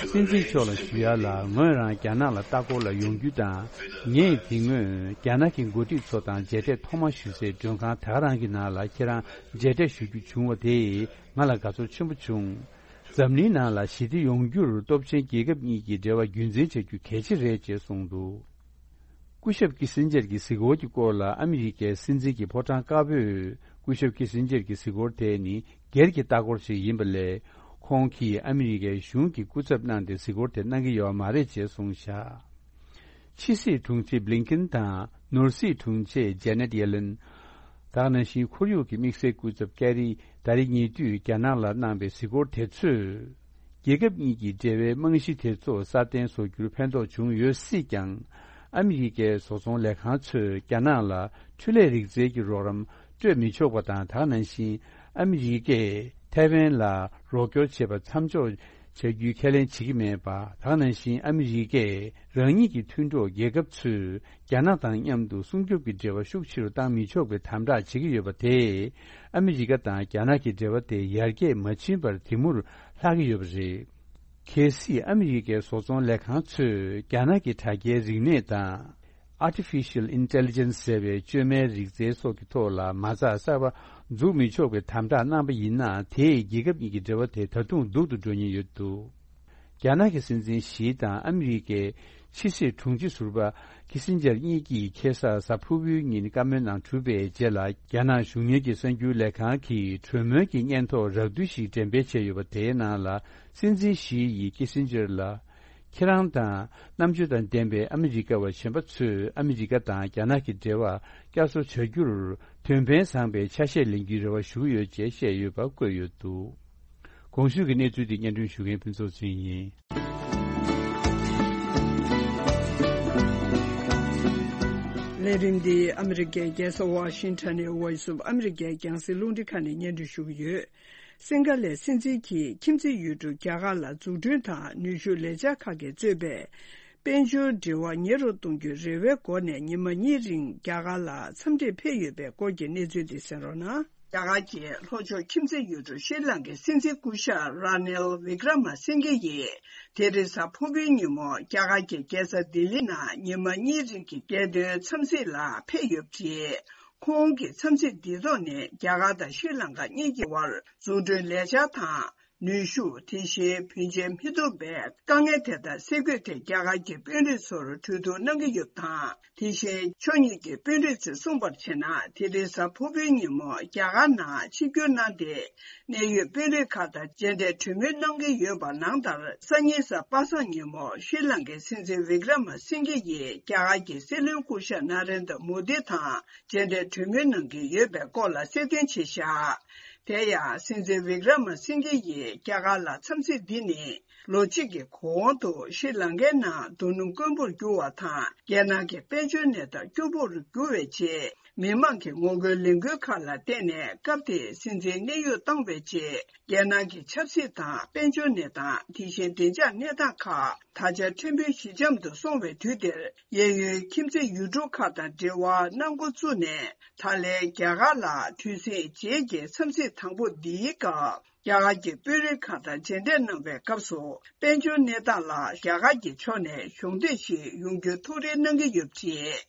to སྲིད་འཛིན་མཆོག་ལ་arrange the ཞུ་ཡ་ལ། meeting. ངོས་རང་རྒྱ་ནག་ལ་ལྟ་སྐོར་ལ་ཡོང་རྒྱུ་དང་། ངས་དེ་སྔོན་རྒྱ་ནག་གི་འགོ་ཁྲིད་ཚོ་དང་མཇལ་འཕྲད་ཐོག་མ་ཞུ་སའི་མགྲོན་ཁང་ད་ག་རང་གི་ནང་ལ་ཁྱེད་རང་མཇལ་འཕྲད་ཞུ་རྒྱུ་བྱུང་བ་དེས་ང་ལ་དགའ་ཚོར་ཆེན་པོ་བྱུང་། འཛམ་གླིང་ནང་ལ་ཞི་བདེ་ཡོང་རྒྱུར་སྟོབས་ཆེན་རྒྱལ་ཁབ་གཉིས་ཀྱི་འབྲེལ་བ་རྒྱུན་འཛིན་བྱ་རྒྱུ་གལ་ཆེ་རེད་ཅེས་གསུངས་འདུག། སྐུ་ཞབས་ཀི་སིན་ཇར་གྱི་གཟིགས་སྐོར་གྱི་སྐོར་ལ་ཨ་མི་རི་ཀའི་སྲིད་འཛིན་གྱི་ཕོ་བྲང་དཀར་པོས། སྐུ་ཞབས་ཀི་སིན་ཇར་གྱི་གཟིགས་སྐོར་དེ་ནི་སྒེར་གྱི་ལྟ་སྐོར་ཞིག་ཡིན་པ་ལས། ཁོང་གིས་ཨ་མི་རི་ཀའི་གཞུང་གི་སྐུ་ཚབ་གནང་སྟེ་གཟིགས་སྐོར་དེ་གནང་གི་ཡོད་མ་རེད་ཅེས་གསུངས་བཞག། ཕྱི་སྲིད་དྲུང་ཆེ་བྷི་ལིན་ཀིན་དང་ནོར་སྲིད་དྲུང་ཆེ་ཇེ་ནེད་ཡེ་ལེན། ད་ག་ནང་བཞིན་ཁོར་ཡུག་གི་དམིགས་བསལ་སྐུ་ཚབ་ཀེ་རི་ད་རེས་ཉེ་དུས་རྒྱ་ནག་ལ་གནང་པའི་གཟིགས་སྐོར་དེ་ཚོས། རྒྱལ་ཁབ་གཉིས་ཀྱི་འབྲེལ་བའི་རྨང་གཞི་དེ་ཚོ་སྲ་བརྟན་བཟོ་རྒྱུར་ཕན་ཐོགས་བྱུང་ཡོད་སྲིད་ཀྱང་། ཨ་མི་རི་ཀའི་བཟོ་ཚོང་ལས་ཁང་ཚོས་རྒྱ་ནག་ལ་འཕྲུལ་ལས་རིག་རྩལ་གྱི་རོགས་རམ་སྤྲོད་མི་ཆོག་པ་དང་། ད་ག་ནང་བཞིན་ཨ་མི་རི་ཀས་ཐའེ་ཝན་ལ་རོགས་སྐྱོར་བྱེད་པ་མཚམས་འཇོག་བྱ་རྒྱུའི་ཁས་ལེན་བྱེད་ཀྱི་མེད་པ། ད་ག་ནང་བཞིན་ཨ་མི་རི་ཀས་རང་ཉིད་ཀྱི་མཐུན་གྲོགས་རྒྱལ་ཁབ་ཚོས་རྒྱ་ནག་དང་མཉམ་དུ་སྲུང་སྐྱོབ་ཀྱི་འབྲེལ་བ་ཤུགས་ཆེ་རུ་བཏང་མི་ཆོག་པའི་དམ་དྲག་བྱེད་ཀྱི་ཡོད་པ་དེས། ཨ་མི་རི་ཀ་དང་རྒྱ་ནག་གི་འབྲེལ་བ་དེ་ཡར་རྒྱས་མ་ཕྱིན་པར་དེ་མུར་ལྷག་གི་ཡོད་པ་རེད། གལ་སྲིད་ཨ་མི་རི་ཀའི་བཟོ་ཚོང་ལས་ཁང་ཚོས་རྒྱ་ནག་གི་དྲ་རྒྱའི་རིག་གནས་དང་། Artificial Intelligence ཟེར་བའི་བཅོས་མའི་རིག་རྩལ་སོགས་ཀྱི་ཐོག་ལ་མ་རྩ་གསར་པ་འཛུགས་མི་ཆོག་པའི་དམ་དྲག་གནང་པ་ཡིན་ན། དེས་རྒྱལ་ཁབ་གཉིས་ཀྱི་འབྲེལ་བ་དེ་ད་དུང་སྡུག་ཏུ་འགྲོ་ཉེན་ཡོད་འདུག། རྒྱ་ནག་གི་སྲིད་འཛིན་ཞི་དང་ཨ་མི་རི་ཀའི་ཕྱི་སྲིད་དྲུང་ཆེ་ཟུར་པ་ཁི་སིན་ཇར་གཉིས་ཀྱིས་ཁ་སང་གཟའ་ཕུར་བུའི་ཉིན་བཀའ་མོལ་གནང་གྲུབ་པའི་རྗེས་ལ། རྒྱ་ནག་གཞུང་གཉེར་གྱི་གསར་འགྱུར་ལས་ཁང་གིས་གྲོས་མོལ་གྱི་སྙན་ཐོ་རགས་བསྡུས་ཤིག་འགྲེམས་སྤེལ་བྱས་ཡོད་པ་དེའི་ནང་ལ། སྲིད་འཛིན་ཞི་ཡིས་ཁི་སིན་ཇར་ལ། ཁྱེད་རང་དང་རྣམ་དཔྱོད་དང་ལྡན་པའི་ཨ་མི་རི་ཀ་བ་གཞན་པ་ཚོས་ཨ་མི་རི་ཀ་དང་རྒྱ་ནག་གི་འབྲེལ་བ་བསྐྱར་གསོ་བྱ་རྒྱུར་དོན་ཕན་བཟང་པའི་ཆ་ཤས་ལེན་རྒྱུའི་རེ་བ་ཞུ་གི་ཡོད་ཅེས་བཤད་ཡོད་པ་བཀོད་ཡོད་འདུག། གོང་ཞུས་ཀྱི་གནས་ཚུལ་འདི་སྙན་སྒྲོན་ཞུ་མཁན་ཕུན་ཚོགས་ཚེ་རིང་ཡིན། ལས་རིམ་འདི་ཨ་མི་རི་ཀའི་རྒྱལ་ས་ཝ་ཤིང་ཊོན་ནས་Voice of America རྒྱང་སྲིང་རླུང་འཕྲིན་ཁང་ནས་སྙན་སྒྲོན་ཞུ་གི་ཡོད། སིང་ག་ལའི་སྲིད་འཛིན་གྱིས་ཁྱིམ་མཚེས་ཡུལ་གྲུ་རྒྱ་གར་ལ་འཛུགས་སྐྲུན་དང་ནུས་ཤུགས་ལས་འཆར་ཁག་གིས་གཙོས་པའི་དཔལ་འབྱོར་འབྲེལ་བ་ཉེ་རུ་གཏོང་རྒྱུའི་རེ་བའི་སྒོ་ནས་ཉི་མ་གཉིས་རིང་རྒྱ་གར་ལ་འཚམས་འདྲིར་ཕེབས་ཡོད་པའི་སྐོར་གྱི་གནས་ཚུལ་འདི་གསན་རོགས་གནང་། རྒྱ་གར་གྱི་ལྷོ་ཕྱོགས་ཁྱིམ་མཚེས་ཡུལ་གྲུ་ཤྲི་ལང་ཀའི་སྲིད་འཛིན་སྐུ་ཞབས་ར་ནེལ་བི་ཀྲ་མ་སིང་གེ་ཡིས་དེ་རིང་གཟའ་ཕུར་བུའི་ཉིན་མོ་རྒྱ་གར་གྱི་རྒྱལ་ས་ལྡི་ལི་ནང་ཉི་མ་གཉིས་རིང་གི་རྒྱལ་དོན་འཚམས་གཟིགས་ལ་ཕེབས་ཡོད་པ་རེད། ཁོང་གི་འཚམས་གཟིགས་འདིའི་ཐོག་ནས་རྒྱ་གར་དང་ཤྲི་ལང་ཀ་གཉིས་ཀྱི་དབར་འཛུགས་སྐྲུན་ལས་འཆར་དང་། ནུས་ཤུགས། དེ་བཞིན་བུན་འཇལ་མི་ཐུབ་པའི་དཀའ་ངལ་དེ་དག་སེལ་དགོས་ཐད་རྒྱ་གར་གྱི་དཔོན་རིགས་ཚོར་གྲོས་བསྡུར་གནང་གི་ཡོད་པ་དང་། དེ་བཞིན་ཕྱོགས་གཉིས་ཀྱི་དཔོན་རིགས་ཚོས་གསུངས་པར་བྱས་ན། དེ་རིང་གཟའ་ཕུར་བུའི་ཉིན་མོ་རྒྱ་གར་ནང་ཆིབས་བསྒྱུར་གནང་སྟེ། གནད་ཡོད་དཔོན་རིགས་ཁག་དང་མཇལ་འཕྲད་གྲོས་མོལ་གནང་གི་ཡོད་པ་ནང་ལྟར། སང་ཉིན་གཟའ་པ་སངས་ཉིན་མོ་ཤྲི་ལང་ཀའི་སྲིད་འཛིན་བི་ཀྲ་མ་སིང་གེ་ཡིས་རྒྱ་གར་གྱི་སྲིད་བློན་སྐུ་ཞབས་ན་རེན་དྲ་མོ་དི་དང་མཇལ་འཕྲད་གྲོས་མོལ་གནང་གི་ཡོད་པའི་སྐོར་ལ་གསལ་སྟོན་བྱས་བཞག་དེ་ཡང་སྲིད་འཛིན་བི་ཀྲ་མ་སིང་གེ་ཡིས་རྒྱ་གར་ལ་འཚམས་གཟིགས་འདི་ནི། ལོ་གཅིག་གི་གོང་དུ་ཤྲི་ལང་ཀའི་ནང་རྡོ་སྣུམ་དཀོན་པོར་གྱུར་བ་དང་། རྒྱལ་ནང་གི་དཔལ་འབྱོར་གནས་སྟངས་སྐྱོ་པོར་གྱུར་བའི་རྗེས། མི་མང་གི་ངོ་རྒོལ་ལས་འགུལ་ཁག་ལ་བརྟེན་ནས། སྐབས་དེའི་སྲིད་འཛིན་གནས་དབྱུང་བཏང་བའི་རྗེས། རྒྱལ་ནང་གི་ཆབ་སྲིད་དང་དཔལ་འབྱོར་གནས་སྟངས། དེ་བཞིན་བདེ་འཇགས་གནས་སྟངས་ཁག་ད་ཆ་ཕྲན་བུ་ཞི་འཇམ་དུ་སོང་བའི་དུས་འདིར། གཡས་གཡོན་ཁྱིམ་མཚེས་ཡུལ་གྲུ་ཁག་དང་འབྲེལ་བ་གནང་འགོ་བཙུགས་ནས། ད་ལན་རྒྱ་གར་ལ་དུས་ཟིང་རྗེས་ཀྱི་འཚམས་གཟིགས་དང་པོ་འདིའི་སྐབས། རྒྱ་གར་གྱི་དཔོན་རིགས་ཁག་དང་མཇལ་འཕྲད་གནང་བའི་སྐབས་སུ། དཔལ་འབྱོར་གནས་སྟངས་ལ་རྒྱ་གར་གྱི་ཕྱོགས་ནས་གཞོགས་འདེགས་ཤིག་ཡོང་རྒྱུའི་ཐུགས་རེ་གནང་གི་ཡོད་པ་རེད།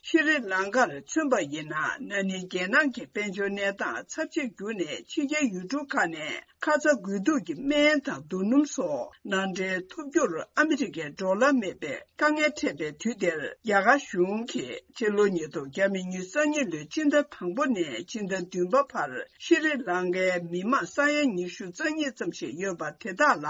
ཤྲི་ལང་ཀར་མཚོན་པ་ཡིན་ན། ན་ནིང་རྒྱལ་ནང་གི་དཔལ་འབྱོར་གནས་སྟངས་ཚབས་ཆེར་གྱུར་ནས། ཕྱི་རྒྱལ་ཡུལ་གྲུ་ཁག་ནས་ཁ་ཚ་དགོས་གཏུགས་ཀྱི་སྨན་དང་རྡོ་སྣུམ་སོགས་ནང་འདྲེན་ཐུབ་རྒྱུར་ཨ་མི་རི་ཀའི་འགྲོ་ལམ་མེད་པའི་དཀའ་ངལ་འཕྲད་པའི་དུས་འདིར། རྒྱ་གར་གཞུང་གིས་ཕྱི་ལོ་ཉིས་སྟོང་ཉི་ཤུ་རྩ་གཉིས་ལོའི་སྤྱི་ཟླ་དང་པོ་ནས་སྤྱི་ཟླ་བདུན་པ་བར། ཤྲི་ལང་ཀའི་མི་མང་ས་ཡ་ཉི་ཤུ་རྩ་གཉིས་ཙམ་ཞིག་ཡོད་པ་དེ་དག་ལ།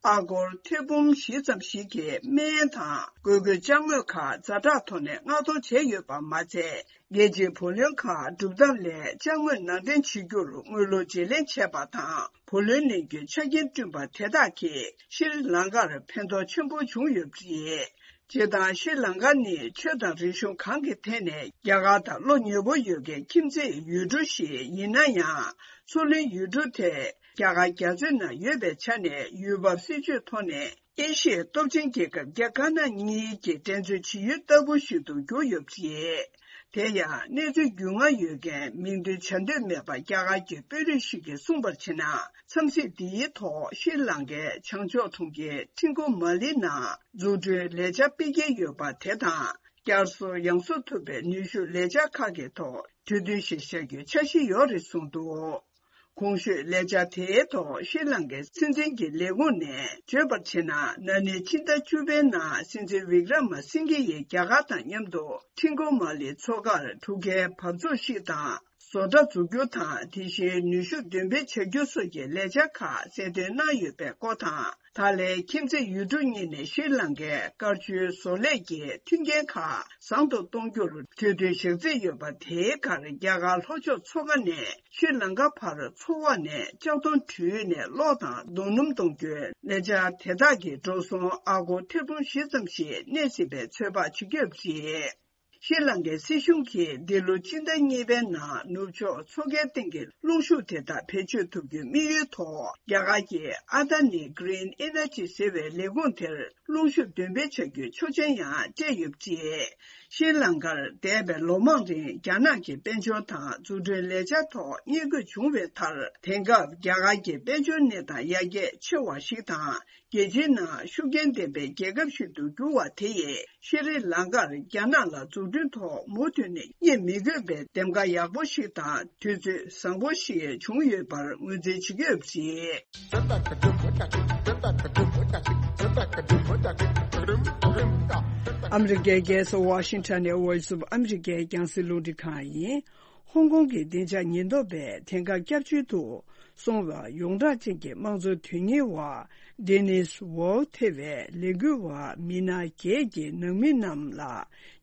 ཨ་སྒོར་ཐེར་འབུམ་བཞི་ཙམ་ཞིག་གི་སྨན་དང་། དགོས་མཁོའི་ཅ་དངོས་ཁག་ཛ་དྲག་ཐོག་ནས་མངགས་གཏོང་བྱས་ཡོད་པ་མ་ཚད། རྒྱལ་སྤྱིའི་བུ་ལོན་ཁག་སྒྲུབ་ཐབས་ལས་ཅ་དངོས་ནང་འདྲེན་བྱེད་རྒྱུར་དངུལ་ལོར་བརྗེ་ལེན་བྱས་པ་དང་། བུ་ལོན་ལེན་རྒྱུའི་ཆ་རྐྱེན་བསྐྲུན་པ་དེ་དག་གིས་ཤྲི་ལང་ཀར་ཕན་ཐོགས་ཆེན་པོ་བྱུང་ཡོད་པ་རེད། སྤྱིར་བཏང་ཤྲི་ལང་ཀ་ནི་ཆོས་དང་རིག་གཞུང་གང་གི་ཐད་ནས་རྒྱ་གར་དང་བློ་ཉེ་པོ་ཡོད་མཁན་ཁྱིམ་མཚེས་ཡུལ་གྲུ་ཞིག་ཡིན་ན་ཡང་། མཚོ་གླིང་ཡུལ་གྲུ་དེ་རྒྱ་གར་རྒྱ་མཚོའི་ནང་ཡོད་པའི་ཆ་ནས། ཡུལ་བབ་སྲིད་ཇུས་ཐོག་ནས་ཨེ་ཤི་ཡའི་སྟོབས་ཆེན་རྒྱལ་ཁབ་རྒྱ་དཀར་ནག་གཉིས་ཀྱི་འགྲན་རྩོད་བྱེད་ཡུལ་ལྟ་བུ་ཞིག་ཏུ་གྱུར་ཡོད་པ་རེད། དེ་ཡང་གནས་ཚུལ་རྒྱུས་མངའ་ཡོད་མཁན་མིང་འདོན་བྱ་འདོད་མེད་པ་རྒྱ་གར་གྱི་དཔོན་རིགས་ཤིག་གིས་གསུངས་པར་བྱས་ན། འཚམས་གཟིགས་འདིའི་ཐོག་ཤྲི་ལང་ཀའི་བྱང་ཕྱོགས་གྲོང་ཁྱེར་ཁྲིན་ཀོ་མ་ལི་ནང་འཛུགས་སྐྲུན་ལས་འཆར་སྤེལ་གྱི་ཡོད་པ་དེ་དང་། བསྐྱར་གསོ་ཡང་གསོ་ཐུབ་པའི་ནུས་ཤུགས་ལས་འཆར་ཁག་གི་ཐོག་གྲོས་མཐུན་ཞིག་བཞག་རྒྱུའི་འཆར་གཞི་ཡོད་རེད་གསུངས་འདུག་གོང་ཞུས་ལས་འཆར་དེའི་ཐོག་ཤྲི་ལང་ཀའི་སྲིད་འཛིན་གྱི་ལས་ཁུངས་ནས་བརྗོད་པར་བྱས་ན། ན་ནིང་ཕྱི་ཟླ་བཅུ་པའི་ནང་སྲིད་འཛིན་བི་ཀྲ་མ་སིང་གེ་ཡིས་རྒྱ་གར་དང་མཉམ་དུ་ཁྲིན་ཀོ་མ་ལི་མཚོ་ཁར་གྲུ་ཁའི་བབས་ཚུགས་ཤིག་དང་། བཟོ་གྲྭ་འཛུགས་རྒྱུ་དང་། དེ་བཞིན་ནུས་ཤུགས་འདོན་སྤེལ་བྱ་རྒྱུ་སོགས་ཀྱི་ལས་འཆར་ཁག་གསལ་སྟོན་གནང་ཡོད་པའི་སྐོར་དང་། ད་ལན་ཁྱིམ་མཚེས་ཡུལ་གྲུ་གཉིས་ནས་ཤྲི་ལང་ཀའི་དཀར་ཆུའི་བཟོ་ལས་ཀྱི་མཐུན་རྐྱེན་ཁག་བཟང་དུ་གཏོང་རྒྱུར་གྲོས་མཐུན་བཞག་རྩིས་ཡོད་པ། དེའི་ཁར་རྒྱ་གར་ལྷོ་ཕྱོགས་མཚོ་ཁ་ནས་ཤྲི་ལང་ཀ་བར་མཚོ་འོག་ནས་ལྕགས་མདོང་བྲུས་ནས་གློག་དང་རྡོ་སྣུམ་གཏོང་རྒྱུའི་ལས་འཆར་དེ་དག་གིས་འགྲོ་སོང་ཨ་སྒོར་ཐེར་འབུམ་བཞི་ཙམ་ཞིག་གནས་སྲིད་པའི་ཚོད་དཔག་བྱེད་ཀྱི་ཡོད་པ་རེད། ཤྲི་ལང་ཀའི་སྲིད་གཞུང་གིས་འདི་ལོ་སྤྱི་ཟླ་གཉིས་པའི་ནང་ནུབ་ཕྱོགས་མཚོ་ཁའི་སྟེང་གི་རླུང་ཤུགས་དེ་དག་བེད་སྤྱོད་ཐུབ་རྒྱུའི་དམིགས་ཡུལ་ཐོག་རྒྱ་གར་གྱི་ཨ་ད་ནི་Green Energy་ཟེར་བའི་ལས་ཁུངས་དེར་རླུང་ཤུགས་འདོན་སྤེལ་བྱ་རྒྱུའི་ཆོག་མཆན་ཡང་སྤྲད་ཡོད་པ་རེད། ཤྲི་ལང་ཀར་འདས་པའི་ལོ་མང་རིང་རྒྱ་ནག་གི་དཔལ་འབྱོར་དང་འཛུགས་སྐྲུན་ལས་འཆར་ཐོག་བསྙད་བཀོད་བྱུང་བའི་མཐར། དེང་སྐབས་རྒྱ་གར་གྱི་དཔལ་འབྱོར་གནས་སྟངས་ཡར་རྒྱས་ཆེ་བ་ཞིག་དང་། རྒྱལ་སྤྱིའི་ནང་ཤུགས་རྐྱེན་ལྡན་པའི་རྒྱལ་ཁབ་ཞིག་ཏུ་གྱུར་བ་དེ་ཡིས། ཤྲི་ལང་ཀར་རྒྱ་ནག་ལ་འཛུགས་སྐྲུན་ཐོག་མུ་མཐུད་ནས་རྙེད་མི་དགོས་པའི་འདེམས་ཀ་ཡག་པོ་ཞིག་དང་། དུས་ཚོད་བཟང་པོ་ཞིག་བྱུང་ཡོད་པར་ངོས་འཛིན་བྱེད་ཀྱི་ཡོད་པ་རེད། ཨ་མི་རི་ཀའི་རྒྱལ་ས་ཝ་ཤིང་ཊོན་ནས་Voice of America་རྒྱང་སྲིང་རླུང་འཕྲིན་ཁང་ཡིན། ཧོང་ཀོང་གི་བདེ་འཇགས་ཉེན་རྟོག་པས་དེང་སྐབས་སྐྱབས་བཅོལ་དུ་སོང་བའི་ཡོངས་གྲགས་ཅན་གྱི་དམངས་གཙོའི་དོན་གཉེར་བ་ཌེ་ནིས་ཝོའུ་ཐེ་བའི་ལས་འགུལ་བ་མི་སྣ་བརྒྱད་ཀྱི་ནང་མི་རྣམས་ལ་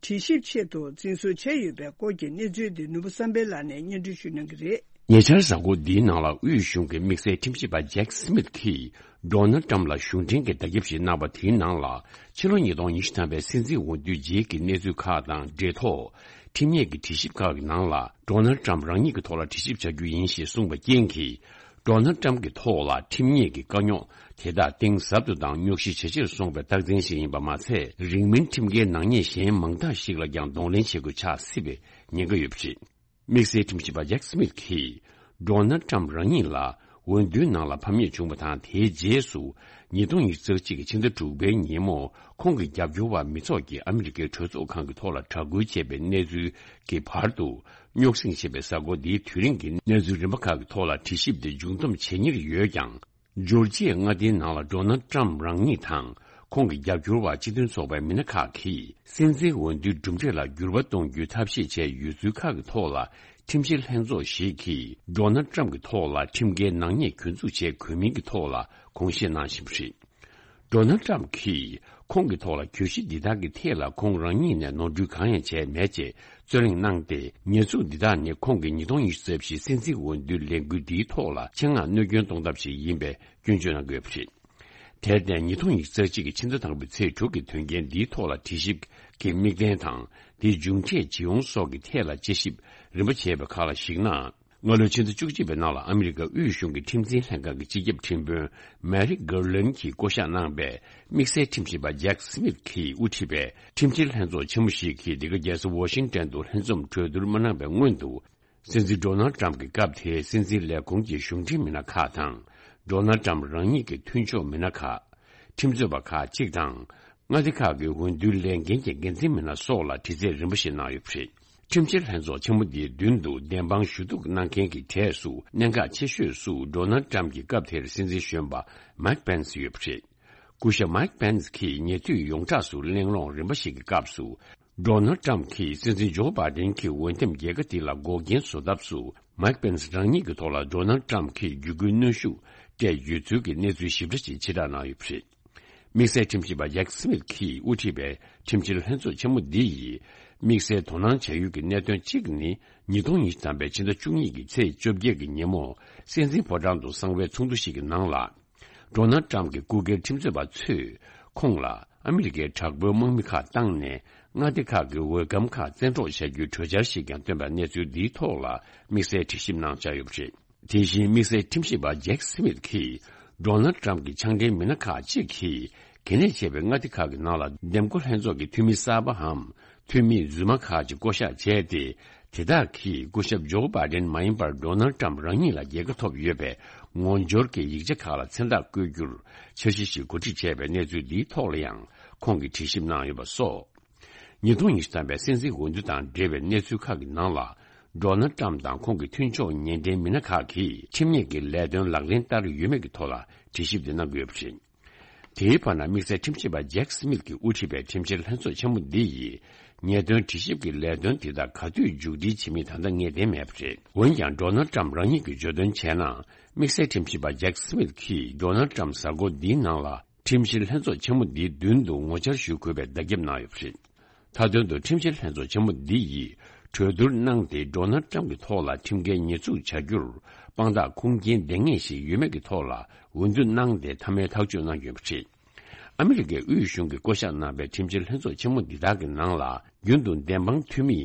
དྲི་ཞིབ་ཆེད་དུ་འཛིན་བཟུང་བྱས་ཡོད་པའི་སྐོར་གྱི་གནས་ཚུལ་འདི་ནོར་བུ་བསམ་འཕེལ་ལགས་ནས་སྙན་སྒྲོན་ཞུ་གནང་གི་རེད། ཉེ་ཆར་གཟའ་འཁོར་འདིའི་ནང་ལ་དབུས་གཞུང་གི་དམིགས་བསལ་ཁྲིམས་ཞིབ་པ་ཇེག་སི་མིད་ཀྱིས་ཌོ་ནལ་ཊམ་ལ་གཞུང་འབྲེལ་གྱི་བརྡ་ཁྱབ་ཞིག་གནང་བ་དེའི་ནང་ལ། ཕྱི་ལོ་ཉིས་སྟོང་ཉི་ཤུ་ཐམ་པའི་སྲིད་འཛིན་འོས་བསྡུ་རྗེས་ཀྱི་གནས་ཚུལ་ཁག་དང་འབྲེལ་ཐོག་ཁྲིམས་ཉེས་ཀྱི་དྲི་ཞིབ་ཁག་གི་ནང་ལ། ཌོ་ནལ་ཊམ་རང་ཉིད་ཀྱི་ཐོག་ལ་དྲི་ཞིབ་བྱ་རྒྱུ་ཡིན་ཞེས་གསུངས་པ་རྐྱེན་གྱིས། ཌོ་ནལ་ཊམ་གྱི་ཐོག་ལ་ཁྲིམས་ཉེས་ཀྱི་དཀའ་རྙོག་དེ་དག་གཏིང་ཟབ་ཏུ་དང་རྙོག་གཞི་ཇེ་ཆེར་སོང་བའི་རྟགས་མཚན་ཞིག་ཡིན་པ་མ་ཚད། རིང་མིན་ཁྲིམས་འགལ་ནག་ཉེས་གཞན་མང་དག་ཞིག་ལ་ཀྱང་གདོང་ལེན་བྱེད་དགོས་ཆགས་སྲིད་པའི་ཉེན་ཁ་ཡོད་པ་རེད། དམིགས་བསལ་ཁྲིམས་ཞིབ་པ་ཇེག་སི་མིད་ཀྱིས། ཌོ་ནལ་ཊམ་རང་ཉིད་ལ་འོས་བསྡུའི་ནང་ལ་ཕམ་ཉེས་བྱུང་བ་དང་། དེའི་རྗེས་སུ་ཉིས་སྟོང་ཉི་ཤུ་རྩ་གཅིག་གི་ཕྱི་ཟླ་དྲུག་པའི་ཉིན་མོ་ཁོང་གི་རྒྱབ་སྐྱོར་བ་མི་ཚོགས་ཀྱིས་ཨ་མི་རི་ཀའི་གྲོས་ཚོགས་ཁང་གི་ཐོག་ལ་དྲག་རྒོལ་བྱས་པའི་གནས་ཚུལ་གྱི་བར་དུ། རྙོག་ཟིང་ཆེ་བའི་གཟའ་འཁོར་འདིའི་དུས་རིང་གི་གནས་ཚུལ་རིམ་པ་ཁག་གི་ཐོག་ལ་དྲི་ཞིབ་དེ་མཇུག་བསྡོམས་བྱེད་ཉེར་ཡོད་ཀྱང་། ཇོར་ཇི་ཡའི་མངའ་སྡེའི་ནང་ལ་ཌོ་ནལ་ཊམ་རང་ཉིད་དང་ཁོང་གི་རྒྱབ་སྐྱོར་བ་སྤྱི་མཐུན་ཚོགས་པའི་མི་སྣ་ཁག་གིས་སྲིད་འཛིན་འོས་བསྡུའི་གྲུབ་འབྲས་ལ་འགྱུར་བ་གཏོང་རྒྱུའི་ཐབས་ཤེས་བྱས་ཡོད་ཚུལ་ཁག་གི་ཐོག་ལ། ཁྲིམས་བཤེར་ལྷན་ཚོགས་ཤིག་གིས་ཌོ་ནལ་ཊམ་གྱི་ཐོག་ལ་ཁྲིམས་འགལ་ནག་ཉེས་གྱོད་འཛུགས་བྱས་དགོས་མིན་གྱི་ཐོག་ལ་དགོངས་བཞེས་གནང་བཞིན་པ་རེད། ཌོ་ནལ་ཊམ་གྱིས་ཁོང་གི་ཐོག་ལ་གྱོད་གཞི་འདི་དག་གི་ཐད་ལ་ཁོང་རང་ཉིད་ནས་ནོར་འཁྲུལ་གང་ཡང་བྱས་མེད་ཅེས་རྩོད་གླེང་གནང་སྟེ། ཉེས་འཛུགས་འདི་དག་ནི་ཁོང་གི་ཉིས་སྟོང་ཉི་ཤུ་རྩ་བཞི་སྲིད་འཛིན་འོས་བསྡུའི་ལས་འགུལ་འདིའི་ཐོག་ལ་ཆེད་མངགས་གནོད་སྐྱོན་གཏོང་ཐབས་ཤིག་ཡིན་པའི་སྐྱོན་བརྗོད་གནང་གི་ཡོད་པ་རེད། དེར་བརྟེན། ཉིས་སྟོང་ཉི་ཤུ་རྩ་གཅིག་གི་ཕྱི་ཟླ་དང་པོའི་ཚེས་དྲུག་གི་དོན་རྐྱེན་འདིའི་ཐོག་ལ་དྲི་ཞིབ་ཀྱི་དམིགས་འབེན་དང་། དེའི་མཇུག་འབྲས་ཇི་ཡོང་སོགས་ཀྱི་ཐད་ལ་དཔྱད་ཞིབ་རིམ་པ་བྱས་པའི་ཁག་ལ་གཞིགས་ན། སྔ་ལོའི་ཕྱི་ཟླ་བཅུ་གཅིག་པའི་ནང་ལ་ཨ་མི་རི་ཀ་དབུས་གཞུང་གི་ཁྲིམས་འཛིན་ལྷན་ཁང་གི་སྤྱི་ཁྱབ་ཁྲིམས་དཔོན་མེ་རིག་གར་ལན་གྱིས་བསྐོ་གཞག་གནང་པའི་དམིགས་བསལ་ཁྲིམས་ཞིབ་པ་ཇེག་སི་མིད་ཀྱིས་དབུ་ཁྲིད་པའི་ཁྲིམས་བཤེར་ལྷན་ཚོགས་ཆེན་མོ་ཞིག་གིས་འདི་ག་རྒྱལ་ས་ཝ་ཤིང་ཏན་དུ་ལྷན་འཛོམས་གྲོས་བསྡུར་མ་གནང་བའི་སྔོན་དུ། སྲིད་འཛིན་ཌོ་ནལ་ཊམ་གྱི་སྐབས་དེའི་སྲིད་འཛིན་ལས་ཁུངས་ཀྱི་གཞུང་འབྲེལ་མི་སྣ་ཁག་དང་། ཌོ་ནལ་ཊམ་རང་ཉིད་ཀྱི་མཐུན་ཕྱོགས་མི་སྣ་ཁག་ཁྲིམས་རྩོད་པ་ཁག་ཅིག་དང་། མངའ་སྡེ་ཁག་གི་འོས་བསྡུའི་ལས་འགན་གྱི་འགན་འཛིན་མི་སྣ་སོགས་ལ་དྲི་རྩད་རིམ་པ་ཞིག་གནང་ཡོད་པ་རེད། ཁྲིམས་བཤེར་ལྷན་ཚོགས་ཆེན་མོ་འདིའི་མདུན་དུ་བདེན་དཔང་ཞུ་གཏུག་གནང་མཁན་གྱི་གྲས་སུ་གནད་འགག་ཆེ་ཤོས་སུ་ཌོ་ནལ་ཊམ་གྱི་སྐབས་དེར་སྲིད་འཛིན་གཞོན་པ་མའིག་པེན་སི་ཡོད་པ་རེད། སྐུ་ཞབས་མའིག་པེན་སི་གིས་ཉེ་དུས་ཡོངས་གྲགས་སུ་གླེང་སློང་རིམ་པ་ཞིག་གི་སྐབས་སུ། ཌོ་ནལ་ཊམ་གྱིས་སྲིད་འཛིན་ཇོ་བྷའི་ཌེན་གྱི་འོས་འདེམས་རྒྱལ་ཁ་འདི་ལ་འགོག་རྐྱེན་བཟོ་ཐབས་སུ། མའིག་པེན་སི་རང་ཉིད་ཀྱི་ཐོག་ལ་ཌོ་ནལ་ཊམ་གྱིས་བརྒྱུད་སྐུལ་གནོན་ཤུགས་སྤྲད་ཡོད་ཚུལ་གྱི་གནས་ཚུལ་ཞིབ་ཕྲ་ཞིག་ཕྱིར་བསྒྲགས་གནང་ཡོད་པ་རེད། དམིགས་བསལ་ཁྲིམས་ཞིབ་པ་ཇེག་སི་མིད་ཀྱིས་དབུ་ཁྲིད་པའི་ཁྲིམས་བཤེར་ལྷན་ཚོགས་ཆེན་མོ་འདི་ཡིས། དམིགས་བསལ་དོ་སྣང་བྱ་ཡུལ་གྱི་གནད་དོན་གཅིག་ནི། ཉིས་སྟོང་ཉི་ཤུ་ཐམ་པའི་ཕྱི་ཟླ་བཅུ་གཉིས་ཀྱི་ཚེས་བཅོ་བརྒྱད་ཀྱི་ཉིན་མོ། སྲིད་འཛིན་ཕོ་བྲང་དུ་གསང་བའི་ཚོགས་འདུ་ཞིག་གི་ནང་ལ། ཌོ་ནལ་ཊམ་གྱི་སྐུ་སྒེར་ཁྲིམས་རྩོད་པ་ཚོས་ཁོང་ལ་ཨ་མི་རི་ཀའི་དྲག་པོའི་དམག་མི་ཁག་བཏང་ནས་མངའ་སྡེ་ཁག་གི་འོས་སྒམ་ཁག་བཙན་འཕྲོག་བྱ་རྒྱུའི་གྲོས་འཆར་ཞིག་ཀྱང་བཏོན་པ་གནས་ཚུལ་འདིའི་ཐོག་ལ་དམིགས་བསལ་དྲི་ཞིབ་གནང་འཆར་ཡོད་པ་རེད། དེ་བཞིན་དམིགས་བསལ་ཁྲིམས་ཞིབ་པ་ཇེག་སི་མིད་ཀྱིས་ཌོ་ནལ་ཊམ་གྱི་ཕྱག་འབྲེལ་མི་སྣ་ཁག་ཅིག་གིས་གལ་གནད་ཆེ་བའི་མངའ་སྡེ་ཁག་གི་ནང་ལ་འདེམས་བསྐོ་ལྷན་ཚོགས་ཀྱི་འཐུས་མི་གསར་པའམ་འཐུས་མི་རྫུན་མ་ཁག་ཅིག་བསྐོ་གཞག་བྱས་ཏེ། དེ་དག་གིས་སྐུ་ཞབས་ཇོ་བྷའི་ཌེན་མ་ཡིན་པར་ཌོ་ནལ་ཊམ་རང་ཉིད་ལ་རྒྱལ་ཁ་ཐོབ་ཡོད་པའི་ངོ་སྦྱོར་གྱི་ཡིག་ཆ་ཁག་ལ་མཚན་རྟགས་བཀོད་རྒྱུར་འཆར་གཞི་ཞིག་གོ་སྒྲིག་བྱས་པའི་གནས་ཚུལ་འདིའི་ཐོག་ལ་ཡང་ཁོང་གིས་དྲི་ཞིབ་གནང་ཡོད་པ་སོགས། ཉིས་སྟོང་ཉི་ཤུ་ཐམ་པའི་སྲིད་འཛིན་འོས་བསྡུ་དང་འབྲེལ་བའི་གནས་ཚུལ་ཁག་གི་ནང་ལ། ཌོ་ནལ་ཊམ་དང་ཁོང་གི་མཐུན་ཕྱོགས་ཉེ་འབྲེལ་མི་སྣ་ཁག་གིས་ཁྲིམས་ཉེས་ཀྱི་ལས་དོན་ལག་ལེན་བསྟར་ཡོད་མེད་ཀྱི་ཐོག་ལ་དྲི་ཞིབ་དེ་གནང་གི་ཡོད་པ་རེད། དེའི་བར་ན་དམིགས་བསལ་ཁྲིམས་ཞིབ་པ་ཇེག་སི་མིད་ཀྱིས་དབུ་ཁྲིད་པའི་ཁྲིམས་བཤེར་ལྷན་ཚོགས་ཆེན་མོ་འདི་ཡིས་ཉེས་དོན་དྲི་ཞིབ་ཀྱི་ལས་དོན་དེ་དག་ག་དུས་མཇུག་སྒྲིལ་བྱེད་མིན་ད་ལྟ་ངེས་གཏན་མེད་པ་རེད། འོན་ཀྱང་ཌོ་ནལ་ཊམ་རང་ཉིད་ཀྱིས་བརྗོད་དོན་བྱས་ན། དམིགས་བསལ་ཁྲིམས་ཞིབ་པ་ཇེག་སི་མིད་ཀྱིས་ཌོ་ནལ་ཊམ་གཟའ་འཁོར་འདིའི་ནང་ལ་ཁྲིམས་བཤེར་ལྷན་ཚོགས་ཆེན་མོ་འདིའི་མདུན་དུ་ངོ་བཅར་ཞུ་དགོས་པའི་བརྡ་ཁྱབ་གནང་ཡོད་པ་རེད། མཐའ་དོན་དུ་ཁྲིམས་བཤེར་ལྷན་ཚོགས་ཆེན་མོ་འདི་ཡིས་གྲོས་བསྡུར་གནང་སྟེ། ཌོ་ནལ་ཊམ་གྱི་ཐོག་ལ་ཁྲིམས་འགལ་ཉེས་འཛུགས་བྱ་རྒྱུར་དཔང་རྟགས་ཁུངས་སྐྱེལ་ལྡང་ངེས་ཤིག་ཡོད་མེད་ཀྱི་ཐོག་ལ་འོས་བསྡུ་གནང་སྟེ་མཐའ་མའི་ཐག་གཅོད་གནང་རྒྱུ་ཡིན་པ་རེད། ཨ་མི་རི་ཀའི་དབུས་གཞུང་གིས་བསྐོ་གཞག་གནང་པའི་ཁྲིམས་བཤེར་ལྷན་ཚོགས་ཆེན་མོ་འདི་དག་གི་ནང་ལ། རྒྱུན་དུ་བདེན་དཔང་འཐུས་མི་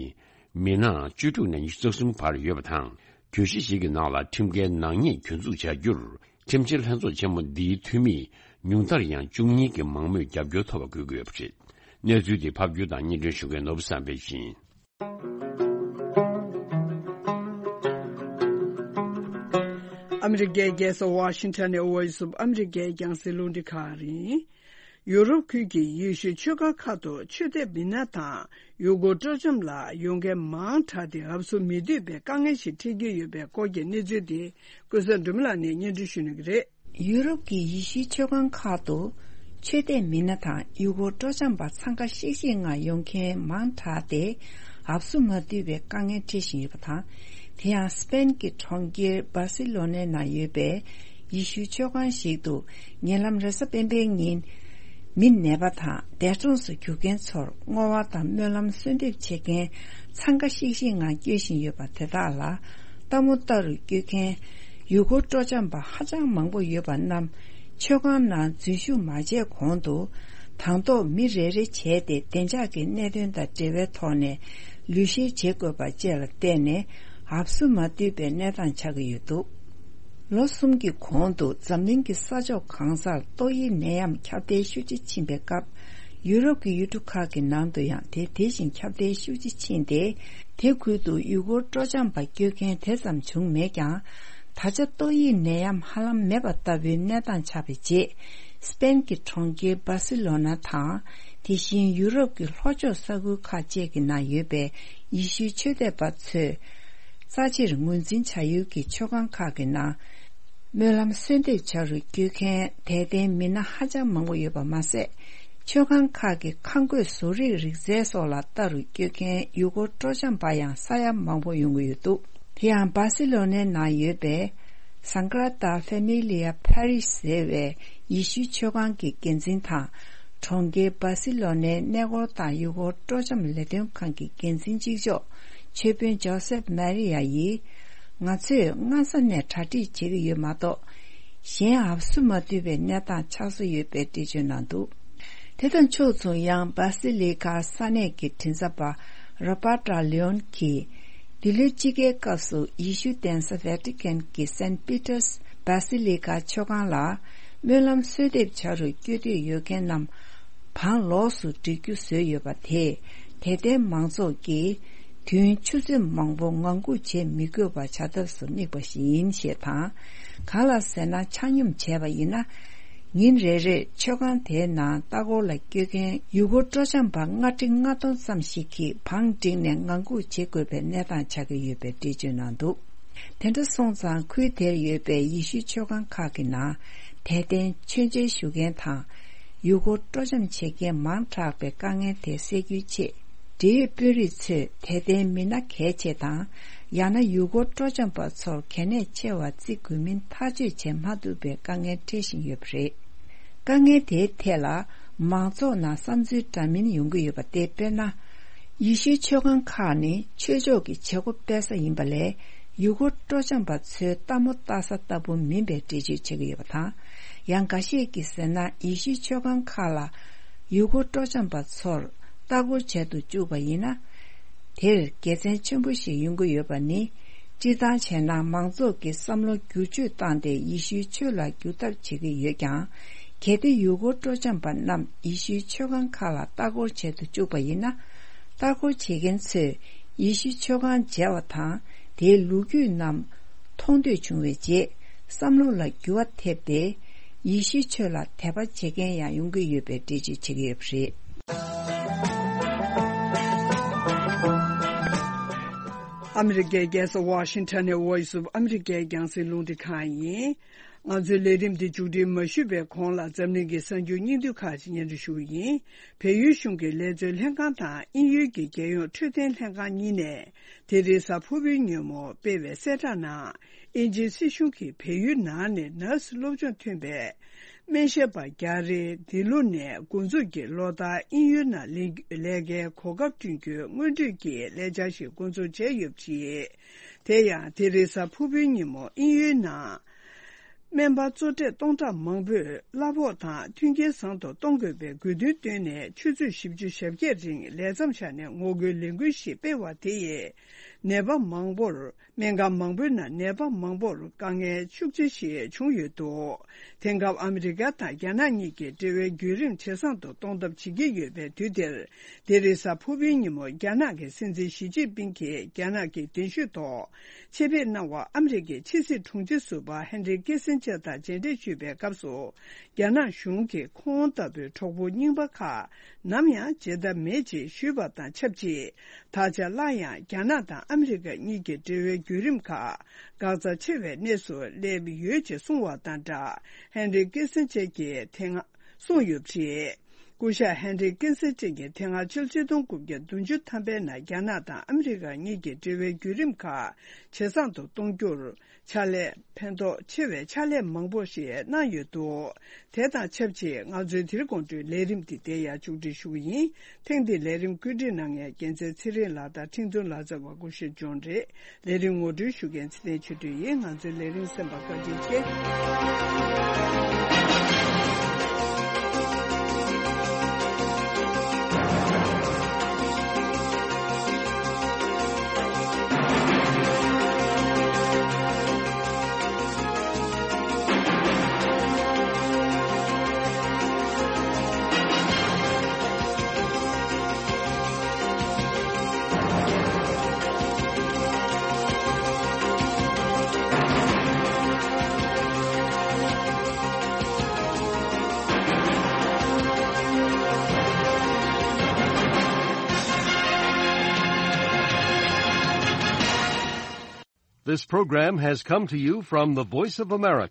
མི་སྣ་བཅུ་དྲུག་ནས་ཉི་ཤུ་རྩ་གསུམ་བར་ཡོད་པ་དང་། གྱོད་གཞི་ཞིག་གི་ནང་ལ་ཁྲིམས་འགལ་ནག་ཉེས་གྱོད་འཛུགས་བྱ་རྒྱུར། ཁྲིམས་བཤེར་ལྷན་ཚོགས་ཆེན་མོ་འདིའི་འཐུས་མི་ཉུང་མཐར་ཡང་བཅུ་གཉིས་ཀྱི་མང་མོས་རྒྱབ་སྐྱོར་ཐོབ་པ་དགོས་ཀྱི་ཡོད་པ་རེད། གནས་ཚུལ་འདི་ཕབ་སྒྱུར་དང་སྙན་སྒྲོན་ཞུ་མཁན་ནོར་བུ་བསམ་འཕེལ་ཡིན། ཨ་མི་རི་ཀའི་རྒྱལ་ས་ཝ་ཤིང་ཊོན་ནས་Voice of America རྒྱང་སྲིང་རླུང་འཕྲིན་ཁང་རེད། ཡུ་རོབ་ཁུལ་གྱི་ཡེ་ཤུའི་ཆོས་ཁང་ཁག་ཏུ་ཆོས་དད་མི་སྣ་དང་ཡུ་གུར་སྤྲོ་འཆམ་ལ་ཡོང་མཁན་མང་དྲགས་ཏེ་འུབ་སུ་མི་འདུས་པའི་དཀའ་ངལ་ཞིག་འཕྲད་ཀྱི་ཡོད་པའི་སྐོར་གྱི་གནས་ཚུལ་དེ་ཀུན་བཟང་སྒྲོལ་མ་ལགས་ནས་སྙན་སྒྲོན་ཞུ་གནང་གི་རེད། ཡུ་རོབ་ཀྱི་ཡེ་ཤུའི་ཆོས་ཁང་ཁག་ཏུ་ཆོས་དད་མི་སྣ་དང་ཡུ་གུར་སྤྲོ་འཆམ་པ་འཚང་ཁ་ཤིག་ཤིག་ངང་ཡོང་མཁན་མང་དྲགས་ཏེ་འུབ་སུ་མ་འདུས་པའི་དཀའ་ངལ་འཕྲད་བཞིན་ཡོད་པ་དང་། དེ་ཡང་སི་པེན་གྱི་གྲོང་ཁྱེར་སྦར་སི་ལོ་ནའི་ནང་ཡོད་པའི་ཡེ་ཤུའི་ཆོས་ཁང་ཞིག་ཏུ་ཉེ་ལམ་རེས་གཟའ་སྤེན་པའི་ཉིན་མི་ནད་པ་དང་འདས་གྲོངས་སུ་གྱུར་མཁན་ཚོར་བསྔོ་བ་དང་སྨོན་ལམ་གསོལ་འདེབས་བྱེད་མཁན་འཚང་ཁ་ཤིག་ཤིག་ངང་སྐྱོད་བཞིན་ཡོད་པ་དེ་དག་ལ་ལྟ་མོ་ལྟ་རུ་སྐྱོད་མཁན་ཡུ་གུར་སྤྲོ་འཆམ་པ་ཧ་ཅང་མང་པོ་ཡོད་པ་རྣམས་ཆོས་ཁང་ནང་འཛུལ་ཞུགས་མ་བྱས་གོང་དུ་དང་ཐོག་མི་རེ་རེ་བྱས་ཏེ་བདེ་འཇགས་ཀྱི་གནད་དོན་དང་འབྲེལ་བའི་ཐོག་ནས་ལུས་བཤེར་བྱེད་དགོས་པ་བཅས་ལ་བརྟེན་ནས་འུབ་སུ་མ་འདུས་པའི་གནས་སྟངས་ཆགས་ཀྱི་ཡོད་འདུག་ལོ་གསུམ་གྱི་གོང་དུ་འཛམ་གླིང་གི་ས་ཕྱོགས་གང་སར་ཏོག་དབྱིབས་ནད་ཡམས་ཁྱབ་གདལ་ཤུགས་ཆེ་ཕྱིན་པའི་སྐབས། ཡུ་རོབ་ཀྱི་ཡུལ་གྲུ་ཁག་གི་ནང་དུ་ཡང་དེ་དེ་བཞིན་ཁྱབ་གདལ་ཤུགས་ཆེ་ཕྱིན་ཏེ། དེ་ཁུལ་དུ་ཡུ་གུར་སྤྲོ་འཆམ་པ་སྐྱོད་མཁན་དེ་ཙམ་བྱུང་མེད་ཀྱང་ ད་ཆ་ཏོག་དབྱིབས་ནད་ཡམས་ཧ་ལམ་མེད་པ་ལྟ་བུའི་གནས་སྟངས་ཆགས་པའི་རྗེས། སི་པེན་གྱི་གྲོང་ཁྱེར་སྦར་སི་ལོ་ན་དང་། དེ་བཞིན་ཡུ་རོབ་ཀྱི་ལྷོ་ཕྱོགས་ས་ཁུལ་ཁག་བཅས་ཀྱི་ནང་ཡོད་པའི་ཡེ་ཤུའི་ཆོས་དད་པ་ཚོས་རྩ་ཆེར་ངོས་འཛིན་བྱ་ཡུལ་གྱི་མཆོད་ཁང་ཁག་གི་ནང་སྨོན་ལམ་གསོལ་འདེབས་བྱ་རུ་བསྐྱོད་མཁན་དད་ལྡན་མི་སྣ་ཧ་ཅང་མང་པོ་ཡོད་པ་མ་ཟད། མཆོད་ཁང་ཁག་གི་ཁང་བརྐོས་བཟོ་རིག་རིག་རྩལ་སོགས་ལ་ལྟ་རུ་བསྐྱོད་མཁན་ཡུལ་སྐོར་སྤྲོ་འཆམ་པ་ཡང་ས་ཡ་མང་པོ་ཡོང་གི་ཡོད་འདུག་དེ་ཡང་སྦར་སི་ལོ་ནའི་ནང་ཡོད་པའི་Sagrada Familia Parish ཟེར་བའི་ཡེ་ཤུའི་མཆོད་ཁང་གི་འགན་འཛིན་དང་། གྲོང་ཁྱེར་སྦར་སི་ལོ་ནའི་གནས་སྐོར་དང་ཡུལ་སྐོར་སྤྲོ་འཆམ་ལས་དོན་ཁང་གི་འགན་འཛིན་གཅིག་ལྕོགས་མཆོད་དཔོན་ཇོ་སེབ་མ་རི་ཡ་ཡིས། ང་ཚོས་སྔ་ས་ནས་གྲ་སྒྲིག་བྱེད་ཀྱི་ཡོད་མ་གཏོགས། གཞན་འབབ་སུ་མ་འདུས་པའི་གནས་སྟངས་ཆགས་སྲོལ་ཡོད་པའི་འགྲེལ་བརྗོད་གནང་འདུག་དེ་དང་ཕྱོགས་མཚུངས། ཡང་སྦར་སི་ལི་ཁ་ས་གནས་ཀྱི་མགྲིན་ཚབ་པ་Roberta Leone གྱིས། འདི་ལོའི་དཔྱིད་ཀའི་སྐབས་སུ་ཡེ་ཤུ་གདན་ས་Vatican གྱི་Saint Peter's Basilica མཆོད་ཁང་ལ་སྨོན་ལམ་གསོལ་འདེབས་བྱ་རུ་བསྐྱོད་འདོད་ཡོད་མཁན་རྣམས་བང་ལོགས་སུ་སྒྲིག་རྒྱུ་བཟོས་ཡོད་པ་དེས། དད་ལྡན་མང་ཚོགས་ཀྱིས་དུས་ཡུན་ཆུ་ཚོད་མང་པོ་ངང་སྒུག་བྱེད་མི་དགོས་པ་བྱ་ཐབས་སུ་དམིགས་པ་ཞིག་ཡིན་ཞེས་དང་། གང་ལགས་ཟེར་ན། ཆ་སྙོམས་བྱས་པ་ཡིན་ན། ཉིན་རེ་རེར་མཆོད་ཁང་དེའི་ནང་ལྟ་སྐོར་ལ་བསྐྱོད་མཁན་ཡུལ་སྐོར་སྤྲོ་འཆམ་པ་ལྔ་ཁྲི་ལྔ་སྟོང་ཙམ་ཞིག་གིས་བང་བསྒྲིགས་ནས་ངང་སྒུག་བྱེད་དགོས་པའི་གནས་སྟངས་ཆགས་ཀྱི་ཡོད་པའི་འགྲེལ་བརྗོད་གནང་འདུག་དེ་འདྲ་སོང་ཙང་། ཁུལ་དེར་ཡོད་པའི་ཡེ་ཤུའི་མཆོད་ཁང་ཁག་གི་ནང་དད་ལྡན་མཆོད་མཇལ་ཞུ་མཁན་དང་། ཡུལ་སྐོར་སྤྲོ་འཆམ་བྱེད་མཁན་མང་དྲགས་པའི་དཀའ་ངལ་དེ་སེལ་རྒྱུའི་ཆེད། འབྲེལ་ཡོད་དཔོན་རིགས་ཚོས་དད་ལྡན་མི་སྣ་གལ་ཆེ་དང་། ཡང་ན་ཡུལ་སྐོར་སྤྲོ་འཆམ་པ་ཚོར་གལ་གནད་ཆེ་བ་བརྩི་དགོས་མིན་ཐག་གཅོད་བྱེད་མ་ཐུབ་པའི་དཀའ་ངལ་འཕྲད་བཞིན་ཡོད་པ་རེད། དཀའ་ངལ་དེའི་ཐད་ལ་མང་ཚོགས་ནང་བསམ་ཚུལ་འདྲ་མིན་ཡོང་གི་ཡོད་པ་སྟེ། དཔེར་ན། ཡེ་ཤུའི་མཆོད་ཁང་ཁག་ནི་ཆོས་ཕྱོགས་ཀྱི་བྱེད་སྒོ་སྤེལ་ས་ཡིན་པ་ལས། ཡུལ་སྐོར་སྤྲོ་འཆམ་པ་ཚོའི་ལྟད་མོ་ལྟ་ས་ལྟ་བུ་མིན་པའི་འགྲེལ་བརྗོད་བྱེད་ཀྱི་ཡོད་པ་དང་། ཡང་འགའ་ཤས་ཀྱིས་ཟེར་ན། ཡེ་ཤུའི་མཆོད་ཁང་ཁག་ལ་ཡུལ་སྐོར་སྤྲོ་འཆམ་པ་ཚོར་ལྟ་སྐོར་བྱེད་དུ་བཅུག་པ་ཡིན་ན། དེར་དགེ་མཚན་ཆེན་པོ་ཞིག་ཡོང་གི་ཡོད་པ་ནི། སྤྱིར་བཏང་བྱས་ན། མང་ཚོགས་ཀྱི་བསམ་བློ་བསྒྱུར་བཅོས་བཏང་སྟེ། ཡེ་ཤུའི་ཆོས་ལ་བསྒྱུར་ཐབས་བྱེད་ཀྱི་ཡོད་ཀྱང་། གལ་ཏེ་ཡུལ་སྐོར་སྤྲོ་འཆམ་པ་རྣམས་ཡེ་ཤུའི་མཆོད་ཁང་ཁག་ལ་ལྟ་སྐོར་བྱེད་དུ་བཅུག་པ་ཡིན་ན། ལྟ་སྐོར་བྱེད་མཁན་ཚོས་ཡེ་ཤུའི་མཆོད་ཁང་མཇལ་བ་དང་། དེའི་ལོ་རྒྱུས་རྣམས་མཐོང་འདོད་བྱུང་བའི་རྗེས། བསམ་བློ་ལ་འགྱུར་བ་ཐེབས་ཏེ། ཡེ་ཤུའི་ཆོས་ལ་དད་པ་བྱེད་མཁན་ཡང་ཡོང་གི་ཡོད་པའི་འགྲེལ་བརྗོད་བྱེད་ཀྱི་ཡོད་པ་རེད། ཨ་མི་རི་ཀའི་རྒྱལ་ས་ཝ་ཤིང་ཊོན་ནས་Voice of America རྒྱང་སྲིང་རླུང་འཕྲིན་ཁང་ཡིན། ང་ཚོའི་ལས་རིམ་འདི་མཇུག་སྒྲིལ་མ་ཞུས་པའི་གོང་ལ། འཛམ་གླིང་གི་གསར་འགྱུར་སྙིང་བསྡུས་ཁག་ཅིག་སྙན་སྒྲོན་ཞུ་གི་ཡིན། བལ་ཡུལ་གཞུང་གི་ལས་བཟོའི་ལྷན་ཁང་དང་དབྱིན་ཡུལ་གྱི་རྒྱལ་ཡོངས་འཕྲོད་བསྟེན་ལྷན་ཁང་གཉིས་ནས། དེ་རིང་གཟའ་ཕུར་བུའི་ཉིན་མོ་སྤེལ་བའི་གསལ་བསྒྲགས་ནང་། དབྱིན་ཇིའི་སྲིད་གཞུང་གིས་བལ་ཡུལ་ནང་ནས་ནར་སི་སློབ་སྦྱོང་ཐོན་པའི་སྨན་ཞབས་པ་རྒྱ་རེ་འདི་ལོ་ནས་འགོ་འཛུགས་ཀྱིས་ལོ་ལྟར་དབྱིན་ཡུལ་ནང་ལས་ལས་ཀའི་གོ་སྐབས་བསྐྲུན་རྒྱུའི་སྔོན་གྲོས་ཀྱི་ལས་འཆར་ཞིག་འགོ་འཛུགས་བྱས་ཡོད་པ་རེད། དེ་ཡང་དེ་རིང་གཟའ་ཕུར་བུའི་ཉིན་མོ་དབྱིན་ཡུལ་ནང་སྨན་པ་གཙོ་གྲས་སྟོང་ཕྲག་མང་པོས་གླ་ཕོགས་དང་མཐུན་རྐྱེན་བཟང་དུ་གཏོང་དགོས་པའི་དགོས་འདུན་བཏོན་ནས། ཆུ་ཚོད་བཞི་བཅུ་ཞེ་བརྒྱད་རིང་ལས་མཚམས་བཞག་ནས་ངོ་རྒོལ་ལས་འགུལ་ཞིག་སྤེལ་བ་དེ་ཡིས། ནད་པ་མང་པོར། སྨན་ཁང་མང་པོའི་ནང་ནད་པ་མང་པོར་དཀའ་ངལ་ཤུགས་ཆེ་ཞིག་བྱུང་ཡོད་འདུག་དེང་སྐབས་ཨ་མི་རི་ཀ་དང་རྒྱ་ནག་གཉིས་ཀྱིས་འབྲེལ་བའི་བརྒྱུད་རིམ་ཇེ་བཟང་དུ་གཏོང་ཐབས་བྱེད་ཀྱི་ཡོད་པའི་དུས་འདིར། དེ་རིང་གཟའ་ཕུར་བུའི་ཉིན་མོ་རྒྱ་ནག་གི་སྲིད་འཛིན་ཞི་ཅིན་ཕིང་གིས་རྒྱ་ནག་གི་གདན་ཞུས་ཐོག་ཆེད་ཕེབས་གནང་བར་ཨ་མི་རི་ཀའི་ཕྱི་སྲིད་དྲུང་ཆེ་ཟུར་པ་ཧན་རི་ཀི་སིན་ཇར་དང་མཇལ་འཕྲད་ཞུས་པའི་སྐབས་སུ། རྒྱ་ནག་གཞུང་གིས་ཁོང་ལྟ་བུའི་གྲོགས་པོ་རྙིང་པ་ཁག་ནམ་ཡང་བརྗེད་ཐབས་མེད་ཅེས་ཞུས་པ་དང་ཆབས་ཅིག་ད་ཆ་སླར་ཡང་རྒྱ་ནག་དང་ཨ་མི་རི་ཀ་གཉིས་ཀྱི་འབྲེལ་བའི་བརྒྱུད་རིམ་ཁག་འགག་རྩ་ཆེ་བའི་གནས་སུ་སླེབས་ཡོད་ཅེས་གསུངས་བ་དང་སྦྲགས། ཧན་རི་ཀི་སིན་ཇར་གྱིས་དེ་སྔ་གསུངས་ཡོད་པ་རེད། སྐུ་ཞབས་ཧན་རི་ཀི་སིན་ཇར་གྱིས་དེ་སྔ་ཕྱི་ལོ་ཆིག་སྟོང་དགུ་བརྒྱ་བདུན་ཅུ་ཐམ་པའི་ནང་རྒྱ་ནག་དང་ཨ་མི་རི་ཀ་གཉིས་ཀྱི་འབྲེལ་བའི་བརྒྱུད་རིམ་ཁག་ཇེ་བཟང་དུ་གཏོང་རྒྱུར། ཕྱག་ལས། ཕན་ཐོགས་ཆེ་བའི་ཕྱག་ལས་མང་པོ་ཞིག་གནང་ཡོད་འདུག་དེ་དང་ཆབས་ཅིག་ང་ཚོའི་དེ་རིང་དགོང་དྲོའི་ལས་རིམ་འདི་དེ་ཡང་མཇུག་སྒྲིལ་ཞུ་གི་ཡིན། ཐེངས་འདིའི་ལས་རིམ་བཀོད་སྒྲིག་གནང་མཁན་རྒྱལ་མཚན་ཚེ་རིང་ལགས་དང་ཁྲིན་ཏུན་ལགས་རྩ་བ་སྐུ་ཞབས་ཇོན་རེད། ལས་རིམ་ངོ་སྤྲོད་ཞུ་མཁན་ཚེ་བརྟན་ཆོས་སྒྲོན་ཡིན། ང་ཚོའི་ལས་རིམ་གསན་པར་བཀའ་དྲིན་ཆེ། This program has come to you from the Voice of America.